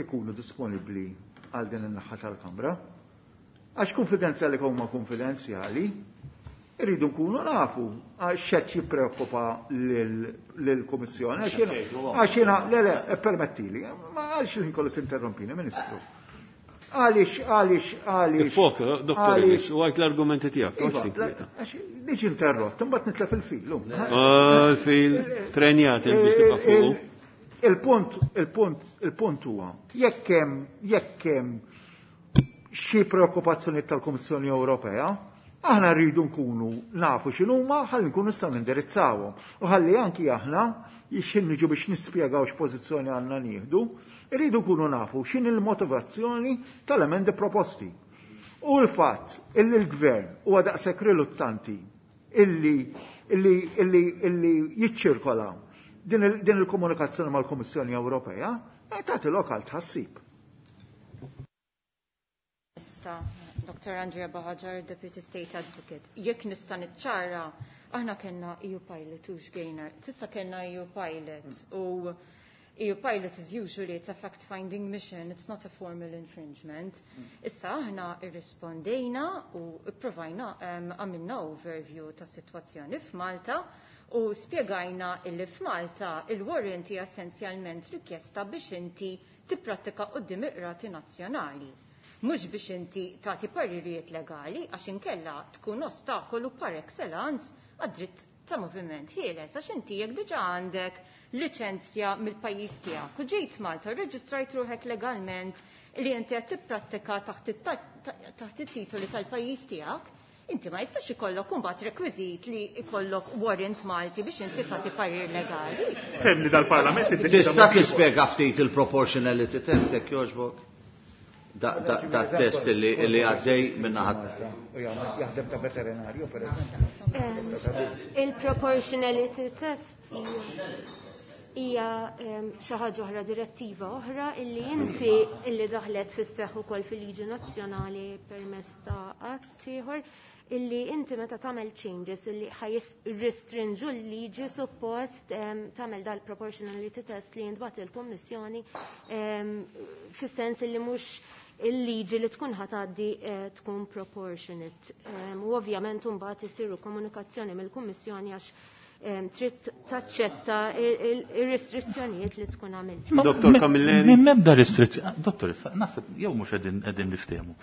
ikunu disponibbli għal din in-naħa tal-Kamra. Għax konfidenzjali huma konfidenzjali, irridu nkunu nafu għax x'qed jippreokkupa lill-Kummissjoni. Għax jiena, le le, permettili, ma għalx inkollu tinterrompini, Ministru. Għalix, għalix, għalix. Fok, Doktor Ellis, u għajt l-argumenti tijak. Diġ interrott, mbagħad nitlef il-fil. Il-fil, trenjat biex tibqa' fuqu. Il-punt, il-punt, il-punt huwa, jekk hemm, jekk hemm xi preokkupazzjoni tal-Kummissjoni Ewropea, aħna rridu nkunu nafu x'inhuma ħalli nkunu nistgħu nindirizzawhom. U ħalli anki aħna x'in niġu biex nispjegaw x'pożizzjoni għandna nieħdu, irridu nkunu nafu x'in il-motivazzjoni tal-emendi proposti. U l-fatt illi l-gvern huwa daqshekk riluttanti illi illi illi illi jiċċirkola din il-komunikazzjoni mal-Kummissjoni Ewropea, tagħti lokal tħassib. Doctor Andrea Buhagiar, Deputy State Advocate. Jekk nista' niċċara, aħna kellna E U Pilot u x'gejna. Tista' kellna E U Pilot u E U Pilot is usually it's a fact-finding mission, it's not a formal infringement. Issa aħna irrispondejna u ipprovajna għamilna overview ta' sitwazzjoni f'Malta u spjegajna illi f'Malta il-warrant hija essenzjalment rikjesta biex inti tipprattika quddiem iqrati nazzjonali. Mhux biex inti tagħti paririjiet legali għax inkella tkun ostakolu par excellence għad-dritt ta' moviment ħieles għax inti jekk diġà għandek liċenzja mill-pajjiż tiegħek u ġejt Malta rreġistrajt ruħek legalment li inti qed tipprattika taħt it-titoli tal-pajjiż tiegħek, inti ma jistax ikollok imbagħad rekwiżit li ikollok warrant Malti biex inti tagħti parir legali. Femni dal-Parlament iddeċida. Tista' tispjega ftit il-proportionality test jekk jogħġbok? Da, da, da test li, li għaddej minna ħadd. Jaħdem ta' veterinarju, per eżempju. Il-proportionality test hija xi ħaġa oħra, direttiva oħra illi inti illi daħlet fis-seħħ ukoll fil-liġi nazzjonali permezz ta' att ieħor illi inti meta tagħmel changes illi ħajrestrinġu l-liġi suppost tagħmel dal-proportionality test li jintbagħat il-Kummissjoni fis-sens illi mhux il-liġi li tkun ħatgħaddi tkun proportionate. U ovvjament imbagħad isiru komunikazzjoni mill-Kummissjoni għax trid taċċetta ir-restrizzjonijiet li tkun għamilt. Dottor Camilleri. Minn mebda restrizzjoni. Dottor, naħseb jew mhux qegħdin niftehmu.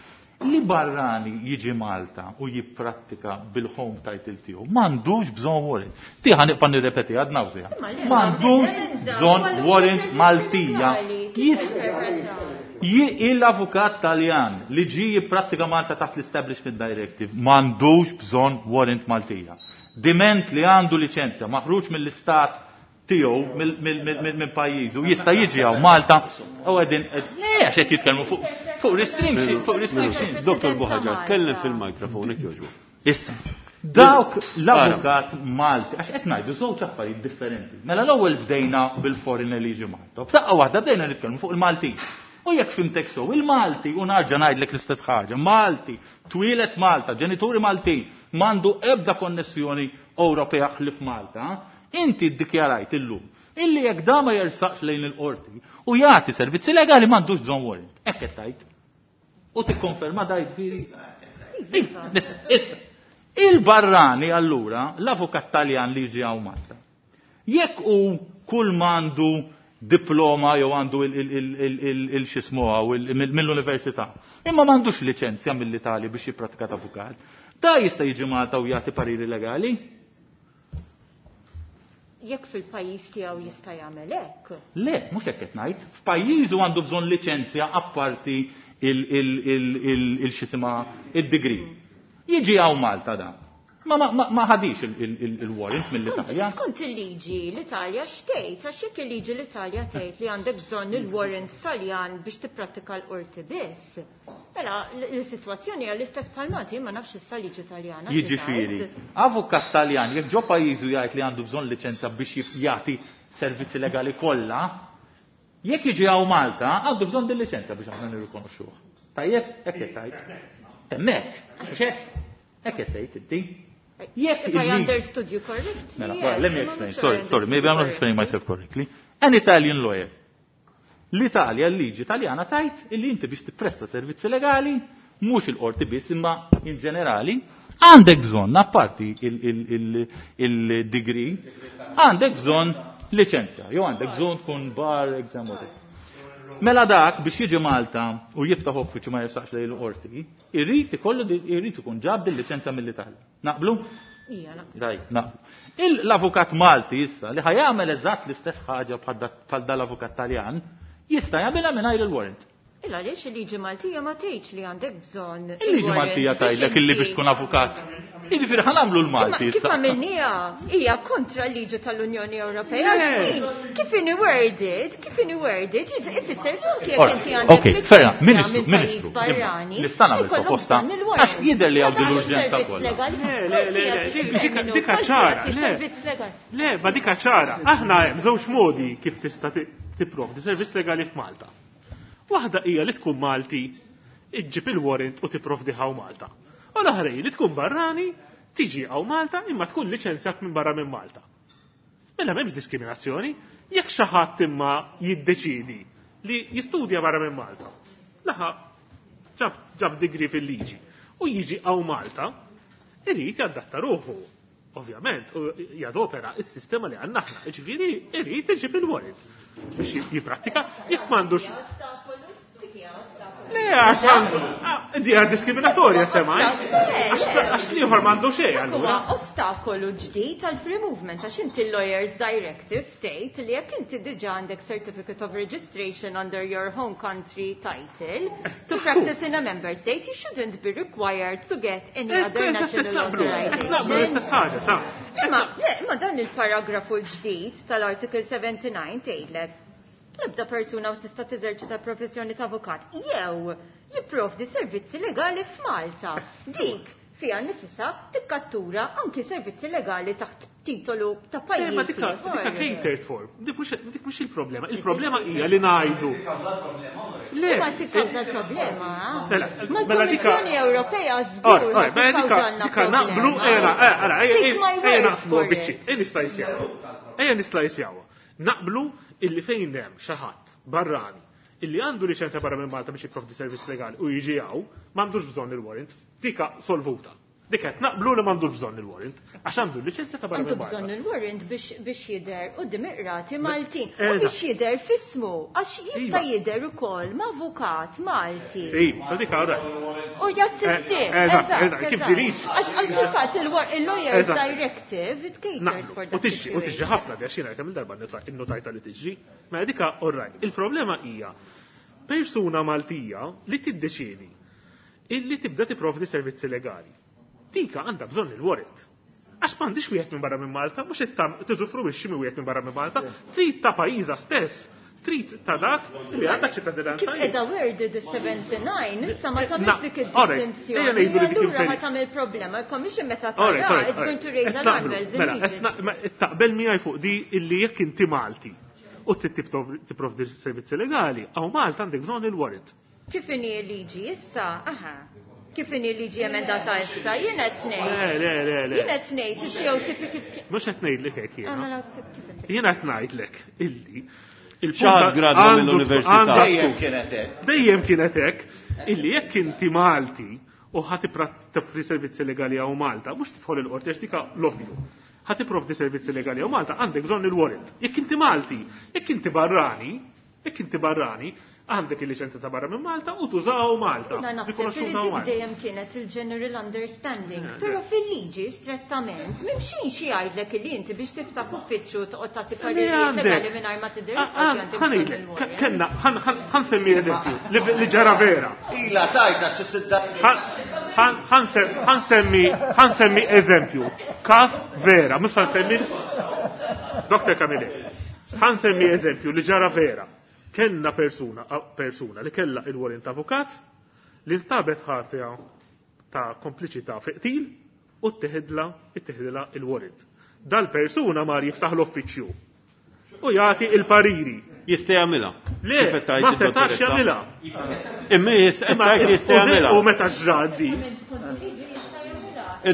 Li barrani jiġi Malta u jipprattika bil-home title tiegħu m'għandux bżonn warrant. Ti ħa nibqa' nirrepeti għad nawżiha. M'għandux bżonn warrant Maltija. Il-avukat Taljan li ġi jipprattika Malta taħt l-Establishment Directive m'għandux bżonn warrant Maltija. Diment li għandu liċenzja maħruġ mill-istat tiegħu minn pajjiżu jista' jiġi hawn Malta u qegħdin le għax qed jitkellmu fuq fuq restriction, fuq restriction. Dottor Buhagiar, tkellem fil-mikrofon jekk jogħġbok. Issa, dawk l-avukat Malti, għax qed ngħidu żewġ affarijiet differenti. Mela l-ewwel bdejna bil-foreign li jiġi Malta. B'daqqa waħda bdejna nitkellmu fuq il-Malti. U jekk fimtek sew, il-Malti, u narġa' ngħidlek l-istess ħaġa, Malti, twieled Malta, ġenituri Maltin, m'għandu ebda konnessjoni Ewropea ħlief Malta, inti ddikjarajt illum illi jekk da ma jersaqx lejn il-qorti u jagħti servizzi legali m'għandux bżonn warrant. Hekk qed tgħid. U tikkonferma da jiġifieri. Issa, issa. Il-barrani allura, l-avukat Taljan li jiġi hawn Malta. Jekk hu kull m'għandu diploma jew għandu il-xismu mill-università. Imma m'għandux liċenzja mill-Italja biex jippratika ta' avukat. Da jista' jiġi Malta u jagħti pariri legali? Jekk fil-pajjiż tiegħu jista' jagħmel hekk? Le, mhux hekk qed ngħid. F'pajjiżu għandu bżonn liċenzja apparti il-xisima id-degree. Jiġi hawn Malta da. Ma ma ma ħadix il-warrant mill-Italja. Skont il-liġi l-Italja x'tgħid, għax jekk il-liġi l-Italja tgħid li għandek bżonn il-warrant Taljan biex tipprattika l-qorti biss. Mela l-sitwazzjoni hija l-istess bħal Malti, ma nafx issa liġi Taljana. Jiġifieri, avukat Taljan jekk ġo pajjiżu jgħid li għandu bżonn liċenzja biex jagħti servizzi legali kollha, jekk jiġi hawn Malta għandu bżonn din liċenzja biex aħna nirrikonoxxuh. Tajjeb, hekk qed tgħid. Hemmhekk, mhux hekk? Hekk qed tgħid inti. Jekk If I understood you correctly. Mela, yes, well, let me explain. Sorry, sorry, maybe I'm not explaining myself correctly. An Italian lawyer. L-Italja, l-liġi Taljana tajt illi inti biex tippresta servizzi legali, mhux il-qorti biss imma in ġenerali, għandek bżonn, apparti il-degree, għandek bżonn liċenzja, jew għandek bżonn tkun bar exam whatever. Mela dak biex jiġi Malta u jiftaħ uffiċċju ma jersaqx lejn il-qorti, irrid ikollu irrid ikun ġab bil-liċenzja mill-Italja. Naqblu? Ija, naqblu. Daj, naqblu. L-avukat Malti issa li ħajamel eżatt l-istess ħaġa bħal dal-avukat Taljan, jista' jagħmilha mingħajr il-warrant. Illa għaliex il-liġi Maltija ma tgħidx li għandek bżonn. Il-liġi Maltija tgħidlek illi biex tkun avukat. Jiġifieri ħa nagħmlu l-Malti. Kif għamilniha hija kontra l-liġi tal-Unjoni Ewropea. Kif inhi worded, kif inhi worded, ifisser anke jekk inti għandek. Ok, ferra, Ministru, Ministru, nista' nagħmel proposta għax jidher li hawn din l-urġenza kollha. Le, le, le, dika ċara. Le, ma dika ċara. Aħna hemm żewġ modi kif tista' tipprovdi servizz legali f'Malta. Waħda hija li tkun Malti, iġġib il-warrant u tipprovdi hawn Malta. U l-oħra li tkun barrani, tiġi hawn Malta imma tkun liċenzjat minn barra minn Malta. Mela m'hemmx diskriminazzjoni, jekk xi ħadd imma jiddeċidi li jistudja barra minn Malta. Laħa ġab ġab degree fil-liġi u jiġi hawn Malta, irid jadatta ruħu. Ovvjament, u jadopera is-sistema li għandna aħna, jiġifieri irid iġib il-warrant biex jipprattika jekk m'għandux. Le, għax għandu, di għad diskriminatorja semaj. Għax l-ieħor m'għandu xejn allura. Huwa ostakolu ġdid tal-free movement għax inti l-Lawyers Directive tgħid li jekk inti diġà għandek certificate of registration under your home country title to practice in a member state, you shouldn't be required to get any other national authorization. Imma, imma dan il-paragrafu l-ġdid tal-Article seventy-nine tgħidlek l-ebda persuna tista' teżerċita professjoni ta' avukat jew jipprovdi servizzi legali f'Malta. Dik fiha nifisha tikkattura anki servizzi legali taħt titolu ta' pajjiż. Ma dika catered for. Dik mhux il-problema. Il-problema hija li ngħidu. Le, ma tikkawża l-problema. Ma l-Kummissjoni Ewropea żgur. Dika naqblu era, ara, ejja naqsmu biċċi. Ejja nislajsjaw. Ejja nislajsjaw. Naqblu illi fejn hemm xi ħadd barrani illi għandu liċenzja barra minn Malta biex jipprovdi servizz legali u jiġi hawn, m'għandux bżonn il-warrant, dika solvuta. Dik qed naqblu li m'għandux bżonn il-warrant, għax għandu liċenzja ta' barra minn Malta. Għandu bżonn il-warrant biex jidher quddiem iqrati Maltin u biex jidher f'ismu għax jista' jidher ukoll ma' avukat Malti. Iva, dika ora. U jassisti. Eżatt, kif ġilix. Għax fil-fatt il-Lawyers Directive it caters for that. U tiġi, u tiġi ħafna għax jiena kemm il-darba innotajta li tiġi. Ma dika all right. Il-problema hija persuna Maltija li tiddeċiedi illi tibda tipprovdi servizzi legali. Dika għandha bżonn il-warrant. Għax m'għandix wieħed minn barra minn Malta, mhux tiżufruwixxi minn wieħed minn barra minn Malta, trid ta' pajjiżha stess, trid ta' dak li għandha ċittadinanza. Kif qiegħda worded is-seventy-nine, issa ma tagħmilx dik id-distinzjoni. Allura ħa tagħmel problema, il-Commission meta tara, it's going to raise alarm bells immediately. Taqbel miegħi fuq di illi jekk inti Malti u tipprovdi servizzi legali, hawn Malta għandek bżonn il-warrant. Kif inhi l-liġi issa? Aha. Kif inhi l-liġi emendata issa? Jien qed ngħid. Le, le, le, le. Jien qed ngħid is-C O T P kif Mhux qed ngħidlek hekk jiena. Jien qed ngħidlek illi il-ċaħat gradwa mill-università. Dejjem kienet hekk. Dejjem kienet hekk illi jekk inti Malti u ħa tipprovdi servizzi legali hawn Malta, mhux tidħol il-qorti għax dika l-ovvju. Ħa tipprovdi servizzi legali hawn Malta għandek bżonn il-warrant. Jekk inti Malti, jekk inti barrani, jekk inti barrani, għandek il-liċenzja ta' barra minn Malta u tużaw Malta. Jiena naħseb li dik dejjem kienet il-general understanding, però fil-liġi strettament m'hemmx xi jgħidlek li inti biex tiftaħ uffiċċju toqgħod tagħti paririjiet legali mingħajr ma tidher. Kellna, ħa nsemmi eżempju li ġara vera. Ila tajta xi sidda. Ħa nsemmi ħa nsemmi eżempju. Kas vera, mhux ħa nsemmi Doktor Camilleri. Ħa nsemmi eżempju li ġara vera. Kellna persuna, persuna li kella il-warrant avukat li nstabet ħatja ta' kompliċità fi qtil u tteħidla itteħidla il-warrant. Dal-persuna mar jiftaħ l-uffiċċju u jagħti il-pariri. Jista' jagħmilha. Le, ma setax jagħmilha. Imma jista' jista' jagħmilha. U meta ġradi.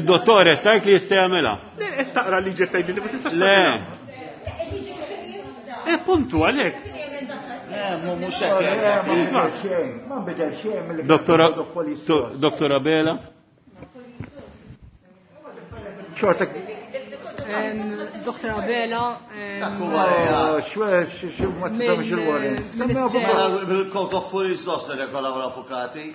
Id-dottor qed tgħid li jista' jagħmilha. Le, qed taqra liġi tgħid li ma tistax. Le. Eh, puntu għalhekk. Mhux qed Ma nbidel xejn mill Doktor Abela. Xorta. Doktor Abela. Xwe, ma tisamx il-warrant. Bil-Code of Police Laws nirregolaw l-avukati.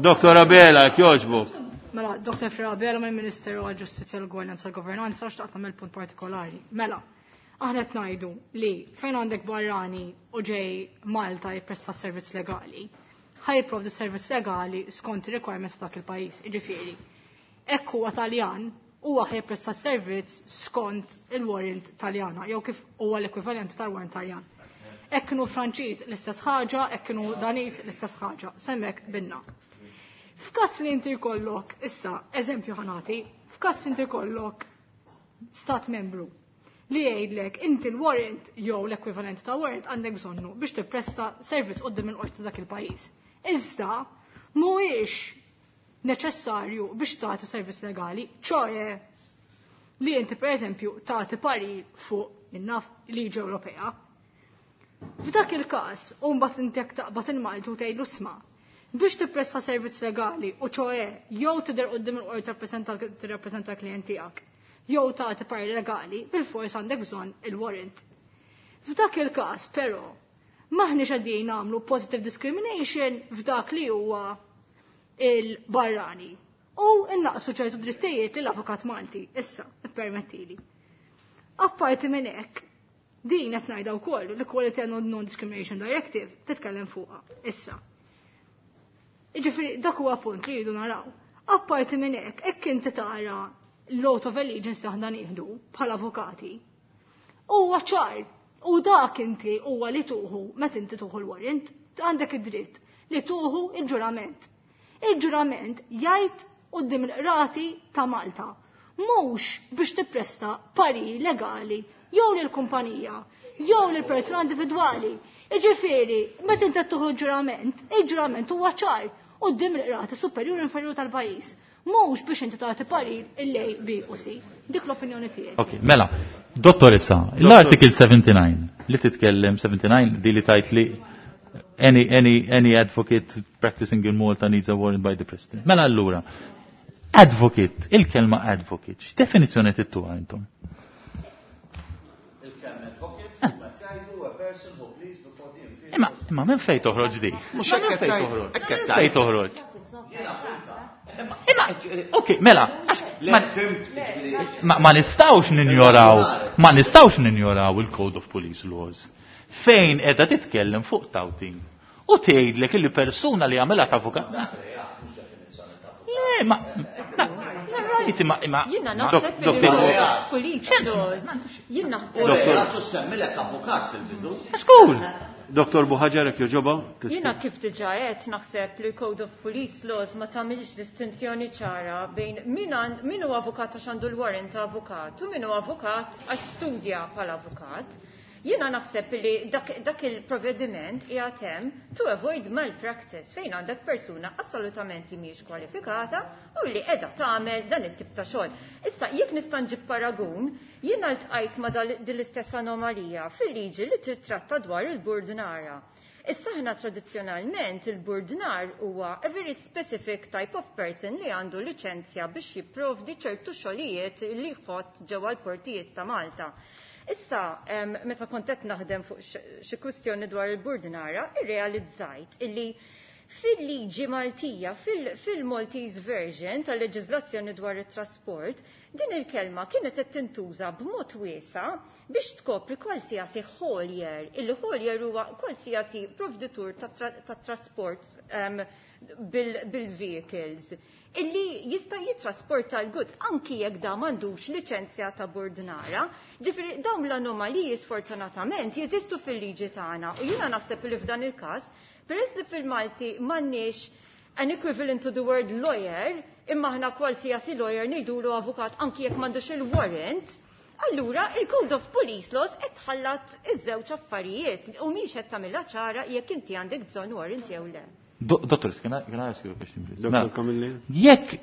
Doktor Abela, kjoġbok. Mela, Doktor Frera Abela mill-Ministeru għal-Ġustizzja, l-Ugwaljanza, l-Governanza, xtaqt nagħmel punt partikolari. Mela, Aħna qed ngħidu li fejn għandek barrani u ġej Malta jippresta servizz legali, ħa jipprovdi servizz legali skont ir-requirements ta' dak il-pajjiż. Jiġifieri, hekk huwa Taljan, huwa ħa jippresta servizz skont il-warrant Taljana, jew kif huwa l-ekwivalent tal-warrant Taljan. Hekk kienu Franċiż l-istess ħaġa, hekk kienu Daniż l-istess ħaġa, s'hemmhekk qbilna. F'każ li inti jkollok, issa, eżempju ħa nagħti, f'każ inti jkollok stat membru li jgħidlek inti l-warrant jew l-ekwivalent ta' warrant għandek bżonnu biex tippresta servizz quddiem il-qorti dak il-pajjiż. Iżda mhuwiex neċessarju biex tagħti servizz legali, ċoe li inti pereżempju tagħti parir fuq in-naf liġi Ewropea. F'dak il-każ, u mbagħad inti jekk taqbad il-Malti u tgħidlu sma' biex tippresta servizz legali u ċoe jew tidher quddiem il-qorti tirrappreżenta l-klijent tiegħek, jew tagħti parir legali, bil-fors għandek bżonn il-warrant. F'dak il-każ, però, maħniex qegħdin nagħmlu positive discrimination f'dak li huwa il-barrani. U innaqsu ċertu drittijiet lill-avukat Malti, issa, ippermettili. Apparti minn hekk, din qed ngħidha wkoll l-Equality and Non-Discrimination Directive titkellem fuqha. Issa. Jiġifieri dak huwa punt li jridu naraw. Apparti minn hekk, hekk inti tara l-oath of allegiance li aħna nieħdu bħala avukati. Huwa ċar, u dak inti huwa li tieħu meta inti tieħu l-warrant, għandek id-dritt li tieħu il-ġurament. Il-ġurament jgħid quddiem il-qrati ta' Malta. Mhux biex tippresta parir legali jew lill-kumpanija, jew lil persuna individwali. Jiġifieri, meta inti tieħu ġurament, il-ġurament huwa ċar quddiem il-qrati superjuri u inferjuri tal-pajjiż. Mhux biex inti tagħti parir il-A, B u C. Dik l-opinjoni tiegħi. Ok, mela, dottoressa, l-article seventy-nine li titkellem seventy-nine di li tajt li any, any, any advocate practicing in Malta needs a warrant by the president. Mela allura, advocate, il-kelma advocate, x'definizzjoni tittuha intom? Il-kelma advocate, huwa tgħidu a person who pleads before the inferior. Imma, imma minn fejn toħroġ di? Mhux Ma minn hekk fejn qed toħroġ? tgħid, hekk qed Minn fejn tgħid. toħroġ? Imma, ok, mela, għax, ma, ma, ma nistawx ninjoraw, ma nistawx ninjoraw il-Code of Police Laws. Fejn edha titkellem fuq touting. U tgħidlek illi persuna li għamilha ta' avukat. Le, ma, ma, rajt, imma, imma. Jiena ma- naħseb Dok- li Dok- police laws. Jien naħseb. U reat u semmilek avukat fil-bidu. Skul. Doktor Buhaġar, jekk jogħġobha? Jiena kif diġà qed naħseb li Code of Police Laws ma tagħmilx distinzjoni ċara bejn min għand- min hu avukat għax għandu l-warrant ta' avukat u min hu avukat għax studja bħala avukat. Jiena naħseb li dak, dak il-provvediment qiegħed hemm to avoid malpractice fejn għandek persuna assolutament li mhijiex kwalifikata u li qiegħda tagħmel dan it-tip ta' xogħol. Issa jekk nista' nġib paragun, jiena ltqajt ma' dal- din l-istess anomalija fil-liġi li titratta dwar il-burdnara. Issa ħna tradizzjonalment il-burdnar huwa a very specific type of person li għandu liċenzja biex jipprovdi ċertu xogħlijiet li jħott ġewwa l-portijiet ta' Malta. Issa, em, meta kont qed naħdem fuq x- xi kwistjoni dwar il-burdnara, irrealizzajt illi fil-liġi Maltija, fil- fil-Maltese version tal-leġiżlazzjoni dwar it-trasport, din il-kelma kienet qed tintuża b'mod wiesa biex tkopri qualsiasi haulier. Il-haulier huwa qualsiasi provditur ta' tra- ta' trasport em, bil- bil-vehicles illi jista' jitrasporta l-goods anki jekk da m'għandux liċenzja ta' burdnara. Ġifieri dawn l-anomaliji sfortunatament jeżistu fil-liġi tagħna u jiena naħseb li f'dan il-każ peress li fil-Malti m'għandniex an equivalent to the word lawyer, imma aħna qualsiasi lawyer ngħidulu avukat anki jekk m'għandux il-warrant, allura il-Code of Police Laws qed tħallat iż-żewġ affarijiet u mhix qed tagħmilha ċara jekk inti għandek bżonn warrant jew le. Do- Dottor, can I, can I ask you a question, please? Dr. Mela, Camilleri? Jekk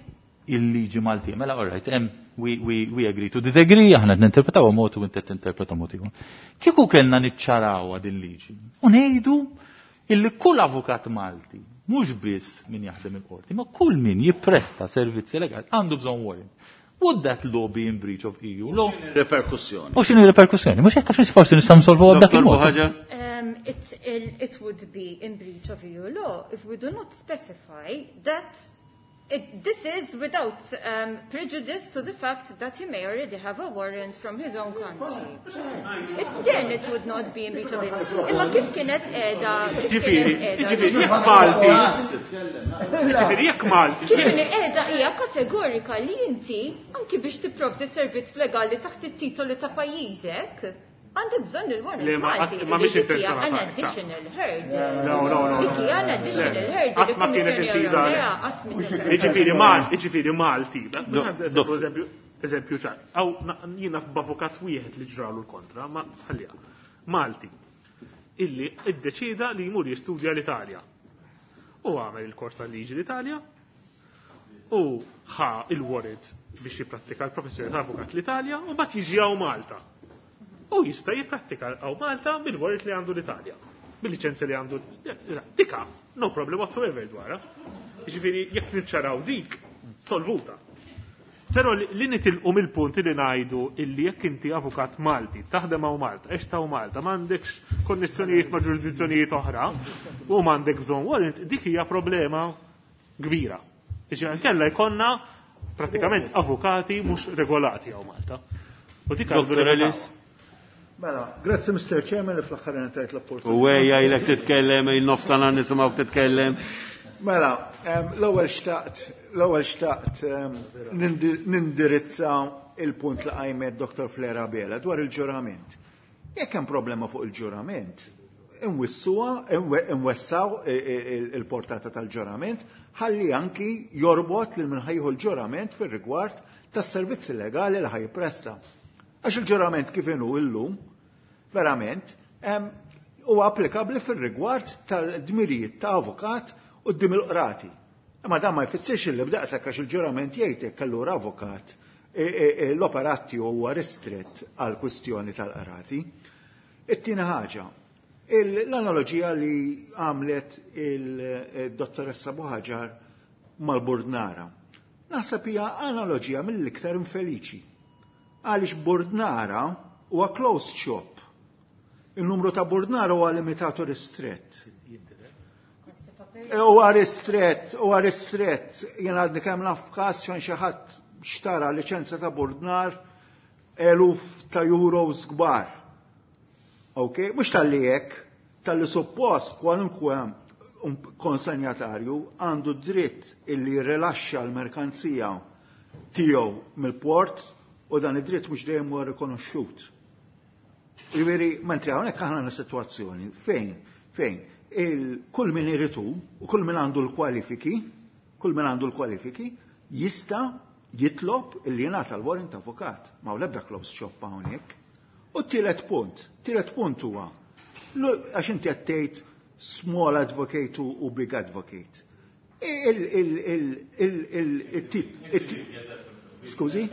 il-liġi Malti, mela, all right, em, we, we, we agree to disagree, aħna ninterpretaw mod u inti tinterpreta mod ieħor. Kieku kellna niċċaraw din liġi u ngħidu illi kull avukat Malti, mhux biss min jaħdem il-qorti, ma kull min jippresta servizzi legali għandu bżonn warrant. Would that law be in breach of E U law? Reperkussjoni. U x'inhi reperkussjoni? Mhux hekk għax forsi nistgħu nsolvu dak Dr. il-mod. Buhaġar? Um, it, it, it would be in breach of E U law if we do not specify that It, this is without um, prejudice to the fact that he may already have a warrant from his own country. It, then it would not be in breach of it. Imma kif kienet qiegħda kif Ġifieri, kienet qiegħda ġifieri jekk Malti. Ġifieri jekk Malti. Kif inhi qiegħda hija kategorika li inti anki biex tipprovdi servizz legali taħt it-titoli ta' pajjiżek, għandek bżonn Le, il-warrant ma- Malti. ma mhix Dik hija intenzjonata, an ta' additional hurdle. No, no, no. Dik hija an additional hurdle. Qatt ma kienet Il-Kummissjoni intiża Ewropea qatt mi Jiġifieri Mal, jiġifieri Malti. Do- Eżempju, eżempju, eżempju ċar. Aw jiena f'avukat wieħed li ġralu l-kontra, ma ħalliha. Malti. Illi iddeċida li jmur jistudja l-Italja. U għamel il-kors tal-liġi l-Italja u ħa il-warrant biex jipprattika l-professjoni ta' avukat l-Italja u mbagħad jiġi hawn Malta. U jista' jipprattika hawn Malta bil-warrant li għandu l-Italja. Bil-liċenzja li għandu. Dika, no problem whatsoever dwarha. Jiġifieri jekk niċċaraw dik, solvuta. Però li li nitilqu mill-punt li ngħidu illi jekk inti avukat Malti, taħdem hawn Malta, għext hawn Malta, m'għandekx konnessjonijiet ma' ġurisdizzjonijiet oħra u m'għandek bżonn warrant, dik hija problema kbira. Jiġifieri nkella jkollna pratikament avukati mhux regolati hawn Malta. U dik għandu Dr. Ellis. Mela, grazzi Mr. Chairman li fl-aħħar ngħatajt l-opportunità. U ejja ilek titkellem, il-nofsana nisimgħu titkellem. Mela, em, l-ewwel xtaqt, l-ewwel xtaqt em, nindi- nindirizza il-punt li qajmet Dr. Flera Bela dwar il-ġurament. Jekk hemm problema fuq il-ġurament, inwissuha, inwe- inwessaw i- i- il-portata tal-ġurament, ħalli anki jorbot lil min ħa jieħu l-ġurament fir-rigward tas-servizzi legali li ħa jippresta. Għax il-ġurament kif inhu illum, verament, em, huwa applikabbli fir-rigward tal-dmirijiet ta' avukat quddiem il-qrati. Imma dan ma jfissirx li b'daqshekk għax il-ġurament jgħid hekk allura avukat e, e, e, l-operat tiegħu huwa ristrett għal kwistjoni tal-qrati. It-tieni ħaġa, il- l-analogija li għamlet il-dottoressa Buħaġar mal-Burdnara. Naħseb hija analogija mill-iktar infeliċi. Għaliex Burdnara huwa closed shop. Il-numru ta' Burdnara huwa limitat u ristrett. Huwa ristrett, huwa ristrett. Jien għadni kemm naf każ xan xi ħadd xtara liċenza ta' Burdnar eluf ta' euros kbar. Ok, mhux talli hekk, talli suppost kwalunkwe konsenjatarju għandu dritt illi rilaxxa l-merkanzija tiegħu mill-port u dan id-dritt mhux dejjem huwa rikonoxxut. Jiġifieri, mentri hawnhekk aħna għandna sitwazzjoni fejn fejn il kull min irid u kull min għandu l-kwalifiki, kull min għandu l-kwalifiki jista' jitlob illi jingħata l-warrant avukat. Ma l-ebda closed shop hawnhekk. U t-tielet punt, tielet punt huwa l- għax inti qed tgħid small advocate u u big advocate. Il il il il il il-tip Skużi?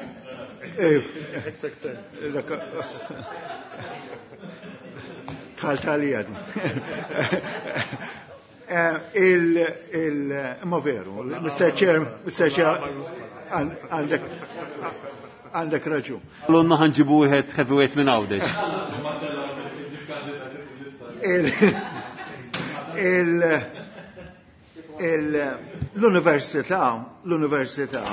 Eh, dak- Tal-talija di. Eh, Il, il, ma veru, Mr. Chair, Mr. Chair, għandek, għandek raġun. L-onna ħa nġibu wieħed heavyweight minn Għawdex. Il, il, il, l-università, l-università,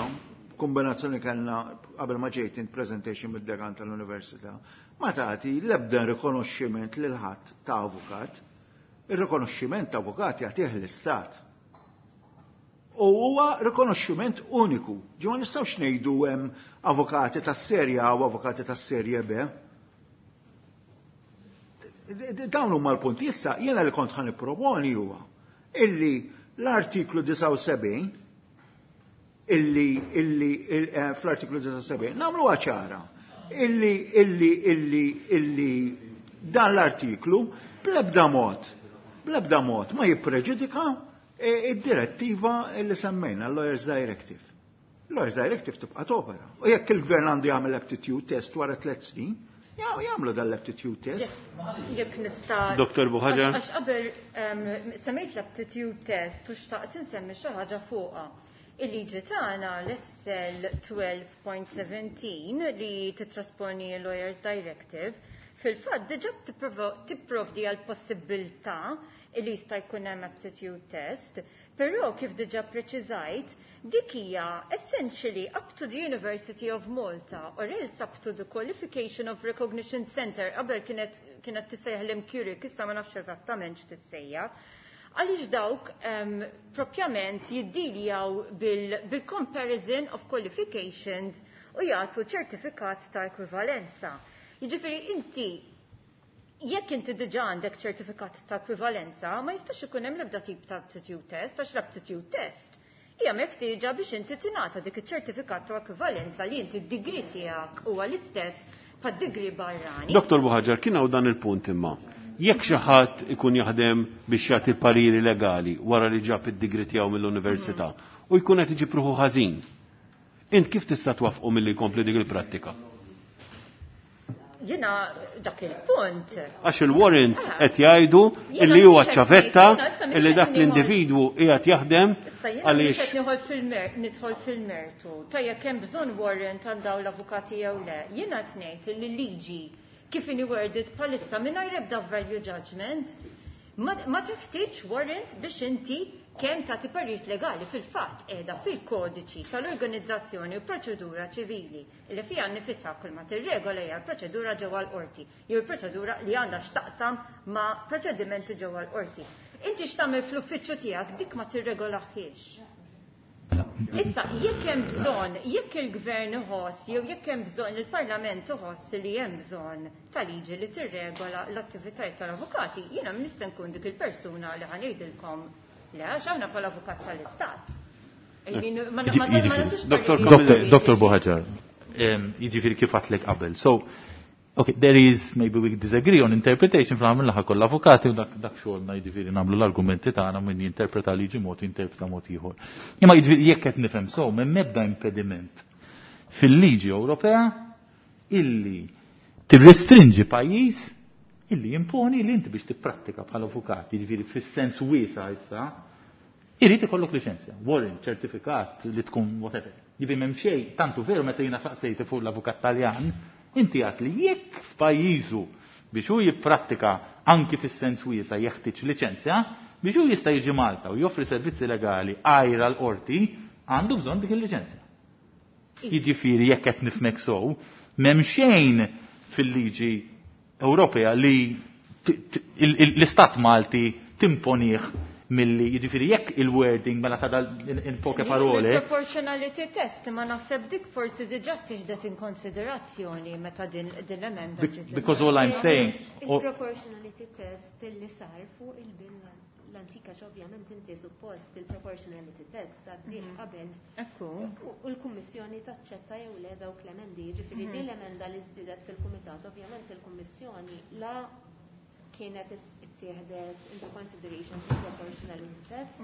kombinazzjoni kellna qabel ma ġejt in presentation mid-dekan tal-università, ma tagħti l-ebda rikonoxximent lil ħadd ta' avukat. Ir-rikonoxximent ta' avukat jagħtih l-istat. U huwa rikonoxximent uniku. Ġi ma nistgħux ngħidu hemm avukati tas-serje A u avukati tas-serje B. Dawn huma l-punti issa jiena li kont ħa nipproponi huwa illi l-artiklu disgħa u sebgħin illi illi il- eh, fl-artiklu disgħa u sebgħin nagħmluha ċara illi illi illi illi dan l-artiklu bl-ebda mod bl-ebda mod ma jippreġudika eh, id-direttiva illi semmejna l-Lawyers Directive. Lawyers Directive tibqa' topera. U jekk il-gvern għandu jagħmel aptitude test wara tliet snin, ja- jagħmlu dan l-aptitude test. Jekk nista' Dr. Buħaġar. Għax qabel em, semmejt l-aptitude test u xtaqt insemmi xi ħaġa fuqha. Il-liġi tagħna l-SL tnax punt sittax li titrasponi l-Lawyers Directive Fil-fatt diġà tipprovdi għal possibilità li jista' jkun hemm aptitude test, però kif diġà preċiżajt, dik hija essentially up to the University of Malta or else up to the Qualification of Recognition Center, qabel kienet kienet tissejjaħ l-MQRIC, issa ma nafx eżattament x'tissejjaħ. Għaliex dawk um, propjament jiddiljaw bil-comparison bil of qualifications u jagħtu ċertifikat ta' ekwivalenza. Jiġifieri inti jekk inti diġà għandek ċertifikat ta' ekwivalenza, ma jistax ikun hemm l-ebda tip ta' aptitude test, għax l-aptitude test hija meħtieġa biex inti tingħata dik iċ-ċertifikat ta' ekwivalenza li inti d-degree tiegħek huwa l-istess pad-degree barrani. Dottor Buhaġar, kien hawn dan il-punt imma. Jekk xi ħadd ikun jaħdem biex jagħti pariri legali wara li ġab id-degree tiegħu mill-università u jkun qed iġib ruħu ħażin, int kif tista' twaffqu milli jkompli dik il-prattika? Jiena dak il-punt. Għax il-warrant qed jgħidu illi huwa ċavetta illi dak l-individwu qiegħed jaħdem għaliex. Qed nidħol fil-mertu. Ta' jekk hemm bżonn warrant għal dawn l-avukati jew le. Jiena qed ngħid li liġi kif inhi worded bħalissa mingħajr ebda value judgment ma teħtieġ warrant biex inti kemm tagħti parir legali. Fil-fatt qiegħda fil-kodiċi tal-organizzazzjoni u proċedura ċivili li fiha nifisha kull ma tirregola hija l-proċedura ġewwa l-qorti jew il-proċedura li għandha x'taqsam ma' proċedimenti ġewwa l-qorti. Inti x'tagħmel fl-uffiċċju tiegħek dik ma tirregolaħiex. Issa, jekk hemm bżonn, jekk il-gvern iħoss jew jekk hemm bżonn il-Parlament iħoss li hemm bżonn ta' liġi li tirregola l-attivitajiet tal-avukati, jiena nista' nkun dik il-persuna li ħa ngħidilkom le, għax aħna bħala avukat tal-Istat. Dottor Buhaġar, jiġifieri kif għedtlek qabel. So, okay, there is, maybe we disagree on interpretation, fl laħa koll avukati u dak, dak xogħolna jiġifieri nagħmlu l-argumenti tagħna min jinterpreta liġi mod u jinterpreta mod ieħor. Imma jiġifieri jekk qed nifhem so, m'hemm ebda impediment fil-liġi Ewropea illi tirrestrinġi pajjiż illi jimponi li inti biex tipprattika bħala avukat, jiġifieri fis-sens wiesa' issa, irid ikollok liċenzja, warrant, ċertifikat li tkun whatever. Jiġifieri m'hemm xejn, tantu veru meta jiena saqsejti fuq l-avukat Taljan, inti għat li jekk f'pajjiżu biex hu jipprattika anki fis-sens wiesa' jeħtieġ liċenzja, biex hu jista' jiġi Malta u joffri servizzi legali għajra l-qorti, għandu bżonn dik il-liċenzja. Jiġifieri jekk qed nifhmek sew, m'hemm xejn fil-liġi Ewropea li l-Istat Malti timponih milli jiġifieri jekk il-wording mela ta' in poche parole. Il-proportionality test ma naħseb dik forsi diġà tieħdet in konsiderazzjoni meta din l-emenda ġiet. Because all I'm saying. Il-proportionality test li sar fuq il-bill l-antika, ovvjament inti suppost il-proportionality test għaddih qabel. Ekku. U l-Kummissjoni taċċetta jew le dawk l-emendi, jiġifieri din l-emenda li żdiedet fil-Kumitat, ovvjament il-Kummissjoni la kienet ittieħdet into consideration fil-proportionality test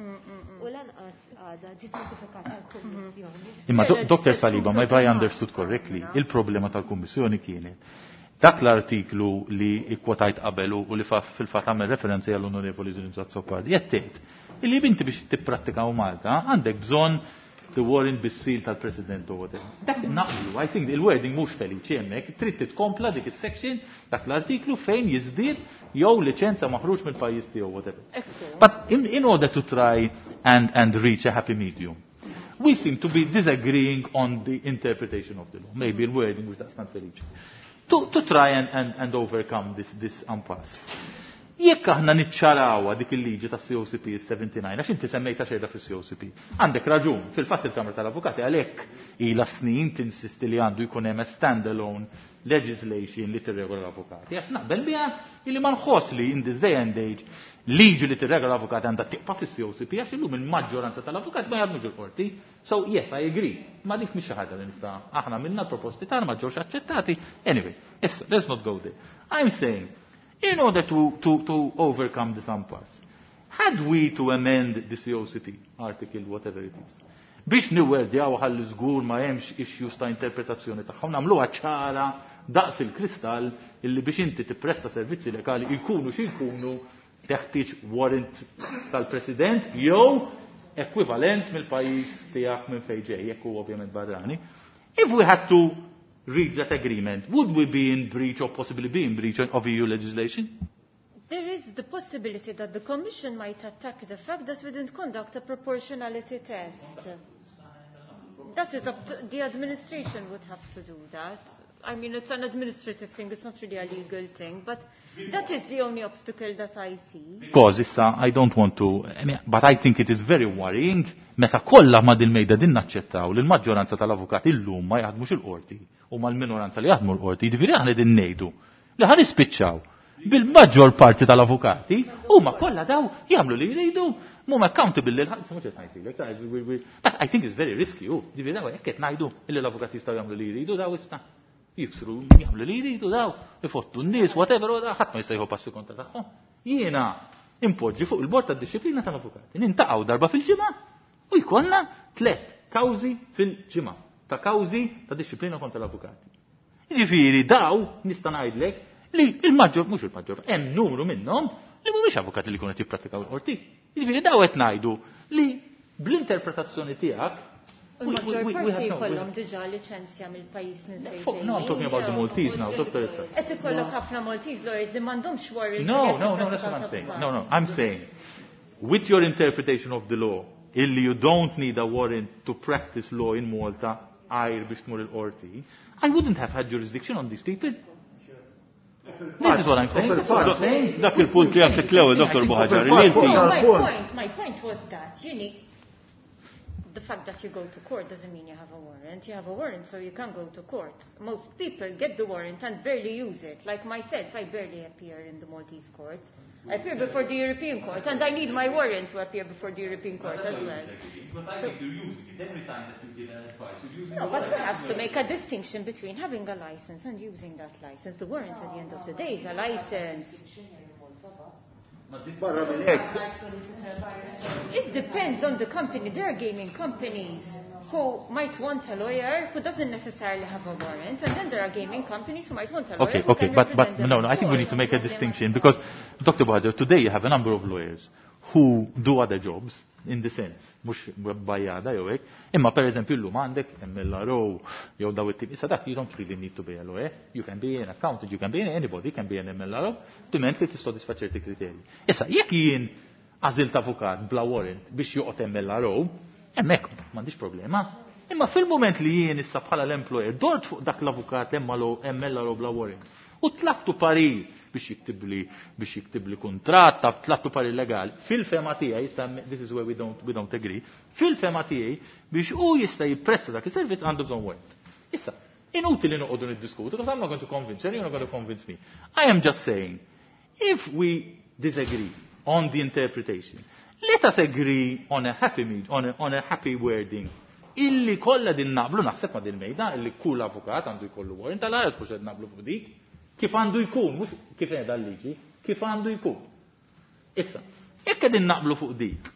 u lanqas għadha ġiet notifikata l-Kummissjoni. Imma Dottor Saliba, ma if I understood correctly, il-problema tal-Kummissjoni kienet dak l-artiklu li ikkwotajt qabel u li fil-fatt għamel referenza għall-Onorevoli Zrinzo Azzopardi, jettet illi binti biex tipprattika u Malta għandek bżonn the warrant bis-seal tal-President u whatever. Dak naqblu, I think il-wording mhux feliċi hemmhekk, trid titkompla dik is-section, dak l-artiklu fejn jiżdied jew liċenza maħruġ mill-pajjiż tiegħu whatever. But in, in order to try and, and reach a happy medium, we seem to be disagreeing on the interpretation of the law. Maybe il-wording mhux daqstant feliċi. To, to try and, and, and overcome this, this impasse. Jekk aħna niċċarawha dik il-liġi ta' C O C P seventy-nine, għax inti semmejta xejda fis-C O C P. Għandek raġun, fil-fatt il-Kamra tal-Avukati għalhekk ilha snin tinsisti li għandu jkun hemm standalone legislation li tirregola l-avukati. Għax naqbel biha illi ma nħoss li in this day and age liġi li tirregola l-avukati għandha tibqa' fis-C O C P, għax illum il-maġġoranza tal-avukati ma jaħdmux il-qorti. So yes, I agree. Ma dik mhix xi ħaġa li nista' aħna minna l-proposti tagħna ma ġewx aċċettati. Anyway, issa let's not go there. I'm saying, in order to, to, to overcome this impasse, had we to amend the C O C P article, whatever it is, biex niwerdjaw ħalli żgur ma hemmx issues ta' interpretazzjoni tagħhom, nagħmluha ċara daqs il-kristall illi biex inti tippresta servizzi legali jkunu xi jkunu teħtieġ warrant tal-President jew ekwivalent mill-pajjiż tiegħek minn fejn ġej, jekk hu ovvjament barrani. If we had to reads that agreement, would we be in breach or possibly be in breach of E U legislation? There is the possibility that the Commission might attack the fact that we didn't conduct a proportionality test. That is up to the administration would have to do that. I mean, it's an administrative thing, it's not really a legal thing, but that is the only obstacle that I see. Because issa, I don't want to, I mean, but I think it is very worrying meta kollha ma' dil-mejda din naċċettaw li l-maġġoranza tal-avukati illum ma jaħdmux il-qorti u mal-minoranza li jaħdmu l-qorti, jiġifieri aħna din ngħidu li ħa nispiċċaw bil-maġġor parti tal-avukati huma kollha daw jagħmlu li jridu, mhum accountable lil ħadd, mhux qed ngħidlek, but I think it's very risky, hu, jiġifieri daw hekk qed ngħidu illi l-avukati jistgħu jagħmlu li jridu daw issa. Jiksru, jagħmlu li jridu daw, ifottu n-nies, whatever, u ħadd ma jista' jieħu passi kontra tagħhom. Jiena impoġġi fuq il-bord tad-dixxiplina tal-avukati. Nintaqgħu darba fil-ġimgħa u jkollna tliet kawżi fil-ġimgħa ta' kawżi ta' dixxiplina kontra l-avukati. Jiġifieri daw nista' ngħidlek li il-maġġor, mhux il-maġġor, hemm numru minnhom li mhumiex avukati li jkunu qed jipprattikaw il-qorti. Jiġifieri daw qed ngħidu li bl-interpretazzjoni tiegħek U l-maġġor parti jkollhom diġà liċenzja mill-pajjiż minn fejn. No, I'm talking about the Maltese now, Doctor Issa. Qed ikollok ħafna Maltese lawyers li m'għandhomx warrant. No, no, no, that's what I'm saying. No, no, I'm saying with your interpretation of the law, illi you don't need a warrant to practice law in Malta, għajr biex tmur il-qorti, I wouldn't have had jurisdiction on these people. This is what I'm saying. This is what I'm saying. Dak il-punt li għamlek l-ewwel, Doctor Buhagiar, li inti. No, my point, my point was that you need the fact that you go to court doesn't mean you have a warrant. You have a warrant so you can go to court. Most people get the warrant and barely use it. Like myself, I barely appear in the Maltese courts. I appear before the European Court, and I need my warrant to appear before the European Court as well. Because I think you're using it every time that you give an advice. You're using No, but we have to make a distinction between having a license and using that license. The warrant at the end of the day is a license. It depends on the company. There are gaming companies who might want a lawyer who doesn't necessarily have a warrant, and then there are gaming companies who might want a lawyer. Okay, who okay, can but, but represent them no, no, I think we need to make a distinction because, Doctor Buhagiar, today you have a number of lawyers who do other jobs in the sense, mhux bajjada jew hekk, imma per eżempju llum għandek M L R O jew daw it-tip, issa dak you don't really need to be a lawyer, you can be an accountant, you can be anybody, can be an M L R O, diment li tissodisfa ċerti kriterji. Issa, jekk jien għażilt avukat bla warrant biex joqgħod M L R O, hemmhekk m'għandix problema. Imma fil-moment li jien issa bħala l-employer dort fuq dak l-avukat M L R O bla warrant u tlabtu parir biex jiktibli, biex jiktibli kuntratt, tlabtu parir legali. Fil-fema tiegħi, issa this is where we don't, we don't agree, fil-fema tiegħi biex hu jista' jippresta dak is-servizz għandu bżonn warrant. Issa, inutili noqogħdu niddiskutu, because I'm not going to convince you, you're not going to convince me. I am just saying, if we disagree on the interpretation, let us agree on a happy meet, on a, on a happy wording. Illi kollha din naqblu naħseb ma' din mejda, illi kull avukat għandu jkollu warrant, tal-għares mhux qed naqblu fuq dik. Kif għandu jkun, mhux kif qiegħda l-liġi, kif għandu jkun. Issa, jekk qegħdin naqblu fuq dik,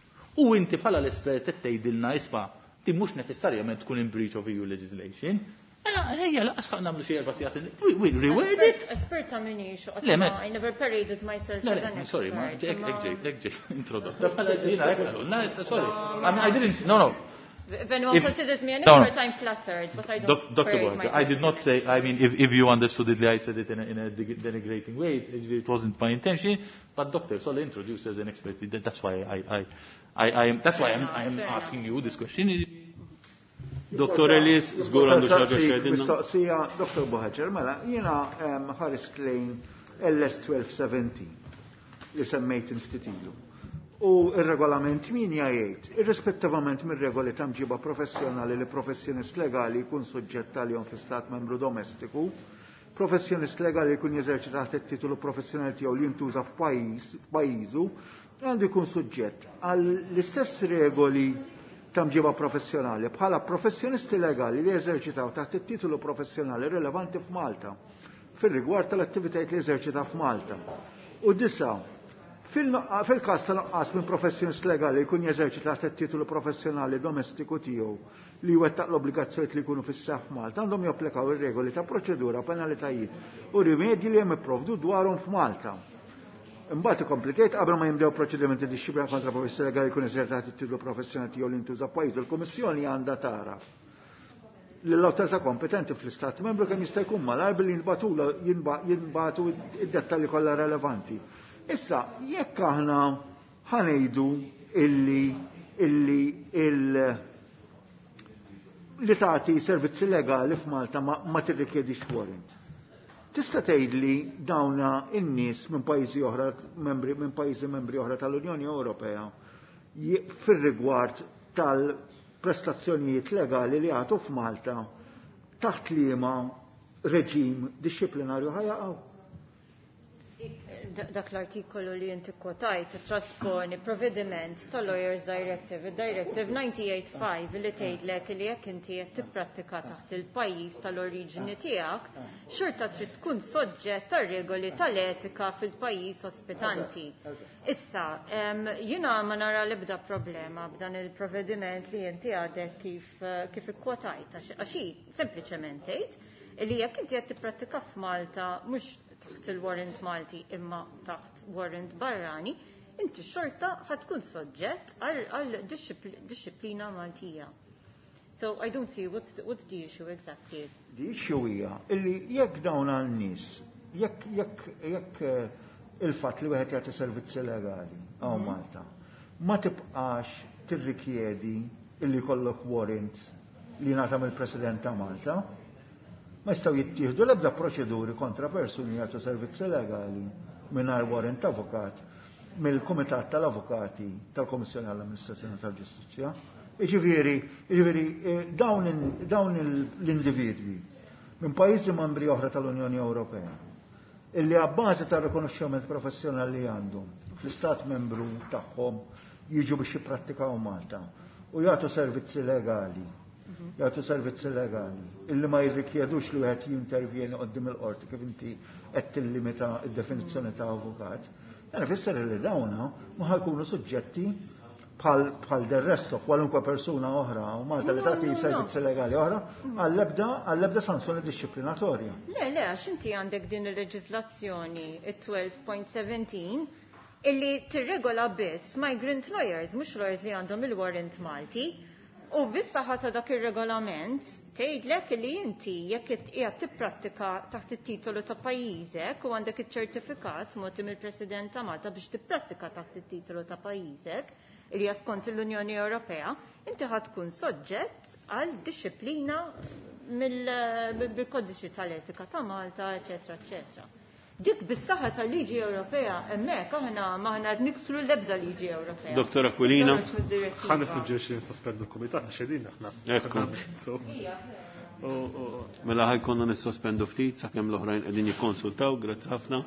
u inti bħala l-espert qed tgħidilna isma' di mhux neċessarjament tkun in breach of E U legislation, mela ejja laqas ħa nagħmlu xi erba' sigħat, we, we reword it. Espert ta' minix, Le, me- I never paraded myself Le, as le, an sorry, ma expert, hekk, ma- hekk ġej, hekk ġej, introdotta. Bħala ġejna, hekk għalulna, sorry. I mean, I didn't, no, no. If anyone If considers me an No, no. expert, I'm flattered, but I don't Doc-, Doctor parade Buhagiar, myself I did as not an say, I mean, if, if you understood it, I said it in a, in a deg-, denigrating way, it, it wasn't my intention, but Doctor Sole introduced as an expert, that, that's why I, I, I, I am, that's why I'm, I am Fair enough. asking you this question. Doctor Ellis, żgur għandu xi ħaġa x'jgħidilna. Mistoqsija, Doctor Buhagiar, mela, jiena, em, ħarist lejn L S twelve seventeen li semmejt ftit ilu. U il-regolament min jgħid, irrispettivament mir-regoli ta' mġiba professjonali li professjonist legali jkun suġġett għalihom fi stat membru domestiku, professjonist legali jkun jeżerċita taħt it-titolu professjonali tiegħu li jintuża f'pajjiż, f'pajjiżu, għandu jkun suġġett għall-istess regoli ta' mġiba professjonali bħala professjonisti legali li jeżerċitaw taħt it-titolu professjonali rilevanti f'Malta fir-rigward tal-attivitajiet li jeżerċita f'Malta. U disa, fil-każ ta' nuqqas minn professjonist legali jkun jeżerċita taħt it-titolu professjonali domestiku tiegħu li jwettaq l-obbligazzjonijiet li jkunu fis-seħħ f'Malta, għandhom japplikaw ir-regoli ta' proċedura, penalitajiet u rimedji li hemm ipprovdu dwarhom f'Malta. Imbagħad ikompli tgħid qabel ma jimdew proċedimenti dixxiplina kontra professjoni legali jkun eżerċitat it-titolu professjonali tiegħu li jintuża f'pajjiżu, il-Kummissjoni għandha tara lill-awtorità kompetenti fl-Istat Membru kemm jista' jkun malajr billi jinbatula jinbatu id-dettalji kollha relevanti. Issa, jekk aħna ħanejdu illi illi il li tagħti servizzi legali f'Malta ma, ma tirrikjedix warrant. Tista' tgħidli dawna in-nies minn pajjiżi oħra membri minn pajjiżi membri oħra tal-Unjoni Ewropea fir-rigward tal-prestazzjonijiet legali li għatu f'Malta taħt liema reġim dixxiplinarju ħajaqgħu? Dak l-artikolu li inti kwotajt trasponi provvediment tal-Lawyers Directive, il-Directive ninety-eight five li tgħidlek li jekk inti qed tipprattika taħt il-pajjiż tal-oriġini tiegħek, xorta trid tkun soġġett tar-regoli tal-etika fil-pajjiż ospitanti. Issa, jiena ma nara l-ebda problema b'dan il-provvediment li inti għadek kif kif ikkwotajt, għax hi sempliċement tgħid li jekk inti qed tipprattika f'Malta mhux taħt il-warrant Malti imma taħt warrant barrani, inti xorta ħatkun soġġett għal disciplina Maltija. So I don't see what's, what's the issue exactly. The issue hija illi jekk dawn għal-nies, jekk jekk jekk il-fatt li wieħed jagħti servizzi legali hawn Malta, ma tibqax tirrikjedi illi jkollok warrant li ngħata mill-President ta' Malta, ma jistgħu jittieħdu l-ebda proċeduri kontra persuni jagħtu servizzi legali mingħajr warrant avukat mill-Kumitat tal-Avukati tal-Kommissjoni għall-Amministrazzjoni tal-Ġustizzja. Jiġifieri, jiġifieri dawn dawn l-individwi minn pajjiżi membri oħra tal-Unjoni Ewropea illi għabbażi tar-rikonoxximent professjonali li għandhom fl-istat membru tagħhom jiġu biex jipprattikaw Malta u jagħtu servizzi legali jagħtu servizzi legali illi ma jirrikjedux li wieħed jintervjeni qudiem il-qorti kif inti qed tillimita d-definizzjoni ta' avukat. Dan ifisser li dawna ma ħajkunu suġġetti bħal bħal del resto kwalunkwe persuna oħra u Malta li tagħti servizzi legali oħra għall-ebda għall-ebda sanzjoni dixxiplinatorja. Le, le, għax inti għandek din il-leġiżlazzjoni it-twelve point seventeen illi tirregola biss migrant lawyers, mhux lawyers li għandhom il-warrant Malti. U bis-saħħa ta' dak ir-regolament tgħidlek li inti jekk qiegħed tipprattika taħt it-titolu ta' pajjiżek u għandek iċ-ċertifikat mogħti mill-President ta' Malta biex tipprattika taħt it-titolu ta' pajjiżek li hija skont l-Unjoni Ewropea, inti ħad tkun soġġett għal disciplina mill-kodiċi tal-etika ta' Malta, eċetera, eċetera. Dik bis-saħħa tal-liġi Ewropea hemmhekk aħna maħna qed niksru l-ebda liġi Ewropea. Dottor Aquilina. Ħa nissuġġerixxi nisospendu l-kumitat għax qegħdin aħna. Ekku. Mela ħajkonna nissospendu ftit sakemm l-oħrajn qegħdin jikkonsultaw, grazzi ħafna.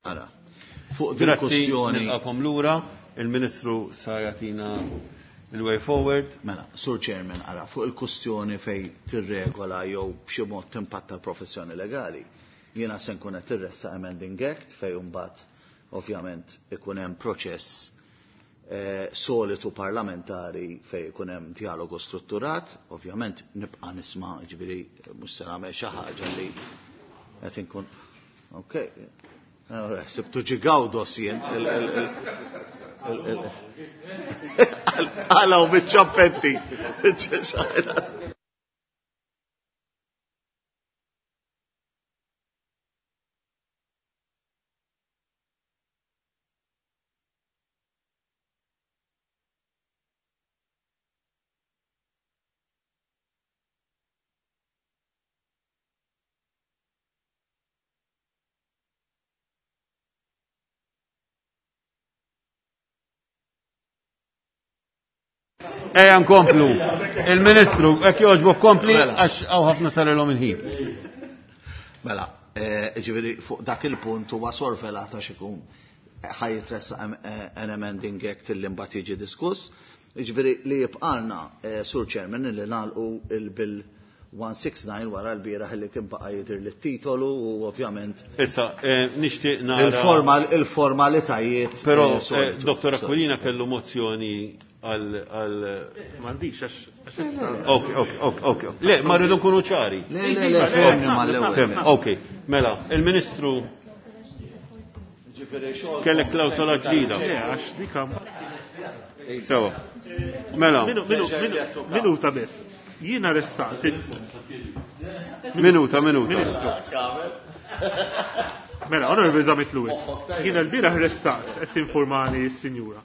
Ara. Fuq din kwestjoni. Nilqakom lura, il-Ministru sa jagħtina il-way forward. Mela, Sur Chairman, ara, fuq il-kustjoni fej tirregola jew b'xi mod timpatta l-professjoni legali, jiena se nkun qed irressa Amending Act fej mbagħad ovvjament ikun hemm proċess eh, solitu parlamentari fej ikun hemm dialogu strutturat, ovvjament nibqa' nisma' ġifieri mhux se nagħmel xi ħaġa li qed inkun. Okay. Sibtu ġigaw jien. Għalaw bit-ċappetti. Ejja nkomplu. Il-Ministru, hekk jogħġbok kompli għax hawn ħafna sarilhom il-ħin. Mela, ġifieri fuq dak il-punt huwa sorvelata x'ikun ħaj jitressaq an amending act li mbagħad jiġi diskuss. Ġifieri li jibqalna Sur Chairman li nagħlqu il-bill one six nine wara l-bieraħ li kien baqa' jidher lit-titolu u ovvjament. Issa, nixtieq nara. Il-formalitajiet. Però Dottor Aquilina kellu mozzjoni għal għal m'għandix għax. Ok, ok, ok, ok. Le, ma rridu nkunu ċari. Le, le, le, fehmni mal-ewwel. Ok, mela, il-Ministru kellek klawsola ġdida. Le, għax dik Sewa. Mela. Minuta biss. Jiena ressaqt. Minuta, minuta. Ministru. Mela, Onorevoli Zammit Lewis. Jiena l-bieraħ ressaqt qed tinformani s-sinjura.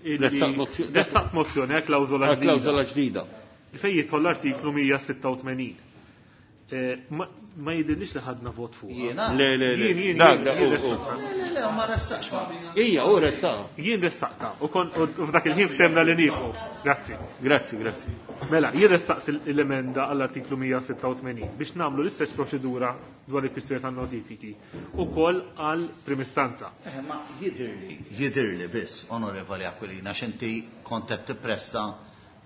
Ressaqt mozzjoni għal klawżola ġdida. Klawżola ġdida. Fejn jidħol l-artiklu mija sitta u tmenin. Ma jidhirlix li ħadna vot fuq. Jiena? Le, le, le. Jien, jien, Dak, jien, dak, jien u, u. ressaqta. Le, le, ma ressaqx ma. Ija, u ressaqha. Jien ressaqta. U kon u f'dak il-ħin ftemna li nieqfu. Grazzi. Grazzi, grazzi. Mela, jien ressaqt l-emenda għall-artiklu mija sitta u tmenin biex nagħmlu l-istess proċedura dwar il-kwistjoni tan-notifiki ukoll għal primistanza. Eh, ma jidhirli, jidhirli biss, Onorevoli Aquilina, x'inti kont qed tippresta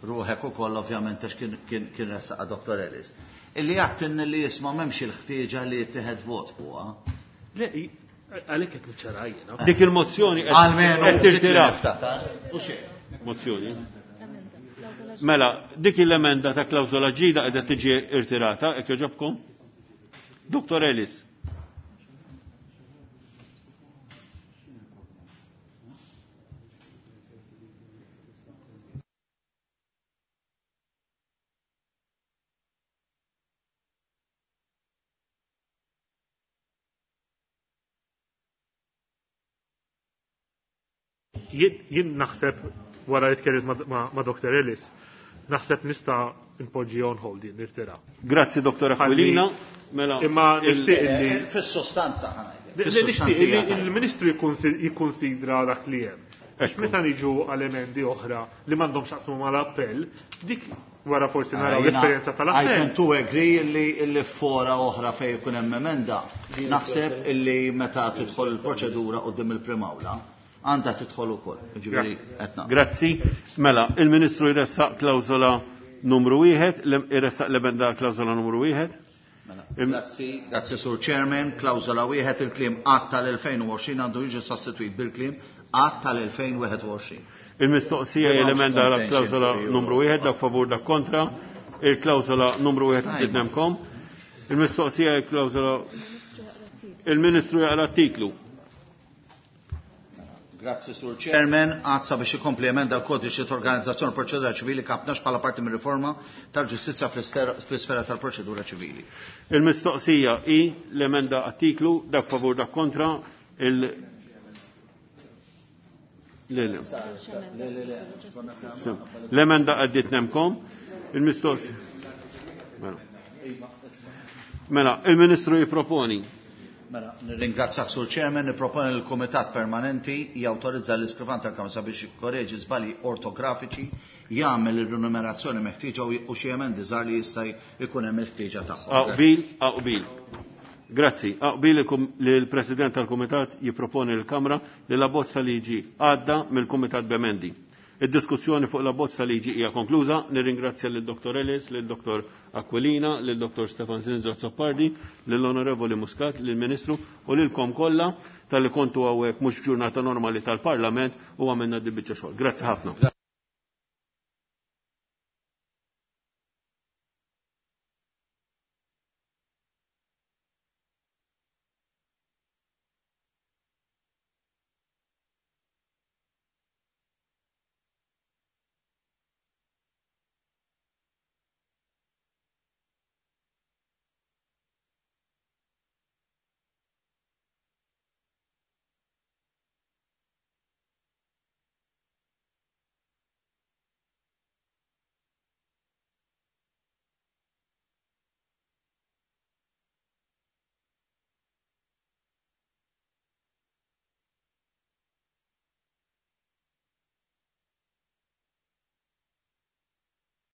ruħek ukoll ovvjament għax kien, kien, kien ressaqa Dottor Ellis. Illi jgħattin li jisma' m'hemmx il-ħtieġa li jittieħed vot fuqha. Le, għalhekk qed niċċara jiena. Dik il-mozzjoni qed Almenu qed tirtira. niftakar. U xejn. Mozzjoni. Mela, dik l-emenda ta' klawżola ġdida qiegħda tiġi irtirata, hekk jogħġobkom? Dottor Ellis. Jien naħseb wara li tkellimt ma', ma', ma' Dottor Ellis, naħseb nista' npoġġi on hold din nirtira. Grazzi Dottor Aquilina. Mela, Imma nixtieq illi Fis-sostanza ħa ngħidlek. Le, nixtieq illi il-Ministru jikkonsidra dak li hemm. Għax meta niġu għal emendi oħra li m'għandhomx x'jaqsmu mal-appell, dik wara forsi naraw l-esperjenza tal-appell. I tend to agree illi illi fora oħra fejn ikun hemm emenda, naħseb illi meta tidħol il-proċedura quddiem il-Primawla għandha tidħol ukoll. Ġifieri qed naqbel. Grazzi. Mela, il-Ministru jressaq klawżola numru wieħed, jressaq l-emenda klawżola numru wieħed. Mela, grazzi, grazzi Sur Chairman, klawżola wieħed il-kliem att tal-elfejn u għoxrin għandu jiġi sostituit bil-kliem att tal-elfejn wieħed u għoxrin. Il-mistoqsija hija l-emenda għal klawżola numru wieħed, dak favur dak kontra, il-klawżola numru wieħed għandidnemkom. Il-mistoqsija hija klawżola il-Ministru jaqra t-titlu. Grazzi Sur Chairman, għazza biex ikompli emenda l-kodiċi ta' organizzazzjoni proċedura ċivili kapnax bħala parti mir riforma tal-ġustizzja fl-isfera tal-proċedura ċivili. Il-mistoqsija hi l-emenda artiklu dak favur dak kontra il Le, le. L-emenda għaddit nemkom. Il-mistoqsija. Mela. Mela, il-Ministru jipproponi. Mela, nirringrazzjak Sur Chairman, nipproponi l-Kumitat Permanenti jawtorizza l-iskrivan tal-Kamra sabiex jikkoreġi żbalji ortografiċi, jagħmel ir-rinumerazzjoni meħtieġa u xi emendi żgħar li jista' jkun hemm il-ħtieġa tagħhom. Aqbil, aqbil. Grazzi. Aqbil li l-President tal-Kumitat jipproponi l-Kamra li la bozza liġi għadda mill-Kumitat b'emendi. Id-diskussjoni fuq la bozza liġi hija konkluża. Nirringrazzja lil Dr. Ellis, lil Dr. Aquilina, lil Dr. Stefan Zinzo Zoppardi, lill-Onorevoli Muscat, lill-Ministru u lilkom kollha tal-li kontu hawnhekk mhux ġurnata normali tal-Parlament u għamilna di biċċa xogħol. Grazzi ħafna.